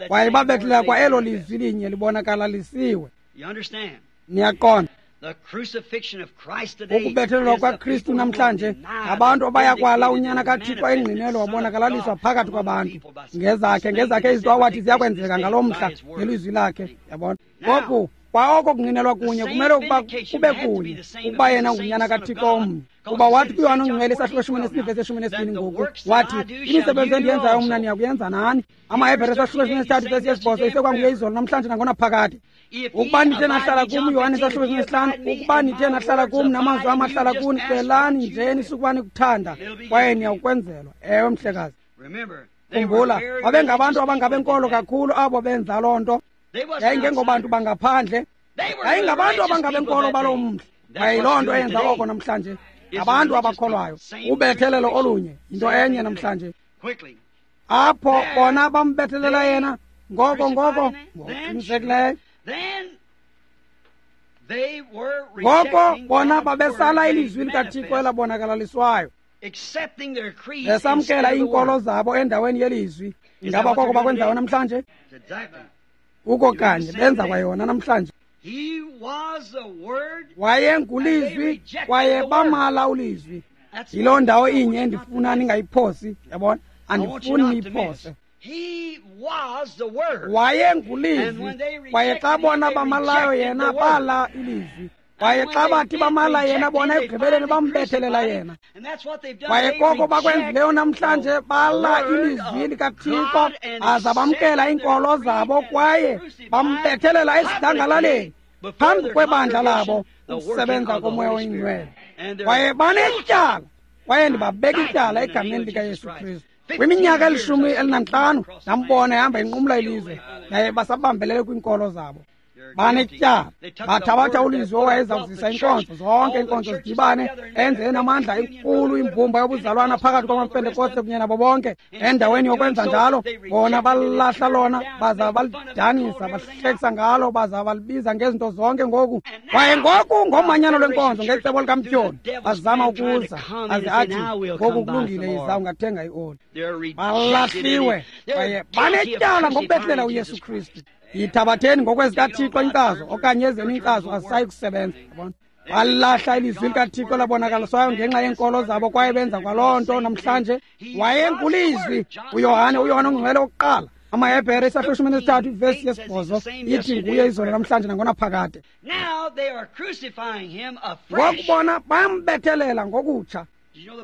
Kwaye babethelela kwa elo lizwi linye libonakalalisiwe. Niyaqonda? Ukubethelelwa kwaKristu namhlanje ngabantu abayakwala uNyana kaThixo engqinelwe wabonakalaliswa phakathi kwabantu ngezakhe ngezakhe izinto awathi ziyakwenzeka ngaloo mhla ngelizwi lakhe. Yabona? Ngoku Kwa oko kungqinelwa kunye kumele ukuba kube kunye ukuba yena ngunyana kaThixo omnye. Kuba wathi kuYohane oNgcwele isahluko eshumi nesibini vesi eshumi nesibini ngoku wathi imisebenzi endiyenzayo mna niyakuyenza nani. AmaHebhere isahluko eshumi nesithathu vesi yesibhozo isekwanguye izolo namhlanje nangonaphakade. Ukuba nithe nahlala kum, Yohane isahluko eshumi nesihlanu, ukuba nithe nahlala kum namazwi am ahlala kuni, celani nje nisukuba nikuthanda kwaye niyawukwenzelwa. Ewe mhlekazi. Khumbula, babengabantu abangabenkolo kakhulu abo benza loo nto. Yayingengobantu bangaphandle, yayingabantu abangabenkolo baloo mhla. Kwaye yiloo nto eyenza oko namhlanje, ngabantu abakholwayo. Ubethelelo olunye yinto enye namhlanje. Apho bona bambethelela yena ngoko ngoko ngokuqinisekileyo. Ngoko bona babesala ilizwi likaThixo elabonakalaliswayo, besamkela iinkolo zabo endaweni yelizwi. Ingaba koko bakwenzayo namhlanje? Kuko kanye benza kwayona namhlanje. Wayengulizwi kwaye bamala ulizwi. Yiloo ndawo inye endifuna ningayiphosi, yabona? Andifuni niyiphose. Wayengulizwi kwaye xa bona bamalayo yena bala ilizwi. Kwaye xa bathi bamala yena bona ekugqibeleni bambethelela yena. Kwaye koko bakwenzileyo namhlanje, bala ilizwi likaThixo aza bamkela iinkolo zabo kwaye bambethelela esidlangalaleni phambi kwebandla labo ukusebenza koMoya oyiNgcwele. Kwaye banetyala, kwaye ndibabeka ityala egameni likaYesu Kristu. Kwiminyaka elishumi elinantlanu ndambona ehamba inqumla ilizwe, yaye basabambelele kwiinkolo zabo. Banetyala, bathabatha ulizwi owayeza kuzisa inkonzo, zonke iinkonzo zidibane, enze enamandla enkulu imbumba yobuzalwana phakathi kwamaPentekoste kunye nabo bonke. Endaweni yokwenza njalo, bona balahla lona, baza balidanisa, bahlekisa ngalo, baza balibiza ngezinto zonke ngoku. Kwaye ngoku ngomanyano lwenkonzo ngecebo likaMtyholi bazama ukuza aze athi ngoku kulungile, yiza ungathenga ioli. Balahliwe kwaye banetyala ngokubethelela uYesu Kristu. Yithabatheni ngokwezikaThixo inkcazo okanye ezenu inkcazo azisayi kusebenza. Yabona? Balahla ilizwi likaThixo labonakaliswayo ngenxa yeenkolo zabo kwaye benza kwaloo nto namhlanje. Wayengulizwi uYohane, uYohane oNgcwele wokuqala. AmaHebhere isahluko eshumi nesithathu ivesi yesibhozo ithi nguye izolo namhlanje nangonaphakade. Ngoku bona bayambethelela ngokutsha.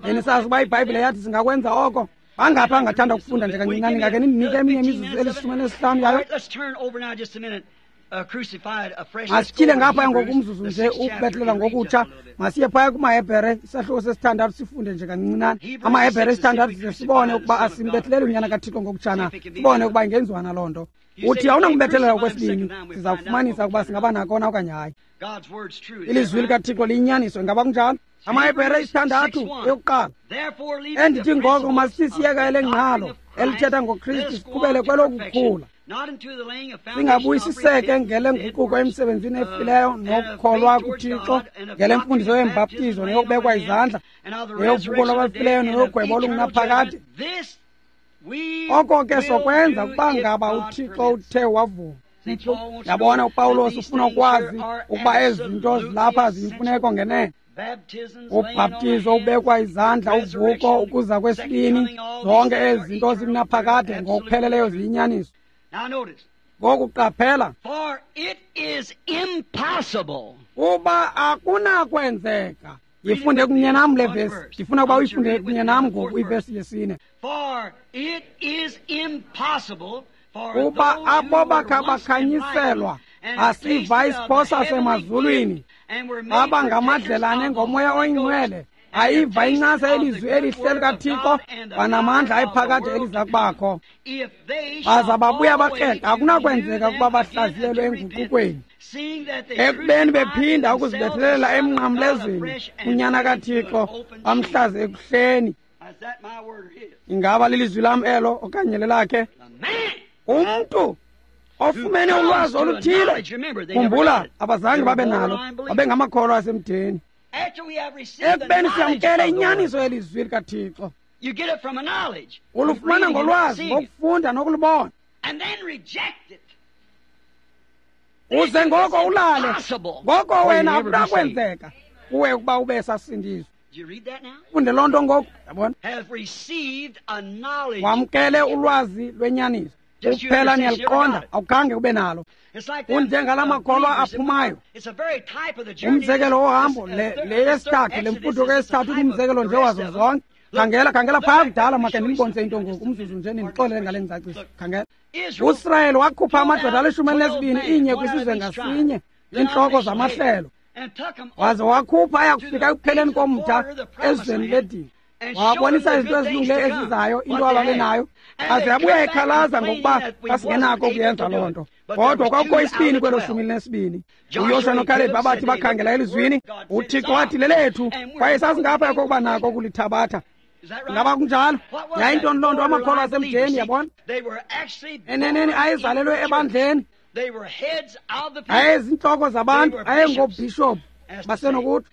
Benisazi uba iBhayibhile yathi singakwenza oko? Bangaphi angathanda ukufunda nje kancinane? Ngake nindinike eminye imizuzu elishumi nesihlanu yayo. Masityhile ngapha ngoku umzuzu nje ukubethelela ngokutsha. Masiye phaya kumaHebhere isahluko sesithandathu sifunde nje kancinane. AmaHebhere isithandathu size sibone ukuba asimbetheleli unyana kaThixo ngokutsha na, sibone ukuba ingenziwa na loo nto. Uthi awunakubethelela okwesibini, siza kufumanisa ukuba singaba nako na okanye hayi. Ilizwi likaThixo liyinyaniso, ingaba kunjalo? AmaHebhere isithandathu eyokuqala. Endithi ngoko masithi siyeka elengqalo elithetha ngoKristu siqhubele kwelokukhula, singabuyisiseke ngelenguquko emsebenzini efileyo nokukholwa kuThixo, ngelemfundiso yembhaptizo neyokubekwa izandla, neyovuko lwabafileyo neyogwebo olungunaphakade. Oko ke sokwenza ukuba ngaba uThixo uthe wavuma. Yabona, uPawulos ufuna ukwazi ukuba ezi zinto zilapha ziyimfuneko ngenene. Ubhaptizo, ubekwa izandla, uvuko, ukuza kwesibini, zonke ezi zinto zikunaphakade ngokupheleleyo ziyinyaniso. Ngoku qaphela, uba akunakwenzeka. Yifunde kunye nam le vesi, ndifuna ukuba uyifunde kunye nam ngoku ivesi yesine. Kuba abo bakha bakhanyiselwa asiva isiphosa sasemazulwini, baba ngamadlelane ngoMoya oyiNgcwele, ayiva incasa elizwi elihle likaThixo kwanamandla ayiphakade eliza kubakho, baza babuya bakreqa. Akunakwenzeka ukuba bahlaziyelwe enguqukweni, ekubeni bephinda ukuzibethelela emnqamlezweni unyana kaThixo bamhlaze ekuhleni. Ingaba lilizwi lam elo okanye lelakhe? Umntu ofumene ulwazi oluthile, khumbula, abazange babe nalo, babengamakholwa asemdeni. Ekubeni siyamkele inyaniso yelizwi likaThixo, ulufumana ngolwazi, ngokufunda nokulubona, uze ngoko ulale. Ngoko wena akunakwenzeka kuwe ukuba ube sasindiswa. Funde loo nto ngoku, yabona? Wamkele ulwazi lwenyaniso. Kuphela niyaliqonda, awukhange ube nalo. Unjengala makholwa aphumayo. Umzekelo wohambo le le yesithathu, le mfuduko yesithathu ngumzekelo nje wazo zonke. Khangela, khangela phaa kudala, makhe ndinibonise into ngoku, umzuzu nje nindixolele ngale ngcaciso. Khangela. USirayeli wakhupha amadoda alishumi elinesibini, inye kwisizwe ngasinye, iintloko zamahlelo. Waze wakhupha aya kufika ekupheleni komda ezweni ledini. Wabonisa izinto ezilungileyo ezizayo, into ababenayo. Aze abuya ekhalaza ngokuba asingenako ukuyenza loo nto. Kodwa kwakukho isibini kwelo shumi elinesibini. UYoshuwa noKalebhi abathi bakhangela elizwini, uThixo wathi lelethu, kwaye sasingaphaya kokuba nako ukulithabatha. Ngaba kunjalo? Yayintoni loo nto? Amakholwa asemdeni, yabona? Eneneni ayezalelwe ebandleni. Ayezintloko zabantu, ayengoobhishophu basenokuthi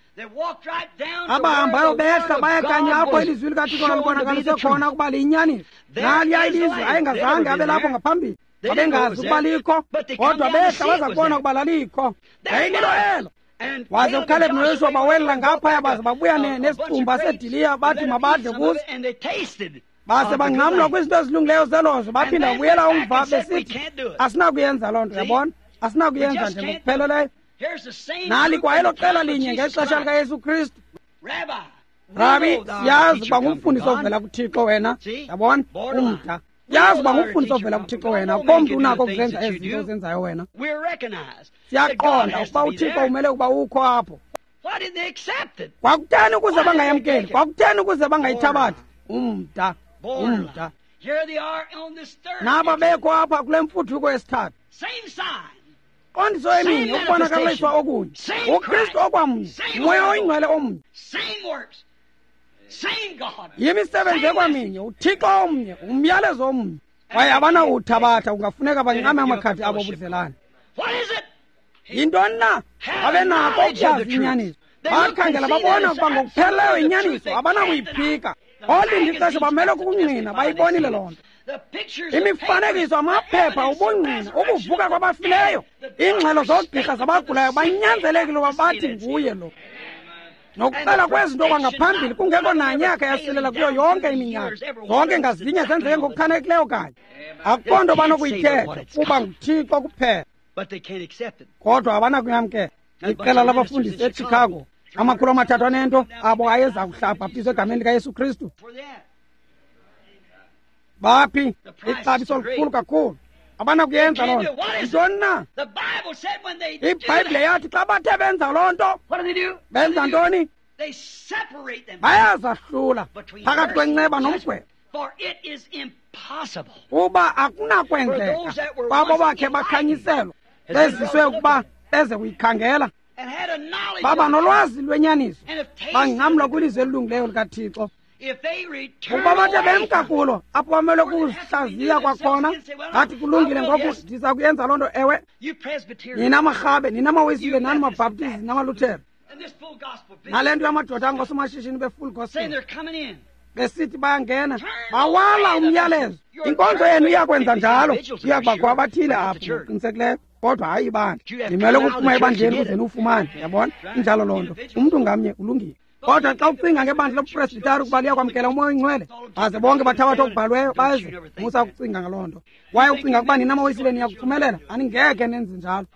abahambayo behla baye kanye apho ilizwi likaThixo lalibonakaliswe khona ukuba liyinyaniso. Naliya ilizwi ayengazange abe lapho ngaphambili, babengazi ukuba likho, kodwa behla baza kubona ukuba lalikho. Yayililo elo. Waze uKalebhi noYoshuwa bawelela ngaphaya baze babuya nesicumba sediliya, bathi mabadle kuso. Base bangcamlwa kwizinto ezilungileyo zelozwe, baphinda babuyela umva besithi asinakuyenza loo nto, yabona? Asinakuyenza nje ngokupheleleyo. Nali kwayelo qela linye ngexesha likaYesu Kristu. Rabi, siyazi uba ngumfundisi ovela kuThixo wena, yabona? Umda. Siyazi uba ngumfundisi ovela kuThixo wena, akukho mntu unako ukuzenza ezi zinto ozenzayo wena. Siyaqonda ukuba uThixo umele ukuba ukho apho. Kwakutheni ukuze bangayamkeli? Kwakutheni ukuze bangayithabathi? Umda, umda. Naba bekho apha kule mfuthuko yesithathu. Qondiso eminye, ukubonakaliswa okunye, uKristu okwamnye, uMoya oyiNgcwele omnye, yimisebenzi ekwaminye, uThixo omnye, umyalezo omnye. Kwaye abanawuthabatha, kungafuneka bancame amakhadi abo obudlelane. Yintoni na? Babe nako ukuyazi inyaniso. Bakhangela babona ukuba ngokupheleleyo inyaniso, abanakuyiphika. Olinda ixesha bamele kukungqina, bayibonile loo nto. Imifanekiso, amaphepha, ubungqina, ukuvuka kwabafileyo, iingxelo zoogqirha zabagulayo, banyanzelekile uba bathi nguye lo. Nokuxela kwezinto kwangaphambili kungekho nanye yakhe yasilela kuyo yonke iminyaka. Zonke ngazinye zenzeke ngokuchanekileyo kanye. Akukho nto banokuyithetha kuba nguThixo kuphela. Kodwa abanakuyamkela. Iqela labafundisi eChicago, amakhulu amathathu anento abo ayeza kuhlabhaptizwa egameni likaYesu Kristu. Baphi? Ixabiso likhulu kakhulu. Abanakuyenza loo nto. Yintoni na? IBhayibhile yathi xa bathe benza loo nto, benza ntoni? Bayazahlula phakathi kwenceba nomgwebo. Kuba akunakwenzeka kwabo bakhe bakhanyiselwa, beziswe ukuba beze kuyikhangela, baba nolwazi lwenyaniso, bangcamlwa kwilizwi elilungileyo likaThixo. Ukuba bathe bemka kulo, apho bamele kuzihlaziya kwakhona, ngathi kulungile ngoku ndiza kuyenza loo nto. Ewe, nina marhabe, nina maWisile, nani maBhaptizi, namaLuthere, nale nto yamadoda angosomashishini be-full gospel besithi bayangena, bawala umyalezo. Inkonzo yenu iyakwenza njalo, iyakubakho abathile apho ngokuqinisekileyo, kodwa hayi ibandla. Nimele ukuphuma ebandleni ukuze niwufumane, yabona? Injalo loo nto. Umntu ngamnye ulungile. Kodwa xa ucinga ngebandla lobupresbitari ukuba liyakwamkela uMoya oyiNgcwele, baze bonke bathabatha okubhalweyo baze, musa ukucinga ngaloo nto. Kwaye ucinga ukuba nina maWisile niyakuphumelela, aningeke nenze njalo.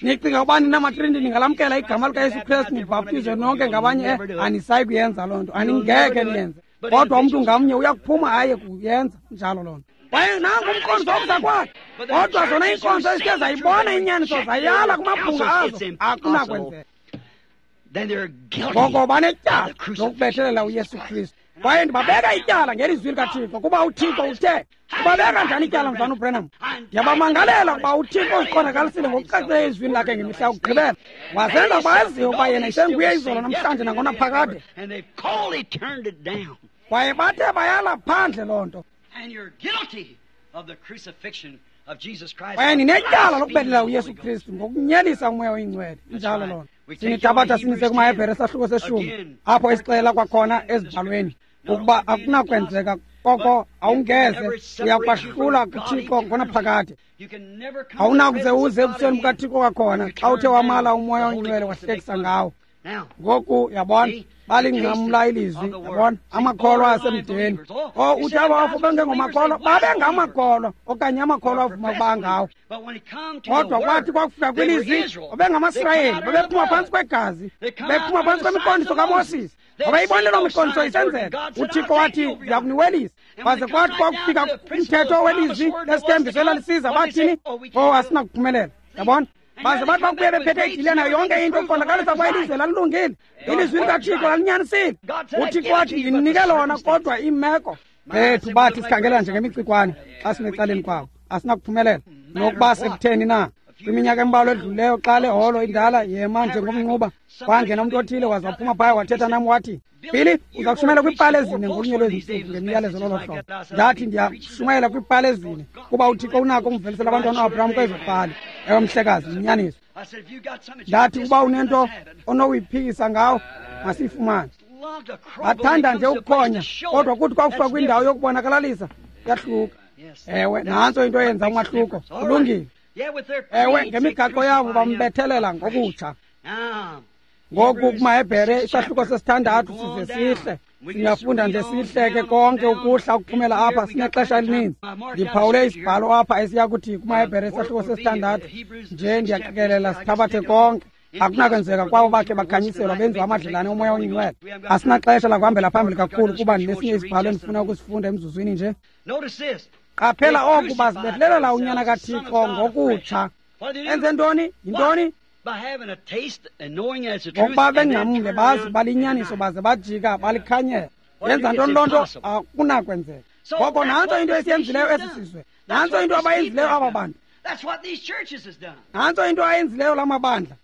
Nicinga ukuba nina maTriniti ningalamkela igama likaYesu Kristu nibhaptizwe nonke ngabanye, anisayi kuyenza loo nto, aningeke niyenze. Kodwa umntu ngamnye uyakuphuma aye kuyenza njalo loo nto. Kwaye nangu umqondiso wokuza kwakhe. Kodwa zona iinkonzo ezithe zayibona inyaniso zayala kumabhunga azo, akunakwenzeka. Ngoko banetyala lokubethelela uYesu Kristu. Kwaye ndibabeka ityala ngelizwi likaThixo, kuba uThixo uthe. Ubabeka njani ityala, mzalwana uBranham? Ndiyabamangalela ukuba uThixo uziqondakalisile ngokucacileyo ezwini lakhe ngemihla yokugqibela, wazenza baziwe ukuba yena isenguye izolo, namhlanje, nangonaphakade. Kwaye bathe bayala phandle loo nto. Kwaye ninetyala lokubethelela uYesu Kristu ngokunyelisa uMoya oyiNgcwele. Injalo loo nto. Sinithabatha sinise kumaHebhere sahluko seshumi, apho esixelela kwakhona ezibhalweni ukuba akunakwenzeka koko awungeze uyakwahlula kuThixo ngonaphakade. Awunakuze uze ebusweni bukaThixo kwakhona xa uthe wamala uMoya oyiNgcwele wahlekisa ngawo. Ngoku yabona, Balingqamla ilizwi, yabona, amakholwa asemdeni. O uthi abafo bengengomakholwa, babengamakholwa okanye amakholwa avuma ukuba ngawo. Kodwa kwathi kwakufika kwilizwi, babengamaSirayeli, babephuma phantsi kwegazi, bephuma phantsi kwemiqondiso kaMoses. Babeyibonile loo miqondiso isenzeka. UThixo wathi, ndiyakuniwelisa. Kwaze kwathi kwakufika umthetho welizwi lesithembiso elalisiza, bathini? Oh, asinakuphumelela. Yabona? Baze bathi bakubuye bephethe idile nayo yonke into ukuqondakalisa ukuba ilizwe lalilungile. Ilizwi likaThixo lalinyanisile. UThixo wathi, ndinike lona, kodwa iimeko bethu bathi sikhangela njengemicikwane xa simecaleni kwabo. Asinakuphumelela. Nokuba sekutheni na. Kwiminyaka embalwa edlulileyo xa le holo indala yema njengomnquba, kwangena umntu othile waze waphuma phaya wathetha nam wathi, Billy, uza kushumayela kwiipali ezine ngolunye lwezi ntsuku ngemiyalezo lolo hlobo. Ndathi ndiyakushumayela kwiipali ezine kuba uThixo unako ukumvelisela abantwana uAbraham kwezo pali. Ewe mhlekazi, yinyaniso. Ndathi ukuba unento onokuyiphikisa ngawo, masiyifumane. Bathanda nje ukukhonya, kodwa kuthi kwakufika kwindawo yokubonakalalisa, yahluka. Ewe, nantso into eyenza umahluko. Kulungile. Ewe, ngemigaqo yabo bambethelela ngokutsha. Ngoku kumaHebhere isahluko sesithandathu size sihle. Singafunda nje sihleke konke ukuhla ukuphumela apha, sinexesha elininzi. Ndiphawule isibhalo apha esiya kuthi kumaHebhere isahluko sesithandathu nje ndiyaqikelela sithabathe konke. Akunakwenzeka kwabo bakhe bakhanyiselwa benziwa amadlelane omoya oyingcwele. Asinaxesha lakuhambela phambili kakhulu kuba ndinesinye isibhalo endifuna ukusifunda emzuzwini nje. Qaphela oku, bazibethelela uNyana kaThixo ngokutsha. Enze ntoni? Yintoni? Ngokuba bengqamle bazi uba liyinyaniso baze bajika balikhanyela. Yenza ntoni loo nto? Akunakwenzeka. Ngoko nantso into esiyenzileyo esi sizwe. Nantso into abayenzileyo aba bantu. Nantso into ayenzileyo la mabandla.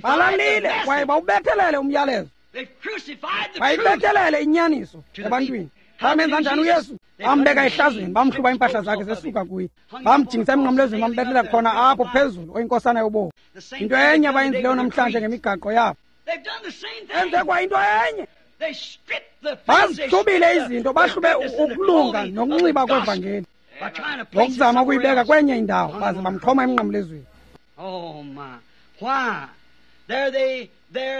Balalile kwaye bawubethelele umyalezo. Bayibethelele inyaniso ebantwini. Bamenza njani uYesu? Bambeka ehlazweni, bamhluba iimpahla zakhe zesuka kuye. Bamjingisa emnqamlezweni, bambethela khona apho phezulu, oyinkosana yobomi. Into enye abayenzileyo namhlanje ngemigaqo yabo. Enze kwa into enye. Bazihlubile izinto, bahlube ukulunga nokunxiba kwevangeli. Ngokuzama ukuyibeka kwenye indawo, baze bamxhoma emnqamlezweni.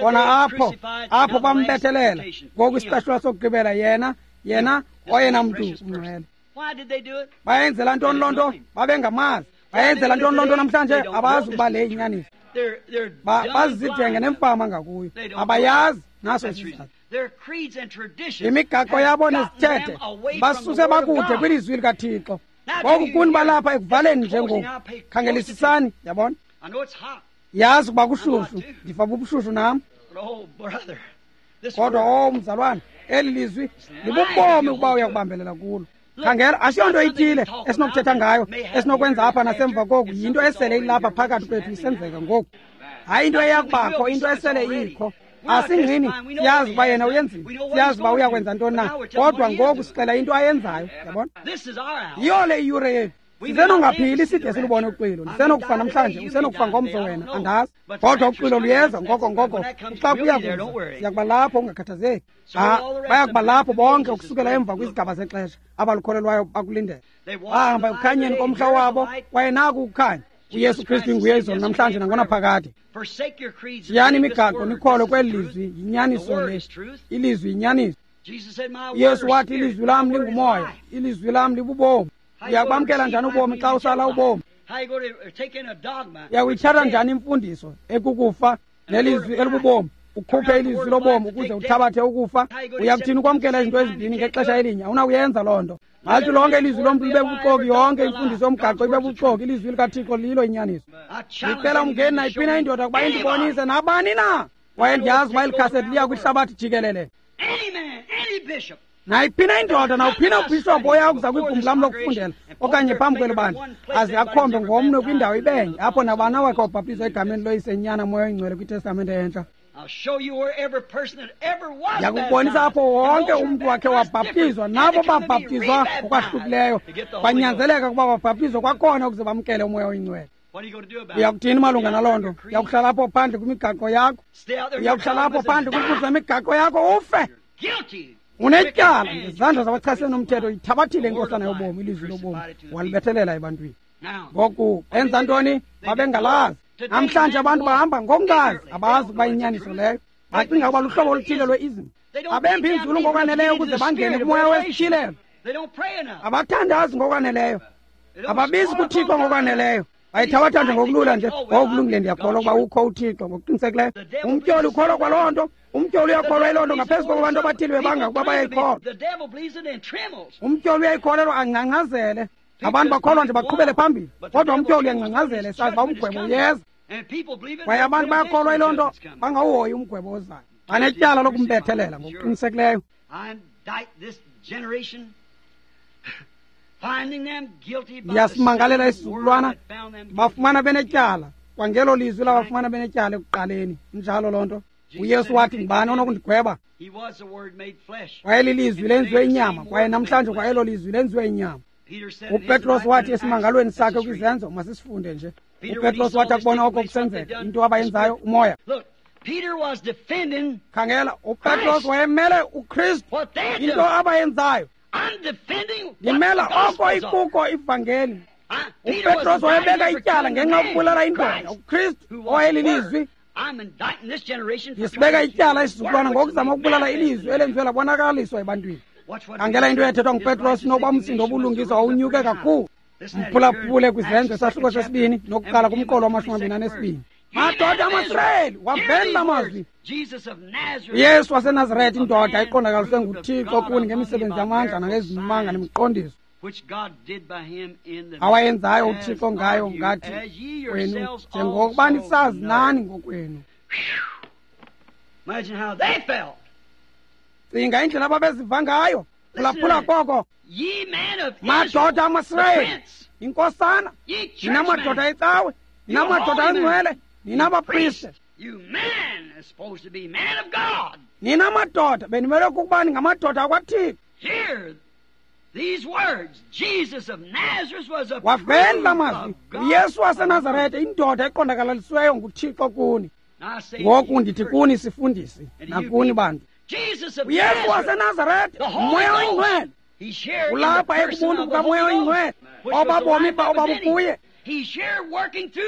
Khona apho, apho bambethelela. Ngoku isicashulwa sokugqibela yena, yena oyena mntu ungcwele. Bayenzela ntoni loo nto? Babengamazi. Bayenzela ntoni loo nto namhlanje? Abazi ukuba le yinyaniso. Bazizidenge nemfama ngakuyo. Abayazi naso isizathu. Imigaqo yabo nezithethe basuse bakude kwilizwi likaThixo. Ngoku kuni balapha ekuvaleni njengoku. Khangelisisani, yabona? Yazi ukuba kushushu, ndifa bubushushu nam. Kodwa oh mzalwane, eli lizwi libubomi ukuba uyakubambelela kulo. Khangela, asiyonto ithile esinokuthetha ngayo, esinokwenza apha nasemva koku, yinto esele ilapha phakathi kwethu isenzeka ngoku. Hayi into eyakubakho, into esele ikho. Asingqini, siyazi uba yena uyenzile, siyazi uba uyakwenza ntoni na, kodwa ngoku sixela into ayenzayo, yabona? Yiyo le iyure yethu. Sisenongaphili side silubone uxwilo. Ndisenokufa namhlanje, usenokufa ngomso wena, andazi. Kodwa uxwilo luyeza ngoko ngoko, xa kuya kuza, siyakuba lapho ungakhathazeki. Ah, bayakuba lapho bonke ukusukela emva kwizigaba zexesha abalukholelwayo bakulindele. Bahamba ekukhanyeni komhla wabo, kwaye naku ukukhanya. uYesu Kristu inguye izolo namhlanje nangonaphakade. Shiyani imigaqo nikholwe kweli lizwi, yinyaniso le. Ilizwi yinyaniso. uYesu wathi ilizwi lam lingumoya, ilizwi lam libubomi. Uyakwamkela njani ubomi xa usala ubomi? Uyakuyithatha njani imfundiso ekukufa nelizwi elibubomi? Ukhuphe ilizwi lobomi ukuze uthabathe ukufa? Uyakuthini ukwamkela izinto ezimbini ngexesha elinye? Awunakuyenza loo nto. Ngathi lonke ilizwi lomntu libe bubuxoki, yonke imfundiso yomgaqo ibe bubuxoki, ilizwi likaThixo lilo inyaniso. Ndicela umngeni nayiphi na indoda ukuba indibonise nabani na. Kwaye ndiyazi uba eli khasethi liya kwihlabathi jikelele. Nayiphi na indoda, nawuphi na ubhishophu oya kuza kwigumbi lam lokufundela okanye phambi kweli bandla, aze akhombe ngomnwe kwindawo ibenye apho nabani awakhe wabhaptizwa egameni loYise, Nyana, Moya oyiNgcwele kwiTestamente entsha. Ndiyakubonisa apho wonke umntu wakhe wabhaptizwa, nabo babhaptizwa ngokwahlukileyo kwanyanzeleka ukuba babhaptizwe kwakhona ukuze bamkele uMoya oyiNgcwele. Uyakuthini malunga naloo nto? Uyakuhlala apho phandle kwimigaqo yakho, uyakuhlala apho phandle kwimfuzo yemigaqo yakho ufe. Unetyala ngezandla zabachasene nomthetho. Ithabathile inkosana yobomi, ilizwi lobomi, walibethelela ebantwini. Ngoku enza ntoni? Babengalazi. Namhlanje abantu bahamba ngokungazi, abazi ukuba inyaniso leyo. Bacinga ukuba luhlobo oluthile lwe-ism. Abembi inzulu ngokwaneleyo ukuze bangene kumoya wesityhilelo. Abathandazi ngokwaneleyo, ababizi kuThixo ngokwaneleyo. Bayithabatha nje ngokulula nje, ngokulungile ndiyakholwa ukuba ukho uThixo ngokuqinisekileyo. Umtyholi ukholwa kwaloo nto, umtyholi uyakholwa yiloo nto ngaphezu kokuba abantu abathile bebanga ukuba bayayikholwa. Umtyholi uyayikholelwa angcangcazele. Abantu bakholwa nje baqhubele phambili, kodwa umtyholi uyangcangcazela esazi uba umgwebo uyeza. Kwaye abantu bayakholwa yiloo nto bangawuhoyi umgwebo ozayo. Banetyala lokumbethelela ngokuqinisekileyo. Ndiyasimangalela isizukulwana, bafumana benetyala kwangelo lizwi labafumana benetyala ekuqaleni. Injalo loo nto. UYesu wathi, ngubani onokundigweba? Wayelilizwi lenziwe inyama, kwaye namhlanje kwa elo lizwi lenziwe inyama. UPetros wathi esimangalweni sakhe kwizenzo, masisifunde nje. UPetros wathi akubona oko kusenzeka, into abayenzayo umoya. Khangela, uPetros wayemele uKristu, into abayenzayo. Ndimela oko ikuko ivangeli. UPetros wayebeka ityala ngenxa yokubulala indoda, uKristu owayelilizwi. Ndisibeka ityala isizukulwana ngokuzama ukubulala ilizwi elenziwe labonakaliswa ebantwini. Khangela into ethethwa nguPetros nokuba umsindo wobulungisa wawunyuke kakhulu. Mphulaphule kwizenzo isahluko sesibini nokuqala kumqolo wamashumi amabini anesibini. Madoda amaSirayeli, waveni la mazwi. UYesu waseNazaretha, indoda iqondakaliswe nguThixo kuni ngemisebenzi yamandla nangezimanga nemiqondiso awayenzayo uThixo ngayo ngathi kwenu, njengokuba nisazi nani ngokwenu. Cinga indlela ababeziva ngayo. Phulaphula koko, madoda amaSirayeli, inkosana, nina madoda ecawe, nina madoda angcwele, nina bapriste, nina madoda benimele ukuba ningamadoda akwaThixo. Waveni la mazwi, uYesu waseNazaretha, indoda eqondakalisiweyo nguThixo kuni. Ngoku ndithi kuni sifundisi nakuni bantu, uYesu waseNazaretha, uMoya oyiNgcwele ulapha ekubuntu bukaMoya oyiNgcwele obabomi obabukuye.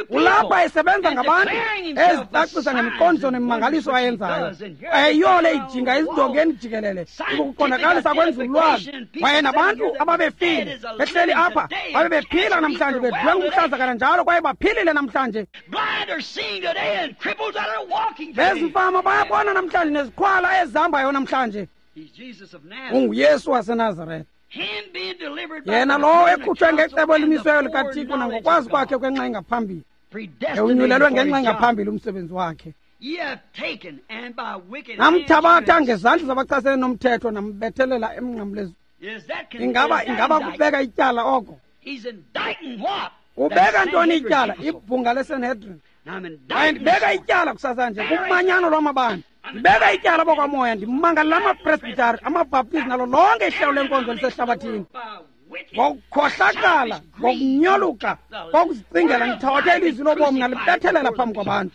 Ulapha esebenza ngabantu, ezicacisa ngemiqondiso nemimangaliso ayenzayo. Ayeyole ijinga ezindongeni jikelele ukuqondakalisa kwenzululwazi. Kwaye nabantu ababefile behleli apha babe bephila namhlanje, bedliwe ngumhlaza kananjalo, kwaye baphilile namhlanje. Bezimfama bayabona namhlanje, neziqhwala ezihambayo namhlanje. UnguYesu waseNazaretha, yena lowo ekhutshwe ngecebo elimisiweyo likaThixo nangokwazi kwakhe kwenxa engaphambili, ewunyulelwe ngenxa engaphambili umsebenzi wakhe. Namthabatha ngezandla zabachasene nomthetho, nambethelela emnqamlezweni. Ingaba ingaba kubeka ityala oko? Ubeka ntoni ityala? Ibhunga leSanhedrin. Kwaye ndibeka ityala kusasa nje kumanyano lwamabandla. Ndibeka ityala bokwamoya, ndimangalela amapresbitari, amabhaptizi nalo lonke ihlelo lenkonzo elisehlabathini. Ngokukhohlakala, ngokunyoluka, ngokuzicingela, ndithabathe ilizwi lobomi nalibethelela phambi kwabantu.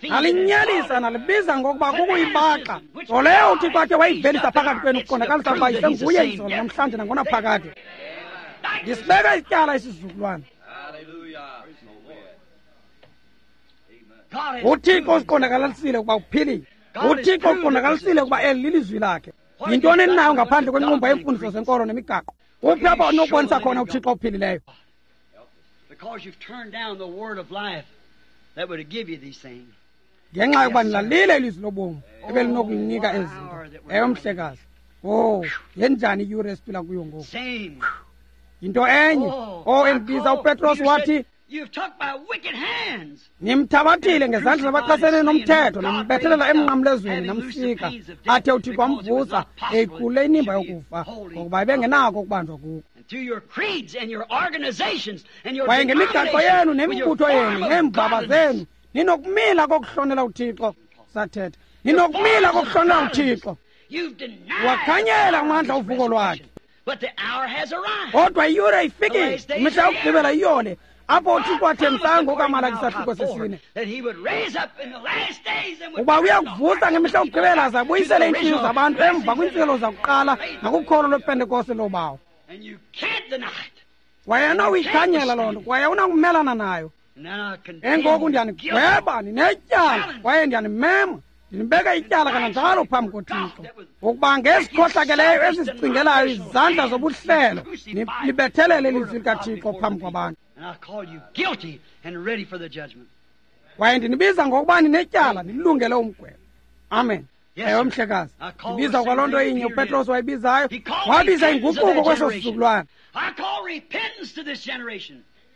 Nalinyelisa, nalibiza ngokuba kukuyibaxa. Nto leyo uThixo athe wayivelisa phakathi kwenu ukuqondakalisa ukuba isenguye izolo, namhlanje nangonaphakade. Ndisibeka ityala isizukulwana. UThixo usiqondakalalisile ukuba uphilile. UThixo uqondakalisile ukuba eli lilizwi lakhe. Yintoni eninayo ngaphandle kwenqumba yeemfundiso zenkolo nemigaqo? Uphi apho onokubonisa khona uThixo ophilileyo? Ngenxa yokuba nilalile ilizwi lobomi ebelinokunika ezi zinto. Ewe, mhlekazi. Oh, yenjani iyure esiphila kuyo ngoku? Yinto enye. Oh, endibiza uPetros wathi, nimthabathile ngezandla zabachasene nomthetho, nambethelela emnqamlezweni, namsika, athe uThixo wamvusa eyikhulule inimba yokufa, ngokuba ebengenako ukubanjwa kuko. Kwaye ngemigaqo yenu nemibutho yenu neembaba zenu ninokumila kokuhlonela uThixo. Sathetha, ninokumila kokuhlonela uThixo. Wakhanyela amandla uvuko lwakhe. Kodwa iyure ifikile, imihla yokugqibela iyole, apho uThixo athembisa ngokaMalaki isahluko sesine uba uyakuvusa ngemihla yokugqibela aze abuyisele iintliziyo zabantu emva kwiintselo zakuqala nakukholo lwePentekoste loobawo. Kwaye unawuyikhanyela loo nto, kwaye unakumelana nayo. Engoku ndiyanigweba, ninetyala, kwaye ndiyanimema, ndinibeka ityala kananjalo phambi koThixo, ukuba ngesikhohlakeleyo esisicingelayo izandla zobuhlelo nibethelele ilizwi likaThixo phambi kwabantu. Kwaye ndinibiza ngokuba ninetyala, nilungele umgwebo. Amen. Ewe, mhlekazi, ndibiza kwaloo nto inye uPetros wayibizayo. Wabiza inguquko kweso sizukulwana.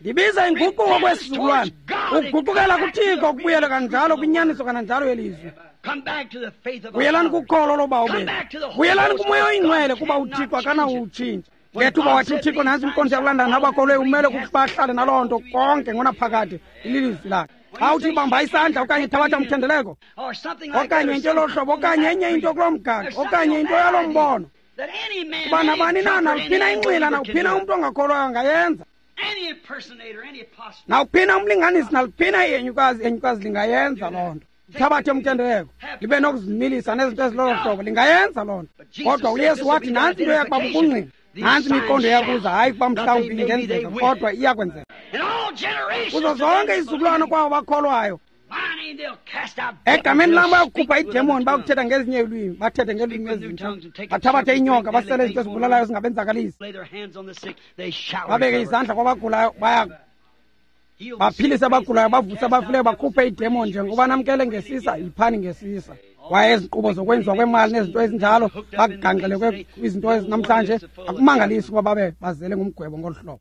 Ndibiza inguquko kwesizukulwana, ukuguqukela kuThixo, ukubuyela kanjalo kwinyaniso kananjalo yelizwi. Buyelani kukholo lobawo bethu, buyelani kuMoya oyiNgcwele, kuba uThixo akanawutshintsha. Ngethuba wathi uThixo, nantsi inkonzo yakulandana nabakholwe, umele kukuba ahlale naloo nto konke ngonaphakade, ililizwi lakhe. Xa uthi bamba isandla okanye thabatha umthendeleko okanye into yolo hlobo okanye enye into kuloo mgaqo okanye into yaloo mbono, kuba nabani na, nawuphina inxila, nawuphina umntu ongakholwayo angayenza, nawuphina umlinganisi, naluphina ihenyukazi, ihenyukazi lingayenza loo nto. Thabathe umthendeleko, libe nokuzimilisa nezinto ezilolo hlobo, lingayenza loo nto. Kodwa uYesu wathi nantsi into eyakuba bubungqina, nantsi imiqondo eyakuza, hayi kuba mhlawumbi ingenzeka, kodwa iyakwenzeka kuzo zonke izizukulwana kwabo bakholwayo. Egameni lam bayakukhupha iidemoni, bayakuthetha ngezinye iilwimi, bathethe ngeelwimi ezintsha, bathabathe inyoka, basele izinto ezibulalayo zingabenzakalisi, babeke izandla kwabagulayo, baya baphilise abagulayo, bavuse abafileyo, bakhuphe iidemoni. Njengoba namkele ngesisa, yiphani ngesisa. Kwaye ezi nkqubo zokwenziwa kwemali nezinto ezinjalo, bakuganxelekwe kwizinto ezinamhlanje, akumangalisi ukuba babe bazele ngumgwebo ngolu hlobo.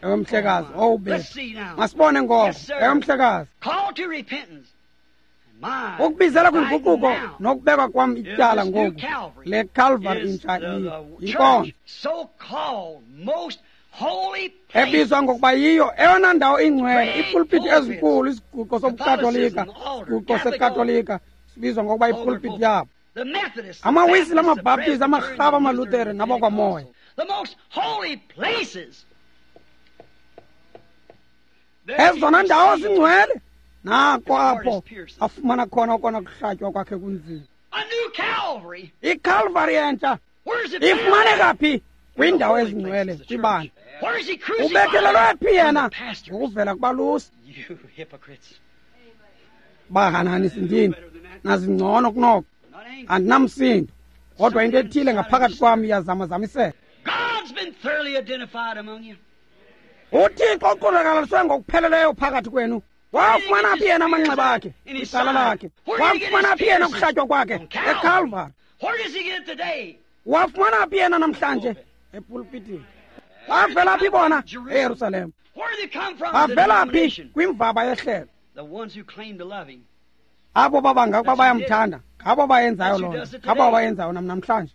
Ewe, mhlekazi, owu bethu, masibone ngoko. Ewe, mhlekazi, ukubizela kwinguquko nokubekwa kwam ityala ngoku, le Calvary intsha yinkonzo ebizwa ngokuba yiyo eyona ndawo ingcwele, ipulpiti ezinkulu, isiguqo sobuKatolika, isiguqo seKatolika sibizwa ngokuba ipulpiti yabo. Amawisile, amaBhaptizi, amaRhaba, amaLuthere nabakwaMoya. Ezona ndawo zingcwele, nako apho afumana khona okona kuhlatywa kwakhe kunzima. ICalvary entsha ifumaneka phi? Kwiindawo ezingcwele, kwibandla. Ubethelelwe phi yena? Ngokuvela kubalusi. Bahananisi ndini, nazingcono kunoko, andinamsindo, kodwa into ethile ngaphakathi kwam iyazamazamiseka. UThixo uqondakalaliswe ngokupheleleyo phakathi kwenu. Wafumana phi yena amanxeba akhe, icala lakhe? Wafumana phi yena ukuhlatywa kwakhe? ECalvary. Wafumana phi yena namhlanje? Epulpitini. Bavela phi bona? EYerusalem. Bavela phi? Kwimvaba yehlelo. Abo babanga ukuba bayamthanda, ngabo bayenzayo loo nto, ngabo bayenzayo nam namhlanje.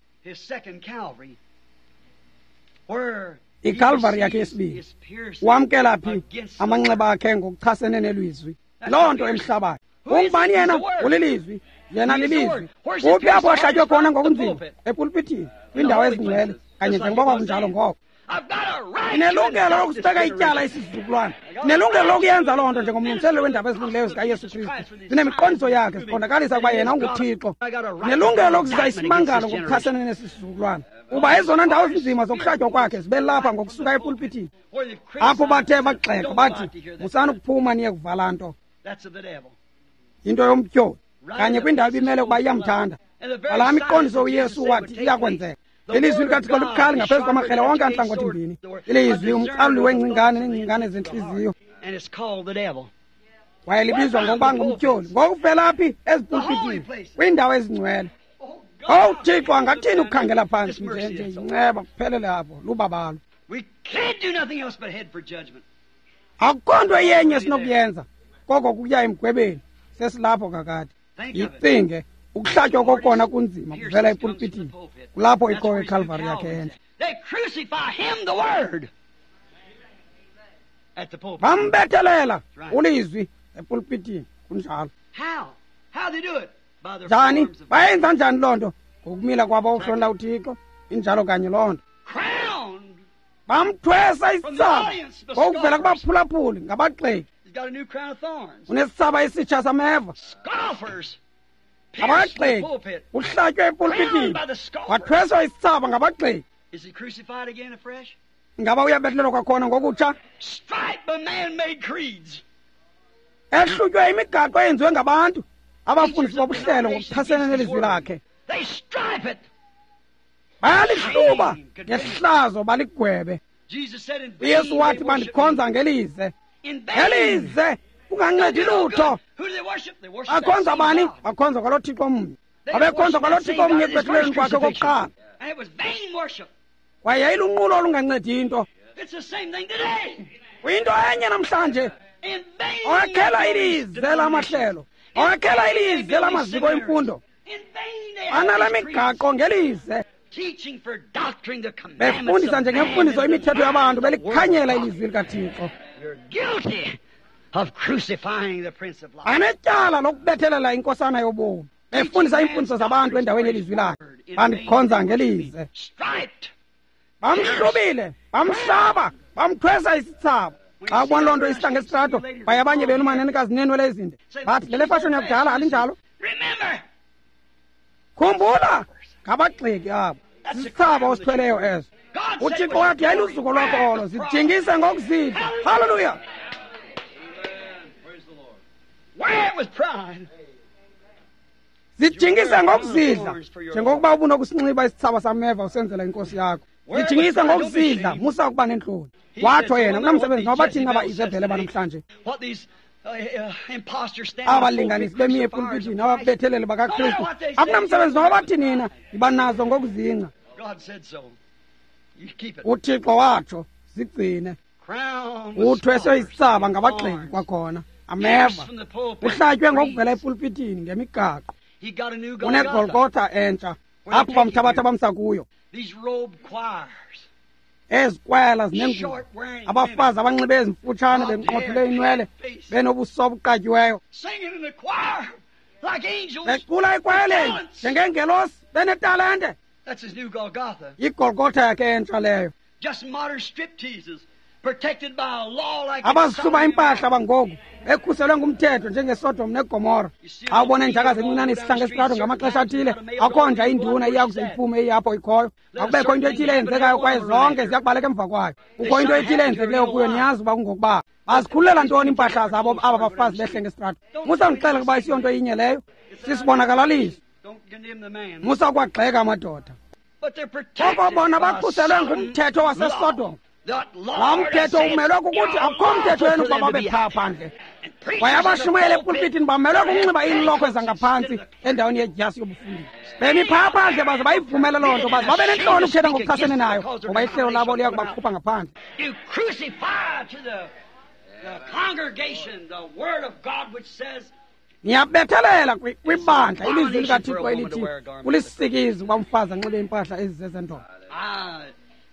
ICalvary yakhe yesibini, wamkela phi amanxeba akhe ngokuchasene nelizwi, loo nto emhlabayo. Ungubani yena? Ulilizwi, yena lilizwi. Uphi apho ahlatywe khona ngokunzima? Epulpitini, kwiindawo ezingcwele, kanye njengoba kwakunjalo ngoko. Ndinelungelo lokusibeka ityala isizukulwana, ndinelungelo lokuyenza loo nto njengomlungiseleli weendaba ezilungileyo zikaYesu Kristu. Ndinemiqondiso yakhe, siqondakalisa ukuba yena unguThixo. Ndinelungelo lokuzisa isimangalo ngokuchasene nesi sizukulwana, kuba ezona ndawo zinzima zokuhlatywa kwakhe zibe lapha ngokusuka epulpitini, apho bathe bagxeka bathi, musani ukuphuma niye kuvala nto. Into yomtyholi kanye kwindawo ibimele ukuba iyamthanda. Ngalaa miqondiso uYesu wathi iyakwenzeka. Ilizwi likaThixo libukhali ngaphezu kwamakrele wonke antlangothi mbini. Ilizwi umqaluli weengcingane neengcingane zentliziyo, kwaye libizwa ngokuba ngumtyholi. Ngokuvela phi? Ezipulpitini, kwiindawo ezingcwele. Owu Thixo, angathini ukukhangela phantsi nje nje yinceba kuphelele apho, lubabalo. Akukho nto iyenye esinokuyenza koko kukuya emgwebeni, sesilapho kakade. Yicinge, ukuhlatywa kokona kunzima kuvela epulpitini, kulapho ikhoyo iCalvary yakhe entsha. Bambethelela ulizwi epulpitini, kunjalo. Njani? Bayenza njani loo nto? Ngokumila kwabo ukuhlonela uThixo, injalo kanye loo nto. Bamthwesa isitsaba ngokuvela kubaphulaphuli ngabagxeki. Unesitsaba esitsha sameva. Ngabagxeki, uhlatywe epulpitini, wathweswa isitsaba ngabagxeki. Ngaba uyabethelelwa kwakhona ngokutsha? Striped by man-made creeds. Ehlutywe imigaqo eyenziwe ngabantu abafundisi bobuhlelo ngokuchasene nelizwi lakhe. They stripe it. Bayalihluba ngehlazo baligwebe. Jesus said in vain uYesu wathi they worship bandikhonza me. ngelize. In vain. Ngelize kungancedi lutho. Who do they worship? They worship that Bakhonza same bani? God. Bakhonza kwalo Thixo mnye. They Babekhonza worship kwalo that same Thixo God mnye at his ekubethelelweni first kwakhe crucifixion. kokuqala. And it was vain worship. Kwaye yayilunqulo olungancedi into. It's the same thing today. Kuyinto enye namhlanje. In vain. Owakhela they build ilize these lamahlelo. denominations. In Owakhela vain they ilize build these lamaziko seminaries. emfundo. In vain they have Banale these creeds. migaqo ngelize. Teaching for doctrine the commandments Befundisa of man njengemfundiso and imithetho yabantu denying the word of belikhanyela God. ilizwi likaThixo. You're guilty of crucifying the Prince of Life. Anetyala lokubethelela inkosana yobomi. Befundisa iimfundiso zabantu endaweni yelizwi lakhe. Bandikhonza ngelize. Striped. Bamhlubile, bamhlaba, bamthwesa isithsaba. Xa ubona loo nto isihla ngesitrato, baye abanye benu manenekazi neenwele ezinde. Bathi lele fashoni yakudala alinjalo. Remember, Khumbula ngabagxeki abo. Sisithsaba osithweleyo eso. God said uThixo it was wathi yayiluzuko lwakho olo, zijingise ngokuzidla. Haleluya! Wear it with pride. Zijingise ngokuzidla njengokuba ubunokusinxiba isithsaba sameva usenzela inkosi yakho. Zijingise ngokuzidla, musa ukuba nentloni. Watsho yena kunamsebenzi noba bathini aba Izebhele banamhlanje. What these uh, uh, imposters stand in the Abalinganisi pulpit, bemi crucifiers epulpitini of Christ. ababetheleli bakaKristu. Akunamsebenzi noba bathi nina yiba nazo ngokuzingca. God said so. You keep it. uThixo watsho zigcine. Crown with Uthweswe scholars isithsaba and ngabagxeki thorns. kwakhona. Ameva. Pierced from the pulpit. Uhlatywe ngokuvela epulpitini ngemigaqo. He got a new Golgotha. Unegolgotha entsha. Apho bamthabatha bamsa kuyo. These robed choirs. Ezikwela zinengubo. Short wearing Abafazi abanxibe ezimfutshane benqothule iinwele benobuso obuqatyiweyo. Singing in the choir like angels. Becula ekwayeleni njengengelosi benetalente. That's his new Golgotha. Igolgotha yakhe entsha leyo. Just modern stripteases protected by a law like Abazihluba impahla bangoku bekhuselwe ngumthetho njengeSodom neGomora. Xa ubona injakazi encinane isihla ngesitrato ngamaxesha athile, akho nja induna iya kuze iphume iyapho ikhoyo. Akubekho into ethile eyenzekayo kwaye zonke ziya kubaleka emva kwayo. Kukho into ethile eyenzekileyo kuyo, niyazi uba kungokuba. Bazikhululela ntoni iimpahla zabo aba bafazi behle ngesitrato? Musa ndixele ukuba isiyonto inye leyo. Sisibonakalaliso. Don't condemn the man. Musa ukwagxeka amadoda. But they're protected Koko bona by bakhuselwe some ngumthetho waseSodom. law. That Laa Lord mthetho said umelwe kukuthi akukho mthetho wenu ukuba babe phaa phandle. And preachers Kwaye in the abashumayela pulpit epulpitini bamelwe kukunxiba iilokhwe zangaphantsi endaweni yedyasi yobufundisi. Bemi phaa phandle baze bayivumele loo nto, baze babe nentloni ukuthetha ngokuchasene nayo, ngoba ihlelo labo liya kubakhupha ngaphandle. You crucify to the, the congregation the word of God which says Niyabethelela kwi- kwibandla ilizwi likaThixo elithi kulisikizi uba umfazi anxibe iimpahla ezizezendoda. I,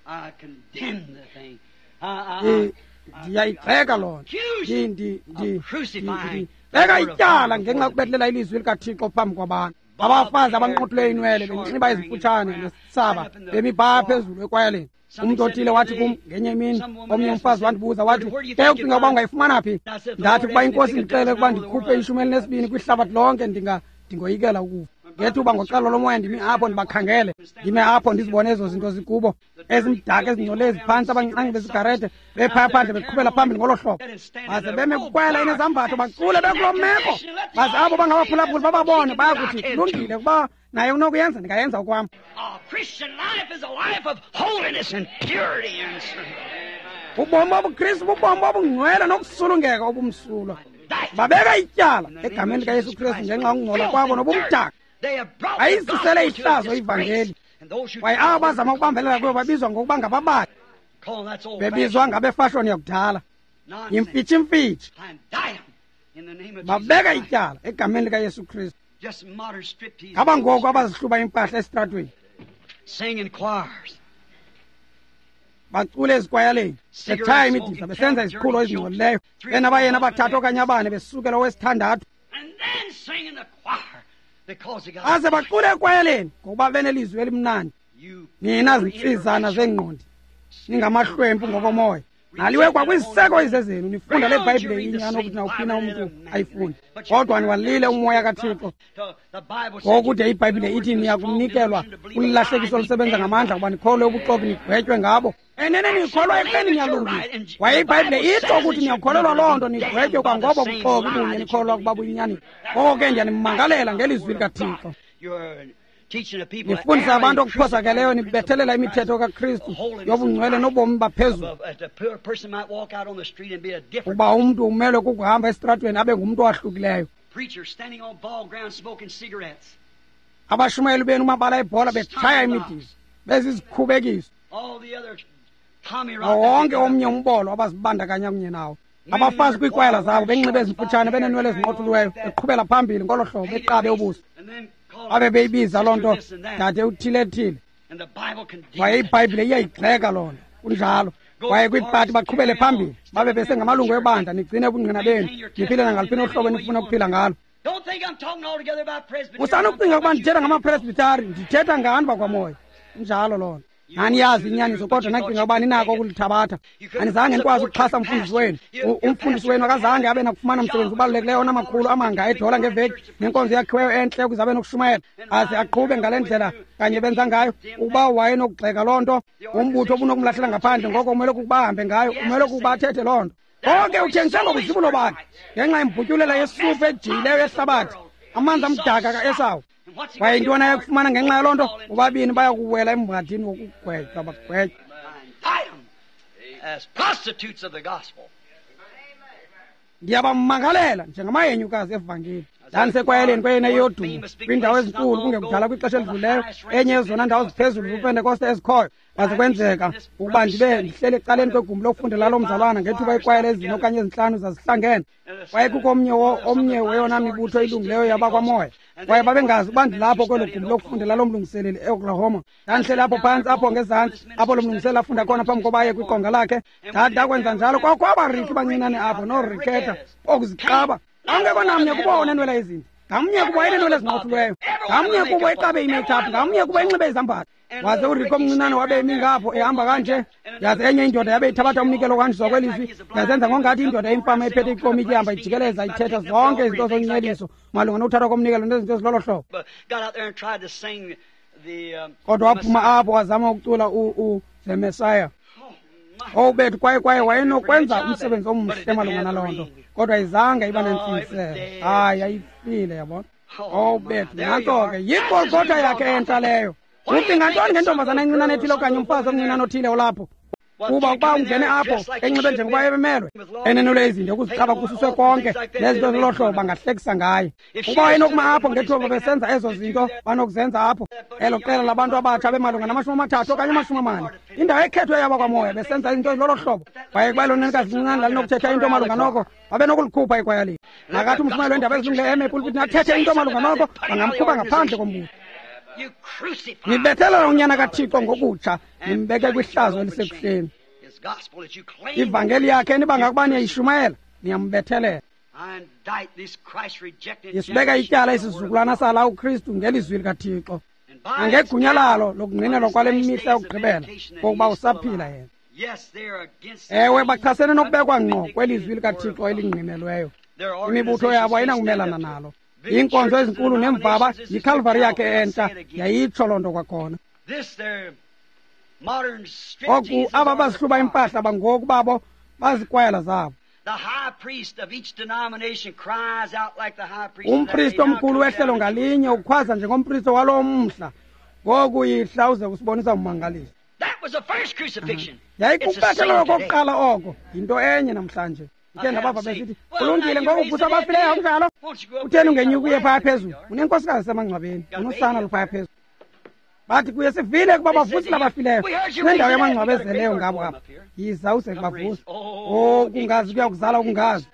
I condemn the thing. I, I, Ndi- I, Ndiyayigxeka loo nto. accuse Ndi- ndi- ndi- of crucifying ndi- Beka the word of ityala God ngenxa yokubetlela ilizwi likaThixo phambi kwabantu. Abafazi abanqothule iinwele benxiba ezimfutshane nesithsaba bemi phaa phezulu ekwayeleni. Umntu othile wathi kum ngenye imini, omnye umfazi wandibuza wathi, ke ucinga uba ungayifumana phi? Ndathi ukuba inkosi indixele ukuba ndikhuphe ishumi elinesibini kwihlabathi lonke ndinga ndingoyikela ukufa. Ngethuba ngoxolo lomoya ndimi apho ndibakhangele, ndime apho ndizibone ezo zinto zikubo, ezimdaka ezingcole eziphantsi, abanqangi besigarete bephaya phandle beqhubela phambili ngolo hlobo. Baze beme kukwela inezambatho bacule bekuloo meko. Baze abo bangabaphulaphuli bababone bayakuthi kulungile ukuba naye unokuyenza ndingayenza okwam. A Christian life is a life of holiness and purity and Ubomi bobuKristu bubomi obungcwele nokusulungeka obumsulwa. That Babeka ityala egameni likaYesu Kristu ngenxa yokungcola kwabo nobumdaka. they have brought the Bayizisele gospel to ihlazo disgrace. ivangeli. And those who Kwaye abo bazama ukubambelela kuyo babizwa ngokuba ngababayi, call that's old bebizwa ngabefashoni yakudala. nonsense. Yimfitshimfitshi. I indict 'em in the name of Jesus Babeka Christ. ityala egameni likaYesu Kristu. Just modern striptease. Ngaba ngoku abazihluba impahla esitratweni, Sing in choirs. bacule ezikwayaleni, betshaya imidiza, besenza iziqhulo ezingcolileyo, benabayeni abathathu okanye abane besukela owesithandathu. And then sing in the choir because they got Baze bacule ekwayaleni ngokuba benelizwi elimnandi. you Nina zintsizana zeengqondi, ningamahlwempu ngokomoya. Naliwe kwakwisiseko izezenu nifunda le Bhayibhile inyani okuthi nawuphina umntu ayifunde. Kodwa niwalile umoya kaThixo. Ngokude iBhayibhile ithi niyakumnikelwa ulahlekiso olusebenza ngamandla kuba nikholwe ubuxoki nigwetywe ngabo. Enene nikholwa ekubeni niyalungisa. Kwaye iBhayibhile itsho ukuthi niyakholelwa loo nto nigwetywe kwangobo buxoki bunye nikholwa ukuba buyinyani. Ngoko ke ndiyanimangalela ngelizwi likaThixo. Nifundisa abantu okuphosakeleyo nibethelela imithetho kaKristu yobungcwele nobomi baphezulu. Ukuba umntu umelwe kukuhamba esitratweni abe ngumntu owahlukileyo. Abashumayeli benu mabala ebhola betshaya imidizo bezizikhubekiso nawo wonke omnye umbolo abazibandakanya kunye nawo. Abafazi kwiikwayala zabo benxibe ezimfutshane beneenwele ezinqothuliweyo beqhubela phambili ngolo hlobo beqabe ubuso. Babe beyibiza loo nto dade uthile-thile. Kwaye iBhayibhile iyayigxeka loo nto. Kunjalo. Kwaye kwiipati baqhubele phambili babe besengamalungu ebandla nigcine ubungqina benu niphile nangaluphi uhlobo enifuna ukuphila ngalo. Usanokucinga ukuba ndithetha ngamapresbitari, ndithetha ngani bakwamoya. Injalo loo nto. Naniyazi inyaniso kodwa nacinga ukuba ninako ukulithabatha. Anizange nikwazi ukuxhasa umfundisi wenu. Umfundisi wenu akazange abe nakufumana msebenzi ubalulekileyo onamakhulu amanga edola ngeveki nenkonzo yakhiweyo entle ukuze abe nokushumayela aze aqhube ngale ndlela kanye benza ngayo. Ukuba wayenokugxeka loo nto, umbutho obunokumlahlela ngaphandle, ngoko umele ukuba ahambe ngayo, umele ukuba athethe loo nto. Konke uthengise ngobuzibulo bakhe ngenxa yembhutyulela yesufu ejiyileyo yehlabathi, amanzi amdaka kaEsawu. Kwaye intwana yakufumana ngenxa yaloo nto, bobabini bayakuwela emhadini wokugwetywa bagwetywa. Ndiyabamangalela njengamahenyukazi evangeli. Ndandisekwayeleni kweyena yodumo kwiindawo ezinkulu kungekudala kwixesha elidluleyo, enye yezona ndawo ziphezulu zoPentekoste ezikhoyo. Kwaze kwenzeka ukuba ndibe ndihleli ecaleni kwegumbi lokufundela loo mzalwana ngethuba ikwayela ezine okanye ezintlanu zazihlangene. Kwaye kukho omnye omnye weyona mibutho ilungileyo yabakwamoya. Kwaye babengazi uba ndilapho kwelo gumbi lokufundela loo mlungiseleli eOklahoma. Ndandihleli apho phantsi apho ngezantsi apho lo mlungiseleli afunda khona phambi koba aye kwiqonga lakhe. Ndakwenza njalo kwakho abariki bancinane apho nooriketha okuziqaba. Angekho namnye kubo onenwele ezinto. Ngamnye kubo enenwele ezinqothuliweyo. Ngamnye kubo eqabe imakeup, ngamnye kubo enxibe izambatho. Waze uRiko omncinane wabe emi ngapho ehamba kanje. Yaze enye indoda yabe ithabatha umnikelo ohanjiswa kwelizwi. Yazenza ngongathi indoda imfama ephethe ikomityi ihamba ijikeleza ithetha zonke izinto zonceliso malunga nokuthathwa komnikelo nezinto ezilolo hlobo. Kodwa waphuma apho wazama ukucula u The Messiah. Oh bethu, kwaye kwaye wayenokwenza umsebenzi omhle malunga naloo nto, kodwa izange iba nentsingiselo. Hayi, yayifile, yabona. Oh bethu, nantso ke yigolgotha yakhe entsha leyo. Ucinga ntoni ngentombazana encinane ethile okanye umfazi omncinane othile olapho? Kuba ukuba ungene apho enxibe njengoba ebemelwe, enenwele izinto ukuziqaba kususwe konke nezinto zolo hlobo bangahlekisa ngaye. Ukuba wayenokuma apho ngethuba besenza ezo zinto banokuzenza apho, elo qela labantu abatsha bemalunga namashumi amathathu okanye amashumi amane, indawo ekhethwe yabakwamoya besenza izinto ezilolo hlobo. Kwaye kuba elo nenekazi lincinane lalinokuthetha into malunga noko, babenokulikhupha ikwayalini. Nakathi umshumayeli weendaba ezilungileyo eme epulpitini athethe into malunga noko, bangamkhupha ngaphandle kombutho. Nibethelela unyana kaThixo ngokutsha, nimbeke kwihlazo elisekuhleni. Ivangeli yakhe enibanga ukuba niyayishumayela, niyambethelela. Isibeka ityala isizukulwana sala uKristu ngelizwi likaThixo nangegunya lalo lokungqinelwa kwale mihla yokugqibela kokuba usaphila yena. Ewe, bachasene nokubekwa ngqo kwelizwi likaThixo elingqinelweyo. Imibutho yabo ayinakumelana nalo. Iinkonzo ezinkulu nemvaba yiKalvari yakhe entsha yayitsho loo nto kwakhona. Oku aba bazihluba impahla bangoku babo bazikwayala zabo. Umpristi omkhulu wehlelo ngalinye ukhwaza njengompristi walo mhla, ngoku yihla uze kusibonisa ummangaliso. Yayikubethelelwa kokuqala oko, yinto enye namhlanje. Ndikhe ndabava besithi, kulungile ngoku uvusa abafileyo akunjalo? Utheni ungenyuki uye phaya phezulu? Unenkosikazi esemangcwabeni, unosana luphaya phezulu. Bathi kuye, sivile ukuba bavusile abafileyo, kunendawo yamangcwaba ezeleyo ngabo apha. Yiza uze kubavusa. Oh, ukungazi kuyakuzala ukungazi.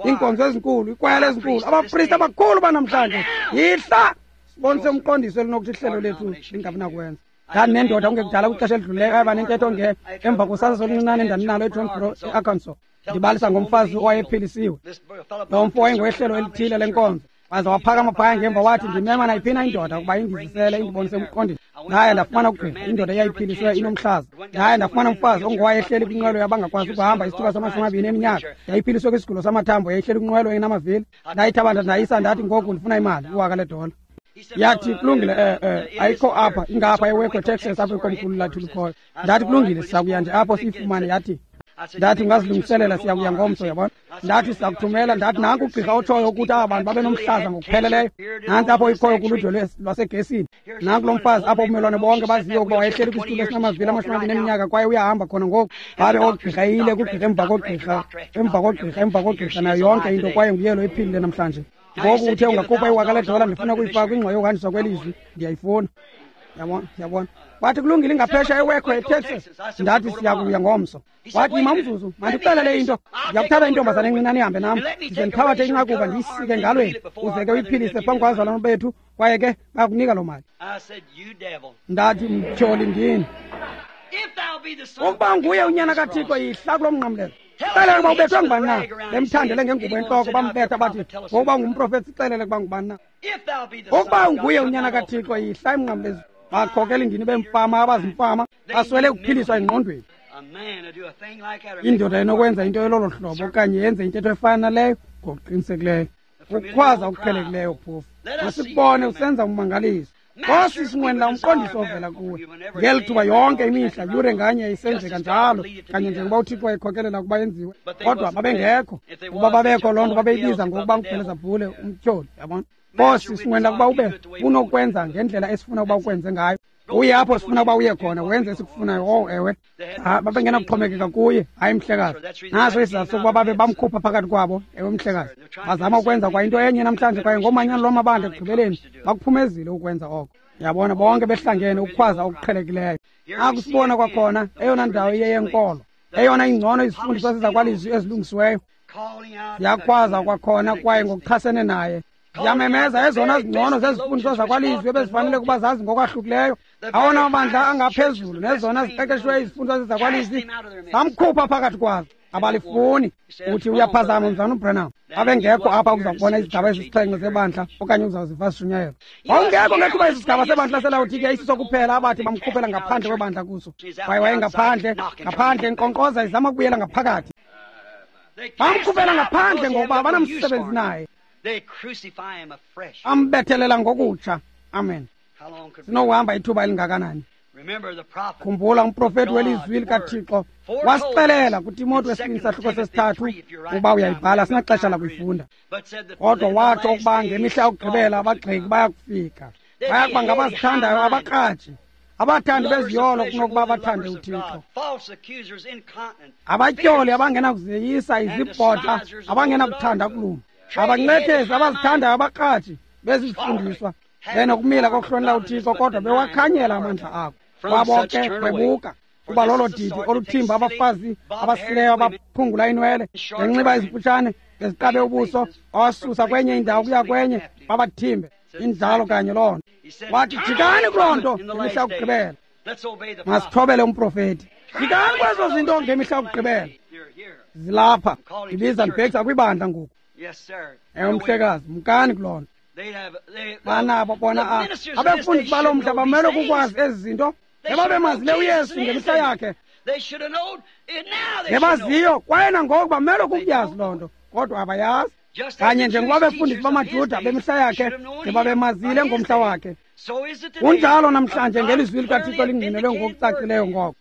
Iinkonzo ezinkulu, ikwayala ezinkulu, abapristi abakhulu banamhlanje. Yihla sibonise umqondiso elinokuthi ihlelo lethu lingabi nakwenza. Ndandinendoda kungekudala kwixesha elidlulileyo ayaba nentetho nge emva kosasazo oluncinane endandinalo eJohnsboro eArkansas. Ndibalisa ngomfazi owayephilisiwe. Lo mfo wayengowehlelo elithile lenkonzo. Waze waphakama phaya ngemva wathi, ndimema nayiphina indoda ukuba indizisele indibonise umqondiso. Ndaye ndafumana ugqirha, indoda eyayiphiliswe inomhlaza. Ndaye ndafumana umfazi ongowayehleli kwinqwelo yabangakwazi ukuhamba isithuba samashumi amabini eminyaka. Yayiphiliswe kwisigulo samathambo, yayihleli kwinqwelo enamavili. Ndayithabatha ndayisa, ndathi ngoku ndifuna imali, iwaka ledola. Yathi kulungile, eh eh ayikho apha, ingapha eWaco, Texas, apho ikomkhulu lathu likhoyo. Ndathi kulungile, sizakuya nje apho siyifumane. Yathi ndathi ungazilungiselela, siyakuya ngomso, yabona. Ndathi sizakuthumela, ndathi nanku ugqirha otshoyo ukuthi aba bantu babe nomhlaza ngokupheleleyo. Nantsi apho ikhoyo kuludwe lwasegesini. Nanku lo mfazi apho ubumelwane bonke baziyo ukuba wayehleli kwisitulo esinamavili amashumi amabini eminyaka kwaye uyahamba khona ngoku. Babe oogqirha eyile kugqirha emva kogqirha, emva kogqirha, emva kogqirha, nayo yonke into, kwaye nguye lo ephilile namhlanje. Ngoku uthe ungakhupha iwaka ledola, ndifuna ukuyifaka kwingxowa yokuhanjiswa kwelizwi, ndiyayifuna. Yabona, yabona. Wathi kulungile, ingaphesha eWaco, eTexas. Ndathi siyakuya ngomso. Wathi yima umzuzu, mandikuxelele into. Ndiyakuthatha intombazana encinane ihambe nam, ndize ndithabathe inqakuba ndiyisike engalweni, uze ke uyiphilise phambi kwabazalwana bethu, kwaye ke bayakunika loo mali. Ndathi mtyholi ndini, ukuba nguye unyana kaThixo, yihla kulo mnqamlezo. Xelele ukuba ubethwe ngubani na. Bemthandele ngengubo entloko, bambetha bathi ngokuba ungumprofethi, sixelele ukuba ngubani na. Ukuba unguye unyana kaThixo, yihla emnqamlezweni. Bakhokela indini bemfama, abazimfama, baswele ukuphiliswa engqondweni. Indoda enokwenza into elolo hlobo okanye yenze intetho efana naleyo, ngokuqinisekileyo ukukhwaza okuqhelekileyo phofu. Masikubone usenza ummangaliso. Nkosi, sinqwenela umqondiso ovela kuwe. Ngeli thuba yonke imihla, yure nganye isenzeka njalo, kanye njengoba uThixo wayekhokelela ukuba yenziwe. Kodwa babengekho. Ukuba babekho, loo nto babeyibiza ngokuba nguBhelezebhule, umtyholi, yabona. Nkosi, sinqwenela ukuba ube unokwenza ngendlela esifuna ukuba ukwenze ngayo. Uye apho sifuna ukuba uye khona, wenze esikufunayo. Oh, ewe. Babengenakuxhomekeka kuye, hayi mhlekazi. Naso isizathu sokuba babe bamkhupha phakathi kwabo, ewe mhlekazi. Bazama ukwenza kwa into enye namhlanje, kwaye ngomanyano lwamabandla ekugqibeleni bakuphumezile ukwenza oko. Yabona, bonke behlangene ukukhwaza okuqhelekileyo. Akusibona kwakhona eyona ndawo iyeyenkolo, eyona ingcono izifundiswa zezakwalizwi ezilungisiweyo. Ziyakhwaza kwakhona kwaye ngokuchasene naye. Ziyamemeza ezona zingcono zezifundiswa zakwalizwi ebezifanele ukuba zazi ngokwahlukileyo. Awona mabandla angaphezulu nezona ziqeqeshiweyo izifundiswa zezakwalizwi zamkhupha phakathi kwazo. Abalifuni. Uthi uyaphazama mzana uBranham. Abengekho apha ukuza kubona izigaba ezisixhenxe zebandla okanye uzawuziva sishunyayelwa. Wawungekho ngethuba esi sigaba sebandla seLawodike isisokuphela abathi bamkhuphela ngaphandle kwebandla kuso. Kwaye wayengaphandle, ngaphandle enkqonkqoza izama ukubuyela ngaphakathi. Bamkhuphela ngaphandle ngokuba abanamsebenzi naye. Ambethelela ngokutsha. Amen. Sinokuhamba ithuba elingakanani? Khumbula umprofeti welizwi likaThixo wasixelela kuTimothy wesibini sahluko sesithathu, uba uyayibhala, sinaxesha lakuyifunda. Kodwa watsho ukuba ngemihla yokugqibela abagxeki bayakufika, bayakuba ngabazithandayo abakratshi, abathandi beziyolo kunokuba bathande uThixo, abatyholi abangenakuzeyisa izibhodla, abangenakuthanda kulunga, abancethezi abazithandayo abakratshi bezifundiswa, benokumila kokuhlonela uThixo, kodwa bewakhanyela amandla akho. Kwabo ke kwebuka, kuba lolo didi oluthimba abafazi abasileyo abaphungula inwele, benxiba izimfutshane, beziqabe ubuso, awasusa kwenye indawo kuya kwenye, babathimbe. Injalo kanye loo nto. Wathi jikani kuloo nto ngemihla yokugqibela. Masithobele umprofeti. Jikani kwezo zinto ngemihla yokugqibela. Zilapha. Ndibiza ndibhekisa kwibandla ngoku. Ewe mhlekazi, mkani kuloo nto. Banabo bona abefundisi balo mhla bamele kukwazi ezi zinto. Ngebabemazile uYesu ngemihla yakhe, ngebaziyo kwaye nangoku bamele kukuyazi loo nto, kodwa abayazi. Kanye njengoba befundisi bamaJuda bemihla yakhe ngebabemazile ngomhla wakhe, kunjalo namhlanje ngelizwi likaThixo lingqinelwe ngokucacileyo ngoko.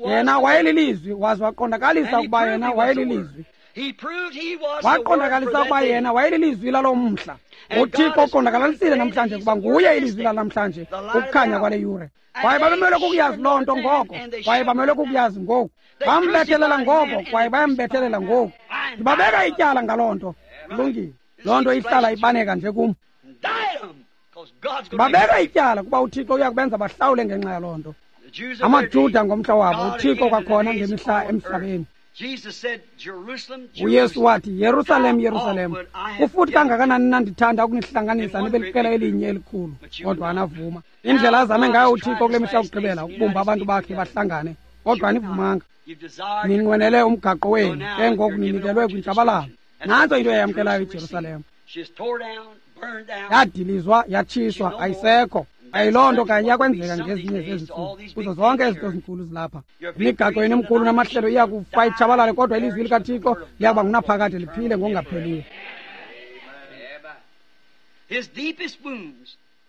Yena wayelilizwi, waze waqondakalisa ukuba yena wayelilizwi. Waqondakalisa ukuba yena wayelilizwi lalo mhla. UThixo uqondakalalisile namhlanje ukuba nguye ilizwi lanamhlanje, ukukhanya kwale yure. Kwaye babemele kukuyazi loo nto ngoko, kwaye bamele kukuyazi ngoku. Bambethelela ngoko, kwaye bayambethelela ngoku. Ndibabeka ityala ngaloo nto. Kulungile. Loo nto ihlala ibaneka nje kum. Ndibabeka ityala kuba uThixo uya kubenza bahlawule ngenxa yaloo nto. AmaJuda ngomhla wabo, uThixo kwakhona ngemihla emhlabeni. uYesu wathi, Yerusalem, Yerusalem, kufuthi kangakanani na ndithanda ukunihlanganisa nibe liqela elinye elikhulu, kodwa anavuma. Indlela azame ngayo uThixo kule mihla yokugqibela ukubumba abantu bakhe bahlangane, kodwa anivumanga. Ninqwenele umgaqo wenu, ke ngoku ninikelwe kwintshabalalo. Nantso into eyamkelayo iJerusalem. Yadilizwa, yatshiswa, ayisekho. Ayiloo nto kanye iyakwenzeka ngezinye zezi ntsuku kuzo zonke ezinto zinkulu zilapha. Imigaqo yenu emikhulu namahlelo iya kufa itshabalale, kodwa ilizwi likaThixo liyakuba ngunaphakade liphile ngokungapheliyo.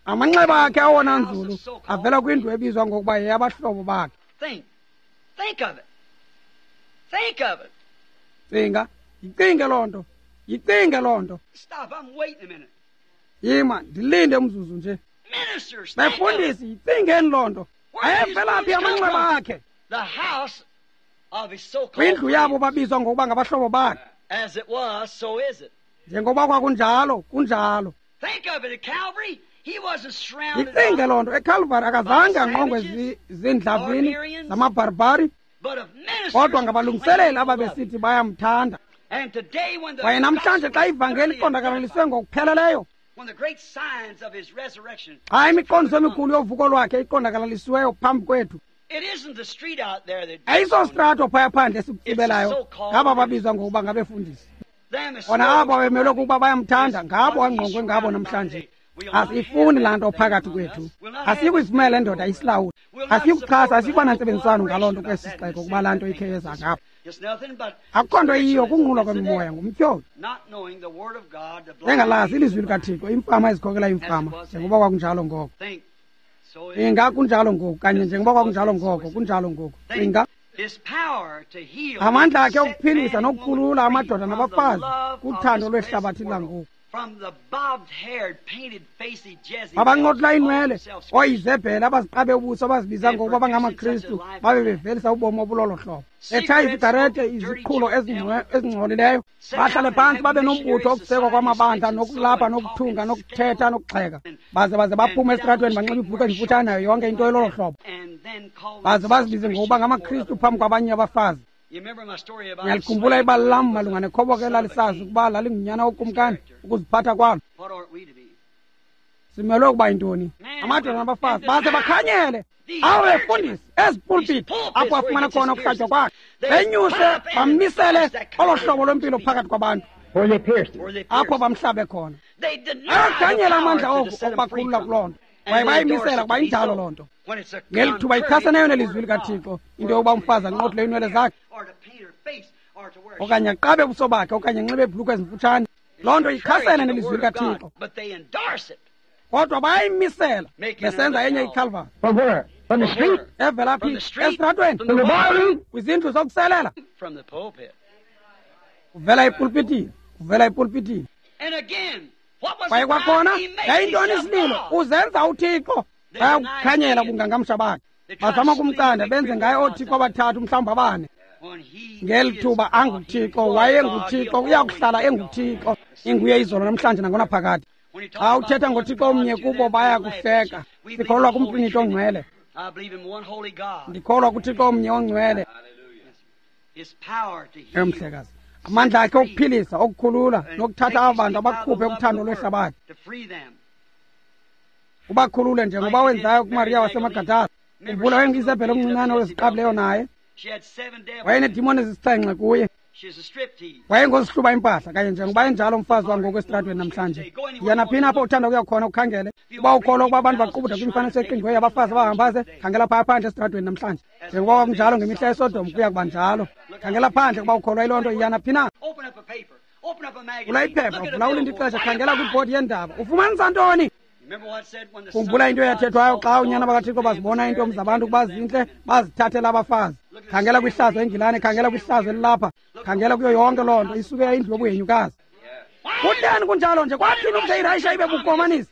Amanxeba akhe awona nzulu avela kwindlu ebizwa ngokuba yeyabahlobo bakhe. Cinga, yicinge loo nto, yicinge loo nto. Yima, ndilinde umzuzu nje. Befundisi, yicingeni loo nto. Ayevela phi amanxeba akhe? Kwindlu yabo babizwa ngokuba ngabahlobo bakhe. Njengoba kwakunjalo, kunjalo. Yicinge loo nto. EKalvari akazange angqongwe ziindlavini zamabharbhari, kodwa ngabalungiseleli ababesithi bayamthanda. Kwaye namhlanje xa ivangeli iqondakalaliswe ngokupheleleyo, xa imiqondiso emikhulu yovuko lwakhe iqondakalalisiweyo phambi kwethu, ayisostrato phaya phandle esikutsibelayo ngaba babizwa ngokuba ngabefundisi. Bona abo bemelwe kukuba bayamthanda, ngabo angqongwe ngabo namhlanje. Asiyifuni laa nto phakathi kwethu. Asiyikuyivumela endoda isilawule. Asiyikuxhasa, asiyikuba nantsebenziswano ngaloo nto kwesi sixeko kuba laa nto ikhe yeza ngapha. Akukho nto iyiyo kunqulwa kwemimoya ngumtyholi. Engalazi ilizwi likaThixo, imfama ezikhokela imfama, njengoba kwakunjalo ngoko. Inga kunjalo ngoku, kanye njengoba kwakunjalo ngoko, kunjalo ngoku. Inga amandla akhe okuphilisa nokukhulula amadoda nabafazi kuthando lwehlabathi langoku. Abanqotla iinwele, ooIzebhele abaziqabe ubuso abazibiza ngokuba bangamaKristu babe bevelisa ubomi obulolo hlobo. Etshaya izigarete, iziqhulo ezingcolileyo, bahlale phantsi babe nombutho okusekwa kwamabandla nokulapha nokuthunga nokuthetha nokugxeka. Baze baze baphume esitratweni banxibe iibhulukhwe ezimfutshane nayo yonke into elolo hlobo. Baze bazibize ngokuba ngamaKristu phambi kwabanye abafazi. Ngiyalikhumbula ibali lam malunga nekhoboka elalisazi ukuba lalingunyana wokumkani ukuziphatha kwalo. Simelwe ukuba yintoni? Amadoda nabafazi baze bakhanyele awe befundisi ezipulpiti apho afumana khona ukuhlatywa kwakhe, benyuse bamisele olo hlobo lwempilo phakathi kwabantu apho bamhlabe khona. Ayakhanyela amandla oku okubakhulula kuloo nto. Kwaye bayimisela kuba injalo loo nto. Ngeli thuba ichaseneyo nelizwi likaThixo into yokuba umfazi anqothule iinwele zakhe okanye aqabe ubuso bakhe okanye anxibe iibhulukhwe ezimfutshane, loo nto ichasene nelizwi likaThixo. Kodwa bayayimisela besenza enye iKalvari. Evela phi? Esitratweni, kwizindlu zokuselela, uvela epulpitini, uvela epulpitini. Kwaye kwakhona yayintoni isililo? Uzenza uThixo. Bayakukhanyela ubungangamsha bakhe, bazama ukumcanda benze ngaye oothixo abathathu mhlawumbi abane. Ngeli thuba anguThixo, wayenguThixo, uyakuhlala enguThixo, inguye izolo namhlanje nangonaphakade. Xa uthetha ngoThixo omnye kubo bayakuhleka. Sikholwa kumPriniti ongcwele. Ndikholwa kuThixo omnye ongcwele. Emhlekazi, amandla akhe okuphilisa, okukhulula nokuthatha aba bantu abakhuphe kuthando lwehlabathi, ubakhulule njengoba wenzayo kuMariya waseMagadala. Khumbula wayenguIzebhele omncinane oziqabileyo naye, wayeneedimoni ezisixhenxe kuye, wayengozihluba impahla kanye njengoba enjalo umfazi wangoku esitratweni namhlanje. Yiya naphina apho uthanda ukuya khona ukhangele. Uba ukholwa ukuba abantu baqubuda kwimifanekiso eqingqiweyo yabafazi abahambaze, khangela phaya phandle esitratweni namhlanje. Njengoba kwakunjalo ngemihla yeSodom, kuya kuba njalo. Khangela phandle ukuba ukholwa yiloo nto, yiya naphina. Vula iphepha, vula ulinde ixesha, khangela kwibhodi yeendaba. Ufumanisa ntoni? Khumbula into eyathethwayo xa unyana bakaThixo bazibona iintombi zabantu ukuba zintle, bazithathela abafazi. Khangela kwihlazo eNgilane, khangela kwihlazo elilapha, khangela kuyo yonke loo nto isuke yayindlu yobuhenyukazi. Kutheni kunjalo nje? Kwathini ukuze iRayisha ibe bukomanisi?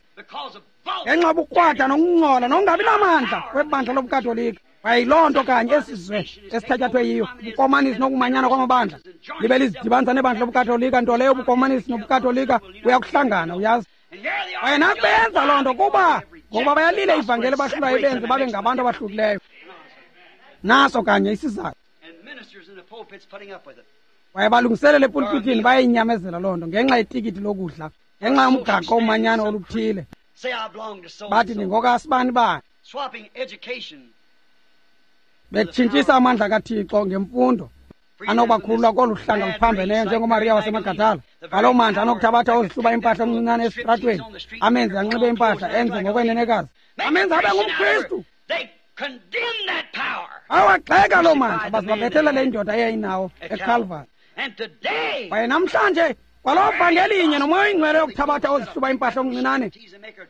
Ngenxa yobukrwada nokungcola nokungabi namandla kwebandla lobuKatolika. Kwaye yiloo nto kanye esizwe esithatyathwe yiyo, ubukomanisi nokumanyana kwamabandla. Libe lizidibanisa nebandla lobuKatolika, nto leyo ubukomanisi nobuKatolika buyakuhlangana, uyazi. Kwaye nakubenza loo nto kuba ngokuba bayalile ivangeli bahlulayo ibenze babe ngabantu abahlukileyo. Naso kanye isizathu. Kwaye balungiselela epulpitini bayayinyamezela loo nto ngenxa yetikiti lokudla, ngenxa yomgaqo omanyano oluthile. Bathi ndingokasibani bani, betshintshisa amandla kaThixo ngemfundo. anokubakhulula kolu hlanga luphambeneyo njengoMariya waseMagadala, ngaloo mandla anokuthabatha ozihluba impahla omncinane esitratweni, amenze anxibe impahla, enze ngokwenenekazi, amenze abe ngumKristu. Awagxeka loo mandla baze babethelele indoda eyayinawo eCalvary. Kwaye namhlanje kwaloo vangeli inye nomoya oyingcwele yokuthabatha ozihluba impahla omncinane,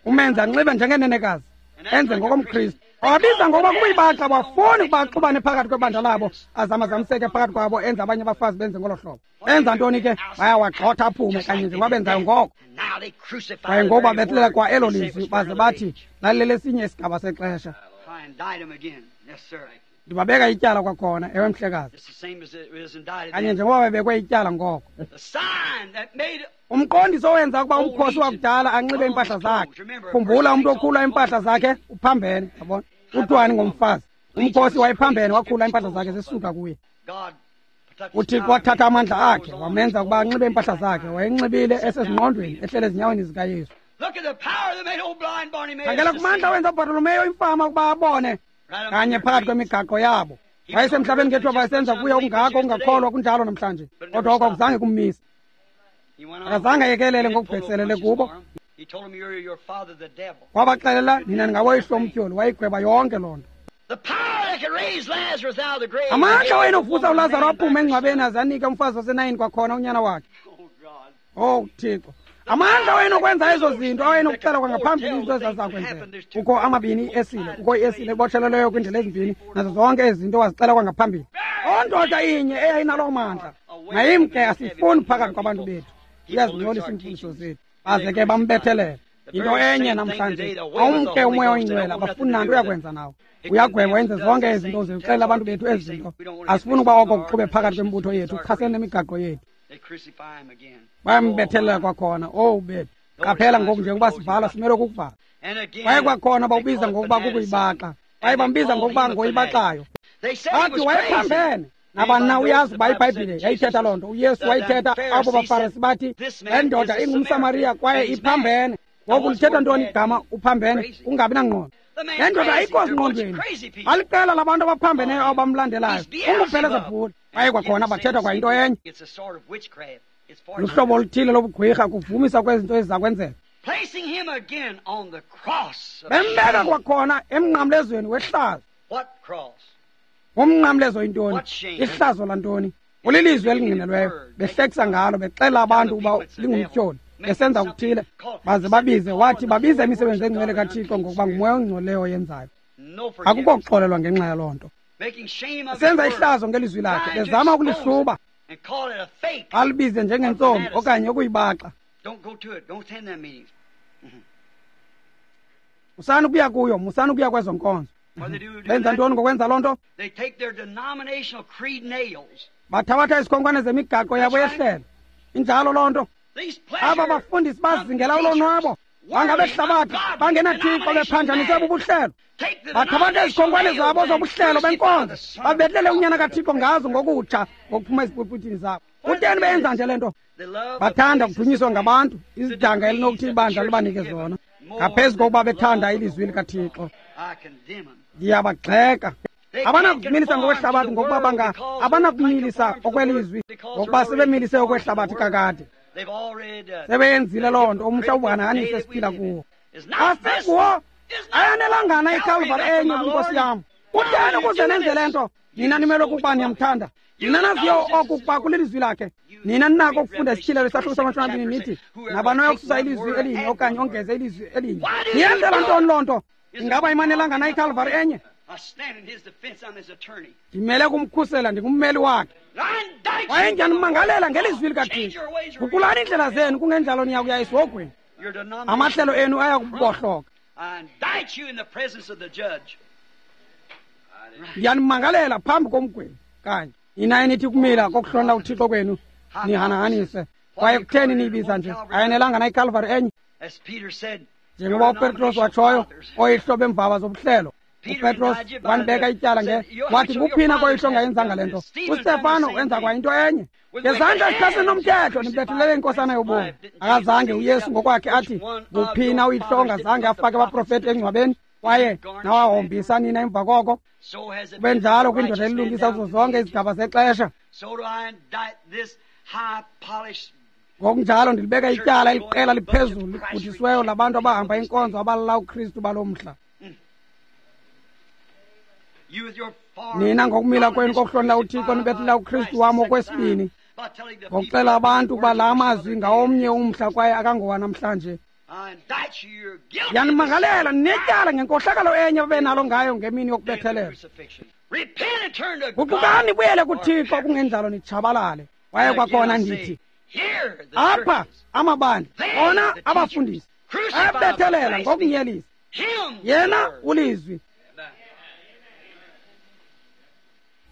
umenze anxibe njengenenekazi, enze ngokomKristu. Wabiza ngokuba kuyibaxa, bafuni ukuba axubane phakathi kwebandla labo, azamazamiseke phakathi kwabo, enze abanye abafazi benze ngolo hlobo. Benza ntoni ke? Bayawagxotha aphume kanye njengoba benzayo ngoko. Kwaye ngoku babethelela kwa elo lizwi, baze bathi lalilelesinye isigaba sexesha. Ndibabeka ityala kwakhona, ewe mhlekazi, kanye njengoba bebekwe ityala ngoko. Umqondiso owenza ukuba umkhosi wakudala anxibe iimpahla zakhe. Khumbula, umntu okhula iimpahla zakhe uphambene, yabona. Kuthiwani ngomfazi? Umkhosi wayephambene, wakhula iimpahla zakhe zisuka kuye. UThixo wathatha amandla akhe wamenza ukuba anxibe iimpahla zakhe. Wayenxibile esezingqondweni, ehlele ezinyaweni zikaYesu. Khangela kumandla wenza uBartolomeyo imfama ukuba abone kanye phakathi kwemigaqo yabo. Wayesemhlabeni ngethuba wayesenza kuye okungako ukungakholwa, kunjalo namhlanje, kodwa oko akuzange kummise. Akazange ayekelele ngokubhekiselele kubo. Wabaxelela, nina ningawoyihlo umtyholi. Wayigweba yonke loo nto. Amandla wayenovusa uLazaro aphume engcwabeni aze anike umfazi waseNayini kwakhona unyana wakhe. Oh Thixo, amandla wayenokwenza ezo zinto, awayenokuxela kwangaphambili izinto ezazizakwenzeka. Kukho amabini iesile, kukho iesile ebotshelelweyo kwiindlela ezimbini, nazo zonke ezi zinto wazixela kwangaphambili. Ondoda inye eyayinaloo mandla, mayimke, asifuni phakathi kwabantu bethu, uyazingcolisa iimfundiso zethu. Baze ke bambethelela. Into enye namhlanje, awumke umoya oyingcwele, abafuni nanto uyakwenza nawo. Uyagweba, wenze zonke ezi zinto, zixelela abantu bethu ezi zinto. Asifuni ukuba oko kuxube phakathi kwembutho yethu, kuchasene nemigaqo yethu. Bayambethelela kwakhona. Owu bethu, qaphela ngoku njengoba sivala, simele ukukuvala. Kwaye kwakhona bawubiza ngokuba kukuyibaxa, kwaye bambiza ngokuba ngoyibaxayo. Bathi wayephambene. Nabani na uyazi uba iBhayibhile yayithetha loo nto. UYesu wayithetha. Abo baFarisi bathi le ndoda ingumSamariya kwaye iphambene. Ngoku lithetha ntoni igama uphambene? Ungabi nangqondo. Le ndoda ayikho zingqondweni. Aliqela labantu abaphambeneyo abamlandelayo. UnguBhelezebhule. Kwaye kwakhona bathetha kwayinto enye. Luhlobo oluthile lobugqwirha, kuvumisa kwezinto eziza kwenzeka. Bembeka kwakhona emnqamlezweni wehlazo. Umnqamlezo yintoni? Ihlazo lantoni? Ulilizwi elingqinelweyo, behlekisa ngalo, bexela abantu ukuba lingumtyholi, besenza okuthile, baze babize. Wathi babize imisebenzi engcwele kaThixo ngokuba ngumoya ongcolileyo oyenzayo. Akukho kuxolelwa ngenxa yaloo nto. Senza ihlazo ngelizwi lakhe, bezama ukulihluba, alibize njengentsomi okanye ukuyibaxa. Musani ukuya kuyo, musani ukuya kwezo nkonzo. Benza ntoni ngokwenza loo nto? Bathabatha izikhonkwane zemigaqo yabo yehlelo. Injalo loo nto. Aba bafundisi bazingela ulonwabo, bangabehlabathi, bangenathixo, bephanjaniswe bubuhlelo. Bathabatha izikhonkwane zabo zobuhlelo benkonzo, babetlele unyana kaThixo ngazo ngokutsha ngokuphuma ezipulpitini zabo. Kutheni beyenza nje le nto? Bathanda ukudunyiswa ngabantu, izidanga elinokuthi ibandla libanike zona, ngaphezu kokuba bethanda ilizwi likaThixo. Ndiyabagxeka. Abanakumilisa ngokwehlabathi ngokuba banga abanakumilisa okwelizwi ngokuba sebemilise okwehlabathi kakade. Sebeyenzile loo nto umhla ubuhanahanise esiphila kuwo. Asikuwo ayanelangana iKalvari enye kwinkosi yam. Kutheni ukuze nenze le nto? Nina nimelwe kukuba niyamthanda. Nina naziyo oku kuba kulilizwi lakhe. Nina ninako ukufunda isityhilelo isahluko samashumi amabini nithi nabani oyokususa ilizwi elinye okanye ongeze ilizwi elinye. Niyenzela ntoni loo nto? Ingaba imanelangana iKalvari enye? Ndimele kumkhusela, ndingummeli wakhe. Kwaye ndiyanimangalela ngelizwi likaThixo. Guqulani iindlela zenu, kungenjalo niya kuya esihogweni. Amahlelo enu aya kubohloka. Ndiyanimangalela phambi komgwebi kanye. Nina enithi kumila kokuhlonela uThixo kwenu nihanahanise. Kwaye kutheni niyibiza nje? Ayanelanga na iKalvari enye? Njengoba uPetros watshoyo, oyihlo bemvaba zobuhlelo. uPetros wanibeka ityala nge wathi nguphina koyihlo ongayenzanga le nto. UStefano wenza kwayinto enye. Ngezandla ezichasene nomthetho nibethelele inkosana yobomi. Akazange uYesu ngokwakhe athi nguphina uyihlo ongazange afake abaprofeti engcwabeni kwaye nawahombisa nina emva koko. Kube njalo kwindoda elilungisa kuzo zonke izigaba zexesha. Ngokunjalo ndilibeka ityala eliqela liphezulu ligudisiweyo labantu abahamba inkonzo abalala uKristu balo mhla. Nina ngokumila kwenu kokuhlonela uThixo nibethela uKristu wam okwesibini, ngokuxela abantu ukuba la mazwi ngawomnye umhla kwaye akangowa namhlanje. Ndiyanimangalela ninetyala ngenkohlakalo enye ababenalo ngayo ngemini yokubethelela. Guqukani nibuyele kuThixo kungenjalo nitshabalale. Kwaye kwakhona ndithi apha amabandla ona abafundisi ayabethelela ngokunyelisa yena ulizwi.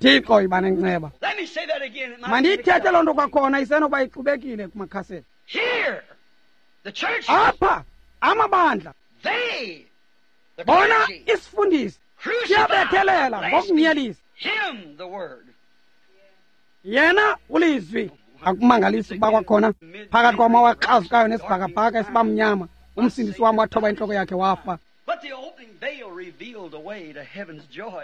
Thixo yiba nenceba. Mandiyithethe loo nto kwakhona isenokuba ixubekile kumakhaseti. Apha amabandla bona isifundisi siyabethelela ngokunyelisa yena ulizwi. Akumangalisi ukuba kwakhona phakathi kwamawa axazukayo nesibhakabhaka esibamnyama umsindisi wam wathoba intloko yakhe wafa.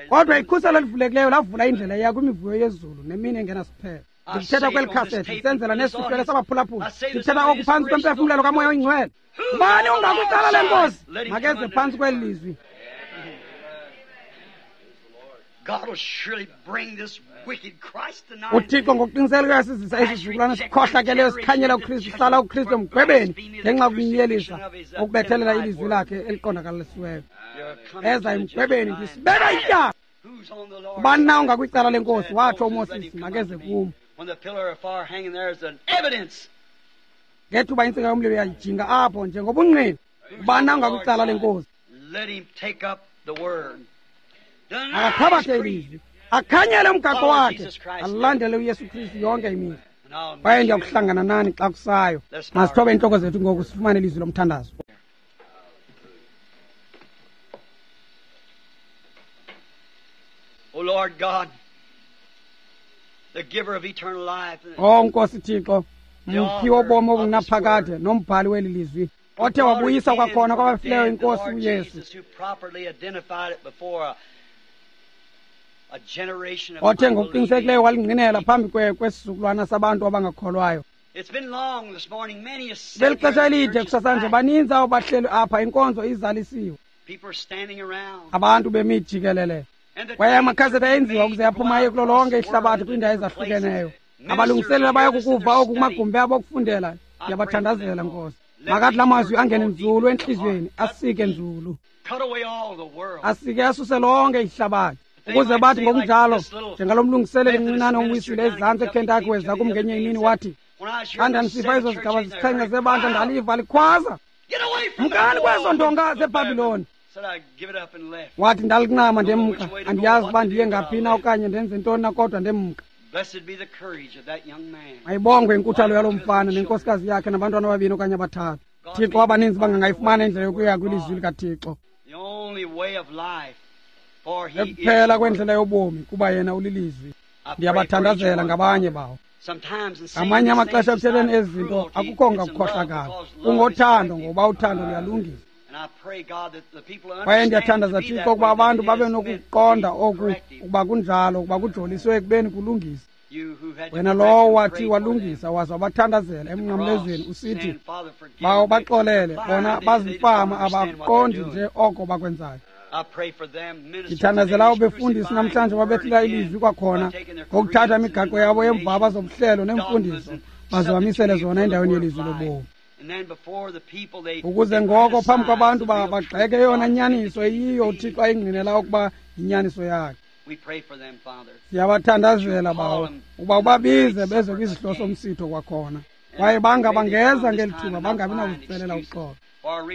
Kodwa ikhuselo elivulekileyo lavula indlela eya kwimivuyo yezulu nemini engenasiphelo. Ndikuthetha kweli khasethi ndisenzela nesihlwele sabaphulaphula. Ndikuthetha oku phantsi kwempefumlelo kaMoya oyiNgcwele. Ubani ungakwicala lenkosi makeze phantsi kweli lizwi. UThixo ngokuqinisekileyo sizisa isizukulwana esikhohlakeleyo sikhanyela uKristu sihlala uKristu emgwebeni ngenxa yokunyelisa ukubethelela ilizwi lakhe eliqondakalisiweyo. Eza emgwebeni ndisibeka ityala. Ubani na ungakwicala lenkosi watsho uMoses makeze kum. Ngethuba intsika yomlilo yajinga apho njengobungqina. Ubani na ungakwicala lenkosi akathabathe ilizwi akhanyele umgaqo wakhe alandele uYesu Kristu yonke imihla. Kwaye ndiyakuhlangana nani xa kusayo. Masithobe iintloko zethu ngoku sifumane ilizwi lomthandazo. O Lord God, the giver of eternal life, O Nkosi Thixo, mphi wobomi obungunaphakade nombhali weli lizwi othe wabuyisa kwakhona kwabafileyo inkosi uYesu, othe ngokuqinisekileyo walingqinela phambi kwesizukulwana sabantu abangakholwayo. Belixesha elide kusasanje baninzi abo bahleli apha, inkonzo izalisiwe, abantu bemi jikelele. Kwaye amakhaseti ayenziwa ukuze aphuma aye kulo lonke ihlabathi kwiindawo ezahlukeneyo. Abalungiseleli abayakukuva oku kumagumbi abo okufundela, ndiyabathandazela Nkosi. Makathi la mazwi angene nzulu entliziyweni, asike nzulu, asike asuse lonke ihlabathi, ukuze bathi ngokunjalo njengalo mlungiseleli mncinane umwisile ezantsi eKentucky weza kum ngenye imini wathi, xa ndandisiva ezo zigaba zisixhenxe zebandla ndaliva likhwaza, mkani kwezo ndonga zeBhabhiloni. Wathi ndalincama ndemka, andiyazi uba ndiye ngaphi na okanye ndenze ntoni na, kodwa ndemka. Mayibongwe inkuthalo yalo mfana nenkosikazi yakhe nabantwana ababini okanye abathathu. Thixo, abaninzi bangangayifumana indlela yokuya kwilizwi likaThixo. Ekuphela kwendlela yobomi kuba yena ulilizwi. Ndiyabathandazela ngabanye bawo. Ngamanye amaxesha ekuthetheni ezi zinto akukho ngakukhohlakala, kungothando, ngoba uthando luyalungisa. Kwaye ndiyathandaza Thixo ukuba abantu babe nokuqonda oku ukuba kunjalo, ukuba kujoliswe ekubeni kulungisa. Wena lowo wathi walungisa waza wabathandazela emnqamlezweni usithi, bawo baxolele, bona bazifama abaqondi nje oko bakwenzayo. Ndithandazela abo befundisi namhlanje babethela ilizwi kwakhona ngokuthatha imigaqo yabo yemvaba zobuhlelo neemfundiso baze bamisele zona endaweni yelizwi lobomi, ukuze ngoko phambi kwabantu bagxeke eyona nyaniso eyiyo uThixo ayingqinela ukuba yinyaniso yakhe. Siyabathandazela bawo ukuba ubabize beze kwisihlo somsitho kwakhona, kwaye banga bangeza ngeli thuba bangabi nakuzicelela uxolo,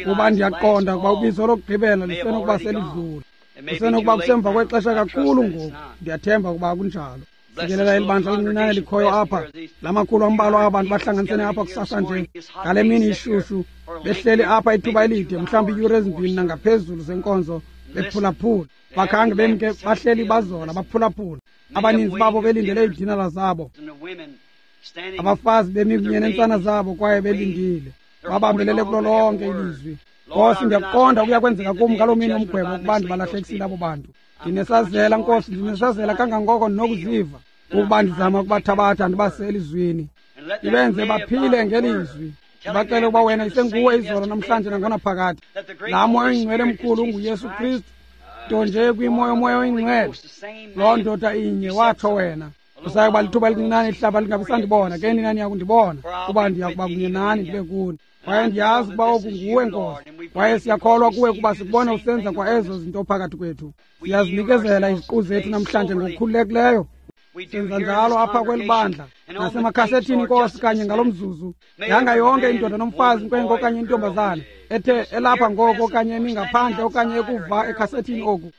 kuba ndiyaqonda ukuba ubizo lokugqibela lisenokuba selidlule, kusenokuba kusemva kwexesha kakhulu ngoku. Ndiyathemba ukuba kunjalo. Sikelela eli bandla lincinane likhoyo apha, la makhulu ambalwa abantu bahlanganisene apha kusasa nje ngale mini ishushu, behleli apha ithuba elide, mhlawumbi iiyure ezimbini nangaphezulu zenkonzo, bephulaphula. Bakhange bemke, bahleli bazola baphulaphula, abaninzi babo belindele iidinala zabo, abafazi bemi kunye neentsana zabo kwaye belindile, babambelele kulo lonke ilizwi. Nkosi, ndiyakuqonda kuya kwenzeka kum ngaloo mini yomgwebo ukuba ndibalahlekisile abo bantu. Ndinesazela Nkosi, ndinesazela kangangoko ndinokuziva. Ukuba ndizama ukubathabatha ndibase elizwini, ndibenze baphile ngelizwi. Ndibacele ukuba wena isenguwe izolo namhlanje nangonaphakade. Laa Moya oyiNgcwele mkhulu unguYesu Kristu, nto nje kwimo yoMoya oyiNgcwele. Loo ndoda inye, watsho wena. Kusaye kuba lithuba elincinane ihlaba lingabi sandibona, ke nina niyakundibona, kuba ndiya kuba kunye nani ndibe kuni. Kwaye ndiyazi ukuba oku nguwe, Nkosi. Kwaye siyakholwa kuwe kuba sikubona usenza kwa ezo zinto phakathi kwethu. Siyazinikezela iziqu zethu namhlanje ngokukhululekileyo. Senza njalo apha kweli bandla nasemakhasethini, Nkosi, kanye ngalo mzuzu. Yanga yonke indoda nomfazi, inkwenkwe okanye intombazana ethe elapha ngoko okanye emi ngaphandle okanye ekuva ekhasethini oku.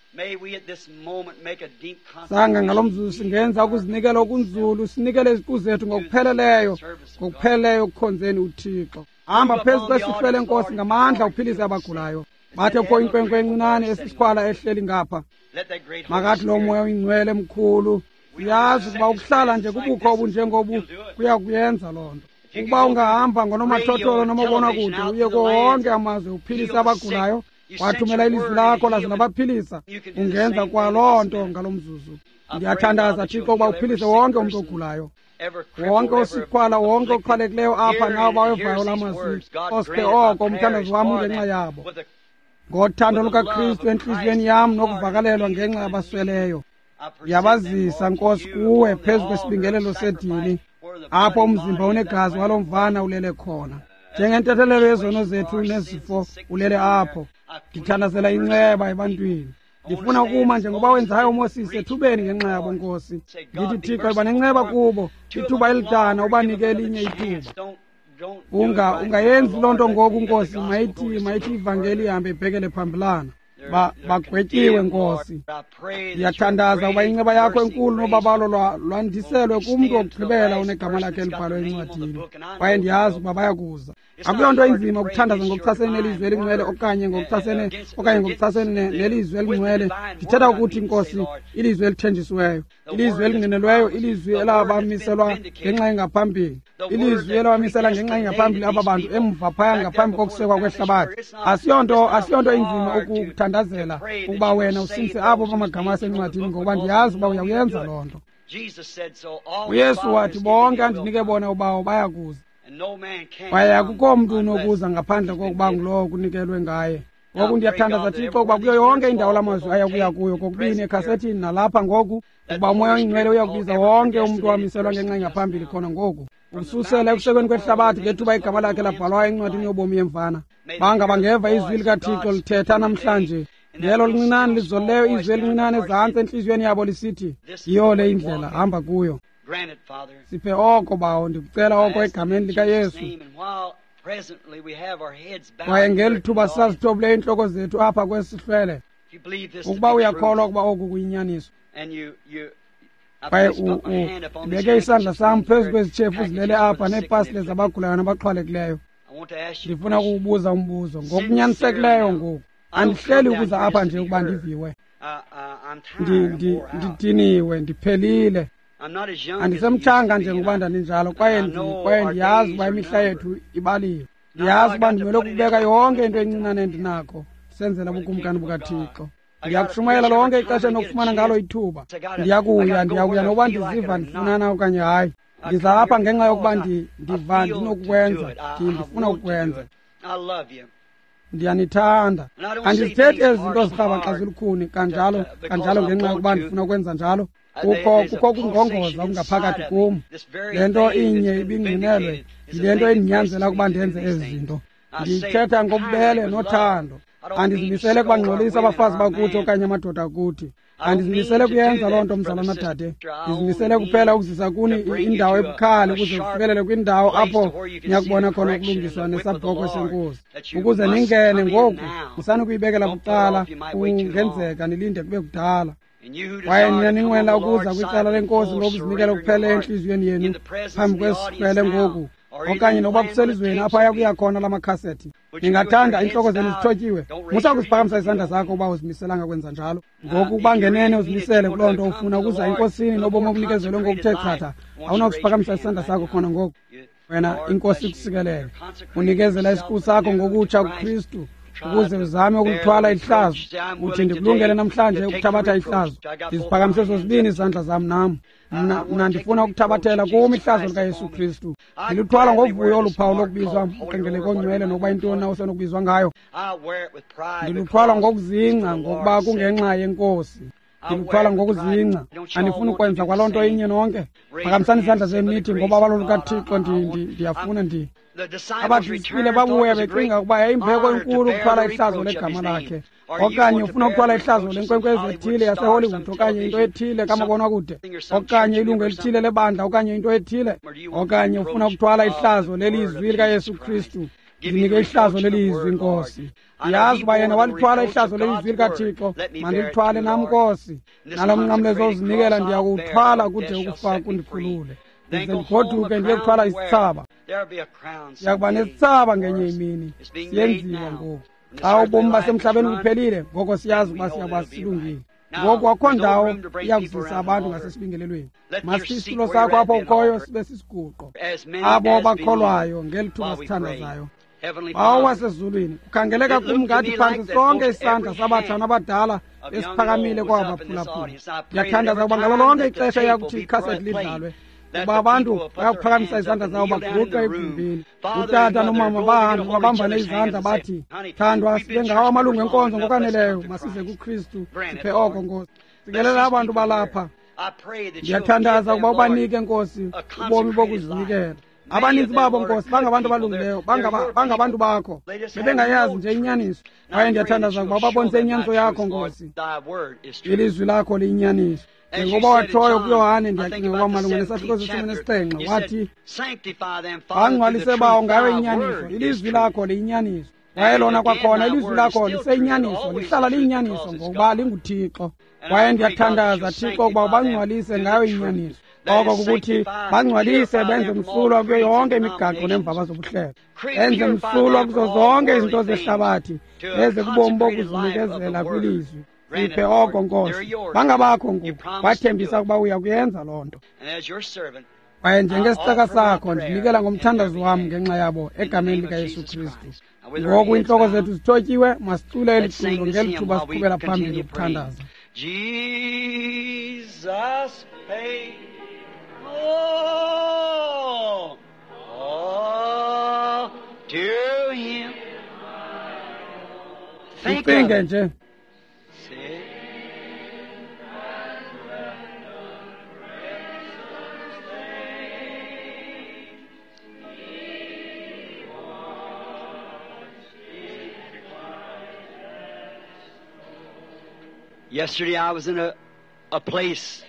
Sanga ngalo mzuzu singenza ukuzinikela okunzulu, sinikele iziqu zethu ngokupheleleyo, ngokupheleleyo ekukhonzeni uThixo. Hamba phezu kwesihlwele, Nkosi, ngamandla uphilise abagulayo. Bathe kukho inkwenkwe encinane esisikhwala ehleli ngapha. Makathi lo Moya oyiNgcwele mkhulu, uyazi ukuba ukuhlala nje kubukho obunjengobu kuya kuyenza loo nto. Ukuba ungahamba ngonomathotholo nomabonakude uye kuwo wonke amazwe uphilise abagulayo, wathumela ilizwi lakho laze labaphilisa, ungenza kwaloo nto ngalo mzuzu. Ndiyathandaza, Thixo, ukuba uphilise wonke umntu ogulayo, wonke osikhwala, wonke oqhwalekileyo apha nawo bawevayo la mazwi. Osiphe oko, umthandazo wam ungenxa yabo. Ngothando lukaKristu entliziyweni yam nokuvakalelwa ngenxa yabasweleyo, ndiyabazisa, Nkosi, kuwe phezu kwesibingelelo sedini, apho umzimba unegazi walo mvana ulele khona. Njengentethelelo yezono zethu nezifo ulele apho. Ndithandazela inceba ebantwini. Ndifuna ukuma njengoba wenzayo uMoses ethubeni ngenxa yabo, Nkosi. Ndithi, Thixo, yiba nenceba kubo, ithuba elidana ubanike elinye ithuba. Unga ungayenzi loo nto ngoku, Nkosi, mayithi mayithi ivangeli ihambe ibhekele phambilana. Ba bagwetyiwe, Nkosi. Ndiyathandaza ukuba inceba yakho enkulu nobabalo lwandiselwe kumntu wokugqibela onegama lakhe elibhalwe encwadini. Kwaye ndiyazi ukuba bayakuza. Akuyonto inzima ukuthandaza ngokuchasene nelizwi elingcwele okanye ngokuchasene okanye ngokuchasene nelizwi elingcwele. Ndithetha ukuthi, Nkosi, ilizwi elithenjisiweyo, ilizwi elingqinelweyo, ilizwi elabamiselwa ngenxa engaphambili, ilizwi elabamisela ngenxa engaphambili aba bantu emva phaya ngaphambi kokusekwa kwehlabathi. Asiyonto asiyonto inzima ukuthandazela ukuba wena usindise abo bamagama asencwadini, ngokuba ndiyazi ukuba uyakuyenza loo nto. UYesu wathi, bonke andinike bona uBawo bayakuza. Kwaye akukho mntu unokuza ngaphandle kokuba ngulowo kunikelwe ngaye. Ngoku ndiyathandaza, Thixo, ukuba kuyo yonke indawo la mazwi ayakuya kuyo, kokubini ekhasethini nalapha ngoku, ukuba uMoya oyiNgcwele uyakubiza wonke umntu owamiselwa ngenxa engaphambili khona ngoku, ukususela ekusekweni kwehlabathi ngethuba igama lakhe labhalwayo encwadini yobomi yemvana. Banga bangeva izwi likaThixo lithetha namhlanje, ngelo lincinane lizolileyo izwi elincinane ezantsi entliziyweni yabo lisithi, yiyo le indlela, hamba kuyo. Siphe oko, Bawo, ndikucela oko egameni likaYesu. Kwaye ngeli thuba sisazithobileyo iintloko zethu apha kwesihlwele, ukuba uyakholwa ukuba oku kuyinyaniso, kwaye ndibeke isandla sam phezu kwezitshefu zilele apha neepasile zabagulayo nabaxhwalekileyo, ndifuna ukukubuza umbuzo ngokunyanisekileyo ngoku. Andihleli ukuza apha nje ukuba ndiviwe. Ndidiniwe, ndiphelile. Andisemtshanga njengokuba ndandinjalo, kwaye kwaye ndiyazi ukuba imihla yethu ibaliwe. Ndiyazi ukuba ndimele ukubeka yonke into encinane endinakho senzela ubukumkani bukaThixo. Ndiyakushumayela lonke ixesha endinokufumana ngalo ithuba. Ndiyakuya, ndiyakuya nokuba ndiziva ndifunana okanye hayi. Ndiza apha ngenxa yokuba ndiva ndinokukwenza, ndifuna ukukwenza. Ndiyanithanda. Andizithethi ezi zinto zirhabaxa zilukhuni kanjalo kanjalo ngenxa yokuba ndifuna ukwenza njalo. Kukho kukho ukungongoza okungaphakathi kum. Le nto inye ibingqinelwe yile nto indinyanzela ukuba ndenze ezi zinto. Ndithetha ngobubele nothando. Andizimisele kubangxolisa abafazi bakuthi okanye amadoda kuthi. Andizimisele kuyenza loo nto, mzalwana dade. Ndizimisele kuphela ukuzisa kuni indawo ebukhali ukuze kufikelele kwindawo apho niyakubona khona ukulungiswa nesabhokhwe senkosi, ukuze ningene ngoku. Musani ukuyibekela bucala, kungenzeka nilinde kube kudala. Kwaye nina ninqwenela ukuza kwicala lenkosi ngokuzinikela kuphela entliziyweni yenu phambi kwesihlwele ngoku, okanye nokuba kuselizweni apho ayakuya khona la makhasethi, ningathanda iintloko zenu zithotyiwe. Musa ukusiphakamisa isandla sakho uba uzimiselanga kwenza njalo. Ngoku uba ngenene uzimisele kuloo nto ufuna ukuza enkosini nobomi obunikezelwe ngokuthe chatha, awunakusiphakamisa isandla sakho khona ngoku. Wena, inkosi ikusikelele. Unikezela isiqu sakho ngokutsha kuKristu, ukuze uzame ukulithwala ihlazo. Uthi ndikulungele namhlanje ukuthabatha ihlazo. Ndiziphakamise zozibini izandla zam nam. Mna, mna ndifuna ukuthabathela kum ihlazo likaYesu Kristu. Ndiluthwala ngovuyo olu phawu lokubizwa umqengeleko ongcwele nokuba yintoni na osenokubizwa ngayo. Ndiluthwala ngokuzingca ngokuba kungenxa yeNkosi. Ndiluthwala ngokuzingca. Andifuni ukwenza kwaloo nto inye nonke. Phakamisani izandla zenu nithi ngobabalo lukaThixo ndiyafuna ndi. Abadisipile babuya becinga ukuba yayimbeko enkulu ukuthwala ihlazo legama lakhe. Okanye ufuna ukuthwala ihlazo lenkwenkwezi ethile yaseHollywood okanye into ethile kamabonakude, okanye ilungu elithile lebandla okanye into ethile, okanye ufuna ukuthwala ihlazo lelizwi likaYesu Kristu. Ndinike ihlazo lelizwi, Nkosi. Ndiyazi uba yena walithwala ihlazo lelizwi likaThixo, mandilithwale nam, Nkosi. Nalo mnqamlezo ozinikela ndiyakuwuthwala kude ukufa kundikhulule. Ndize ndigoduke ndiye kuthwala isithsaba. Ndiyakuba nesithsaba ngenye imini. Siyenziwa ngoku. Xa ubomi basemhlabeni buphelile, ngoko siyazi ukuba siyakuba silungile. Ngoku akukho ndawo iyakuzisa abantu ngasesibingelelweni. Masithi isitulo sakho apho ukhoyo sibe sisiguqo. Abo bakholwayo ngeli thuba sithandazayo. Bawo wasezulwini, kukhangeleka kum ngathi phantsi sonke isandla sabatsha nabadala esiphakamile kwabaphulaphula. Ndiyathandaza ukuba ngalo lonke ixesha eyakuthi ikhasethi lidlalwe, ukuba abantu bayakuphakamisa izandla zabo baguqe egumbini. Utata nomama bahambe babambane izandla bathi, thandwa, sibe ngawo amalungu enkonzo ngokwaneleyo, masize kuKristu, siphe oko, Nkosi. Sikelela abantu balapha. Ndiyathandaza ukuba ubanike, Nkosi, ubomi bokuzinikela. Abaninzi babo, Nkosi, bangabantu abalungileyo, bangabantu bakho. Bebengayazi nje inyaniso. Kwaye ndiyathandaza ukuba ubabonise inyaniso yakho, Nkosi. Ilizwi lakho liyinyaniso. Njengoba watshoyo kuYohane, ndiyacinga ukuba malunga nesahluko seshumi nesixhenxe, wathi, bangcwalise bawo ngayo inyaniso, ilizwi lakho liyinyaniso. Kwaye lona kwakhona ilizwi lakho liseyinyaniso, lihlala liyinyaniso ngokuba linguThixo. Kwaye ndiyathandaza, Thixo, ukuba ubangcwalise ngayo inyaniso. Oko kukuthi bangcwalise benze msulwa kuyo yonke imigaqo neemvaba zobuhlelo, benze msulwa kuzo zonke izinto zehlabathi, beze kubomi bokuzinikezela kwilizwi. Siphe oko, Nkosi. Bangabakho ngoku. Wathembisa ukuba uya kuyenza loo nto. Kwaye njengesicaka sakho ndinikela ngomthandazo wam ngenxa yabo egameni likaYesu Kristu. Ngoku iintloko zethu zithotyiwe, masicule eli culo ngeli thuba siqhubela phambili ukuthandaza. Jesus paid all, all to him. Ucinge nje. Yesterday I was in a, a place.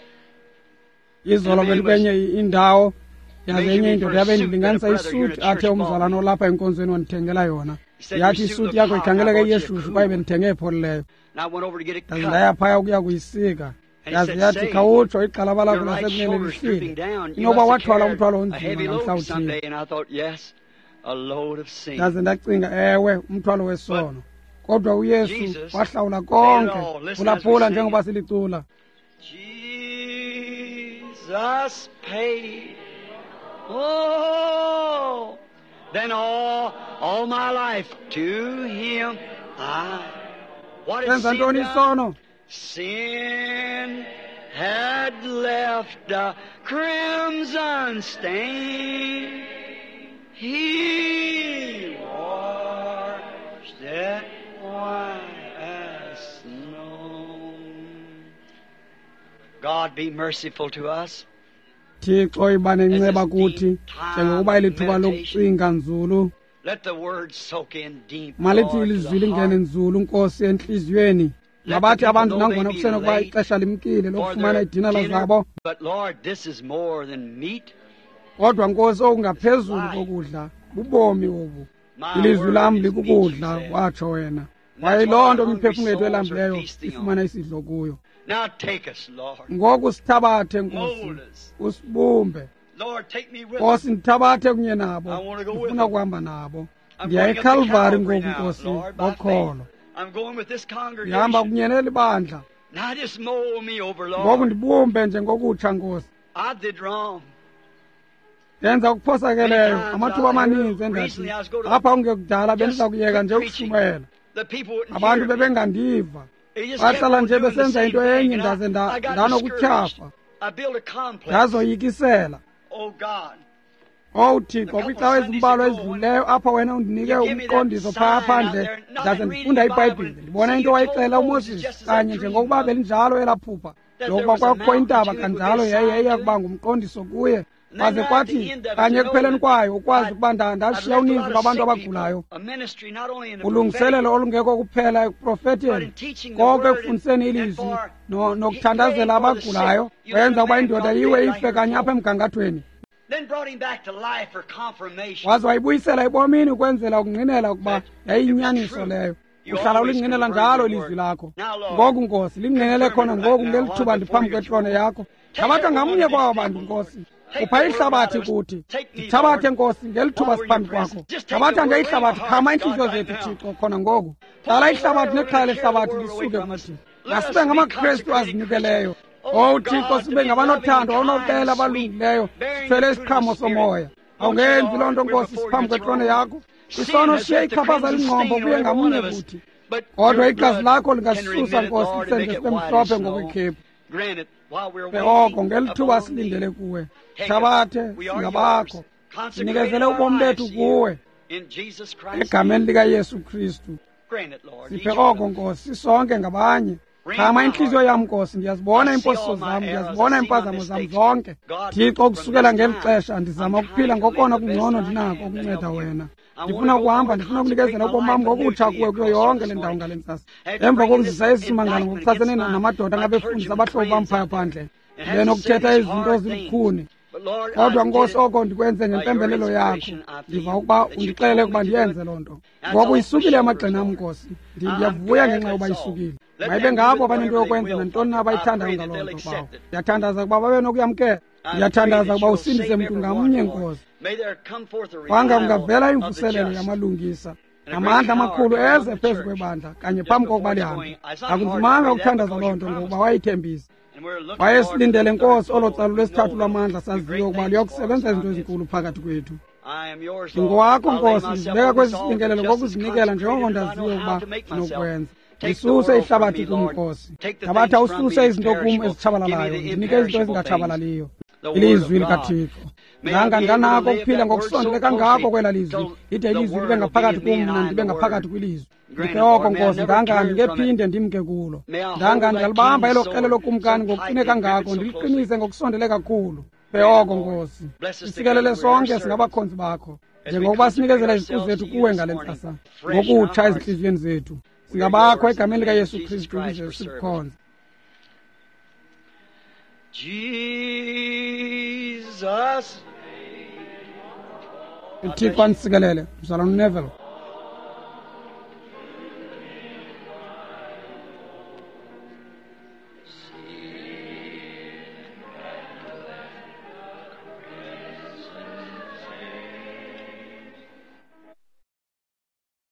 Izolo bendikwenye indawo yaze enye indoda yabe indilinganisa isuti athe umzalwana olapha enkonzweni wandithengela yona. Yathi isuti yakho ikhangeleka iyeshushu kwaye bendithenge epholileyo. Ndaze ndaya phaya ukuya kuyisika. Yaze yathi khawutsho igxalaba lakho lasekunene lihlile. Inoba wathwala umthwalo onzima namhla uthile. Ndaze ndacinga, ewe, umthwalo wesono. Kodwa uYesu wahlawula konke. Phulaphula njengoba silicula. Jesus paid. Oh, then all, all my life to him I. What Senza ntoni isono? Sin had left a crimson stain. He washed it white as snow. God be merciful to us. Thixo iba nenceba kuthi njengokuba elithuba lokucinga nzulu. Let the word soak in deep. Malithi ilizwi lingene nzulu, Nkosi, entliziyweni. Mabathi abantu nangona kusenokuba ixesha limkile lokufumana idinala zabo. But Lord, this is more than meat. Kodwa Nkosi, okungaphezulu kokudla bubomi obu. Ilizwi lam likukudla, watsho wena. Kwaye loo nto imiphefumlo yethu elambileyo ifumana isidlo kuyo. Now take us, Lord. Ngoku sithabathe, Nkosi, usibumbe. Lord, take me with Nkosi, ndithabathe kunye nabo. I wanna go with Ndifuna them. ukuhamba nabo. I'm Ndiya going up to eKalvari Calvary ngoku, now, Nkosi, Lord, by ngokholo. faith. I'm going with this Ndihamba congregation. kunye neli bandla. Now just mold me over, Ngoku Lord. ndibumbe njengokutsha, Nkosi. I did wrong. Ndenza okuphosakeleyo amathuba amaninzi endathi apha kungekudala bendiza kuyeka nje ukushumayela. Abantu bebengandiva. Bahlala nje besenza into enye ndaze ndanokutyhafa. Ndazoyikisela. Owu Thixo, kwiicawa ezimbalwa ezidlulileyo apho wena undinike umqondiso phaa phandle, ndaze ndifunda iBhayibhile, ndibona into wayixela uMoses kanye njengokuba belinjalo elaa phupha lokuba kwakukho intaba kanjalo yaye yayiya kuba ngumqondiso kuye. Kwaze kwathi kanye ekupheleni kwayo ukwazi ukuba ndashiya uninzi lwabantu abagulayo. Ulungiselelo olungekho kuphela ekuprofeteni, konke ekufundiseni ilizwi nokuthandazela abagulayo, wenza ukuba indoda iwe ife kanye apha emgangathweni. Waze wayibuyisela ebomini ukwenzela ukungqinela ukuba yayiyinyaniso leyo. Uhlala ulingqinela njalo ilizwi lakho. Ngoku Nkosi, lingqinele khona ngoku ngeli thuba ndiphambi kwetrone yakho. Thabatha ngamnye kwaba bantu Nkosi. Upha ihlabathi kuthi. Ndithabathe Nkosi ngeli thuba siphambi kwakho. Thabatha nje ihlabathi, khama iintliziyo zethu Thixo khona ngoku. Hlala ihlabathi nexhala lehlabathi lisuke kuthi. Masibe ngamaKrestu azinikeleyo. Owu Thixo, sibe ngabanothando, onobubele, abalungileyo, sithwele isiqhamo somoya. Awungenzi loo nto Nkosi siphambi kwetrone yakho. Isono siye ichaphaza lingqombo kuye ngamnye kuthi. Kodwa igazi lakho lingasisusa Nkosi lisenze sibe mhlophe ngokwekhephu. Oko ngeli thuba silindele kuwe. Thabathe singabakho. Sinikezele ubomi bethu kuwe. Egameni likaYesu Kristu. Siphe oko Nkosi sisonke ngabanye. Khama intliziyo yam Nkosi, ndiyazibona iimposiso zam, ndiyazibona iimpazamo zam zonke. Thixo, kusukela ngeli xesha ndizama ukuphila ngokona kungcono ndinako ukunceda wena. Ndifuna ukuhamba, ndifuna ukunikezela ubomi bam ngokutsha kuwe kuyo yonke le ndawo ngale ntsasa. Emva kokuzisa esi simangalo ngokuchasene namadoda angabefundisi abahlobo bam phaya phandle, benokuthetha izinto ezilukhuni. Kodwa Nkosi, oko ndikwenze ngempembelelo yakho. Ndiva ukuba undixelele ukuba ndiyenze loo nto. Ngoku isukile amagxeni am Nkosi. Ndiyavuya ngenxa yokuba isukile. Mayibe ngabo abanento yokwenza nantoni na abayithandayo ngaloo nto bawo. Ndiyathandaza ukuba babe nokuyamkela. Ndiyathandaza ukuba usindise mntu ngamnye Nkosi. Kwanga kungavela imvuselelo yamalungisa namandla amakhulu eze phezu kwebandla kanye phambi kokuba lihambe. Akunzimanga ukuthandaza loo nto ngokuba wayithembisa. Wayesilindele Nkosi olo tsalo lwesithathu lwamandla saziyo ukuba luyakusebenza izinto ezinkulu phakathi kwethu. Ndingowakho Nkosi, ndizibeka kwesi sibingelelo ngokuzinikela njengoko ndaziyo ukuba ndinokwenza. Ndisuse ihlabathi kum Nkosi. Thabatha ususe izinto kum ezitshabalalayo, ndinike izinto ezingatshabalaliyo. Ilizwi likaThixo. Ndanga ndinganako ukuphila ngokusondele kangako kwela lizwi, lide ilizwi libe ngaphakathi kum, mna ndibe ngaphakathi kwilizwi. Ndiphe oko Nkosi, ndanga ndingephinde ndimke kulo. Ndanga ndingalibamba elo krele lokumkani ngokuqine kangako, ndiliqinise ngokusondele kakhulu. Ndiphe oko Nkosi. Sisikelele sonke singabakhonzi bakho, njengokuba sinikezela iziqu zethu kuwe ngale ntsasa, ngokutsha ezintliziyweni zethu. Singabakho egameni likaYesu Kristu ukuze sikukhonze. Jesus. uThixo anisikelele, mzalwana uNeville.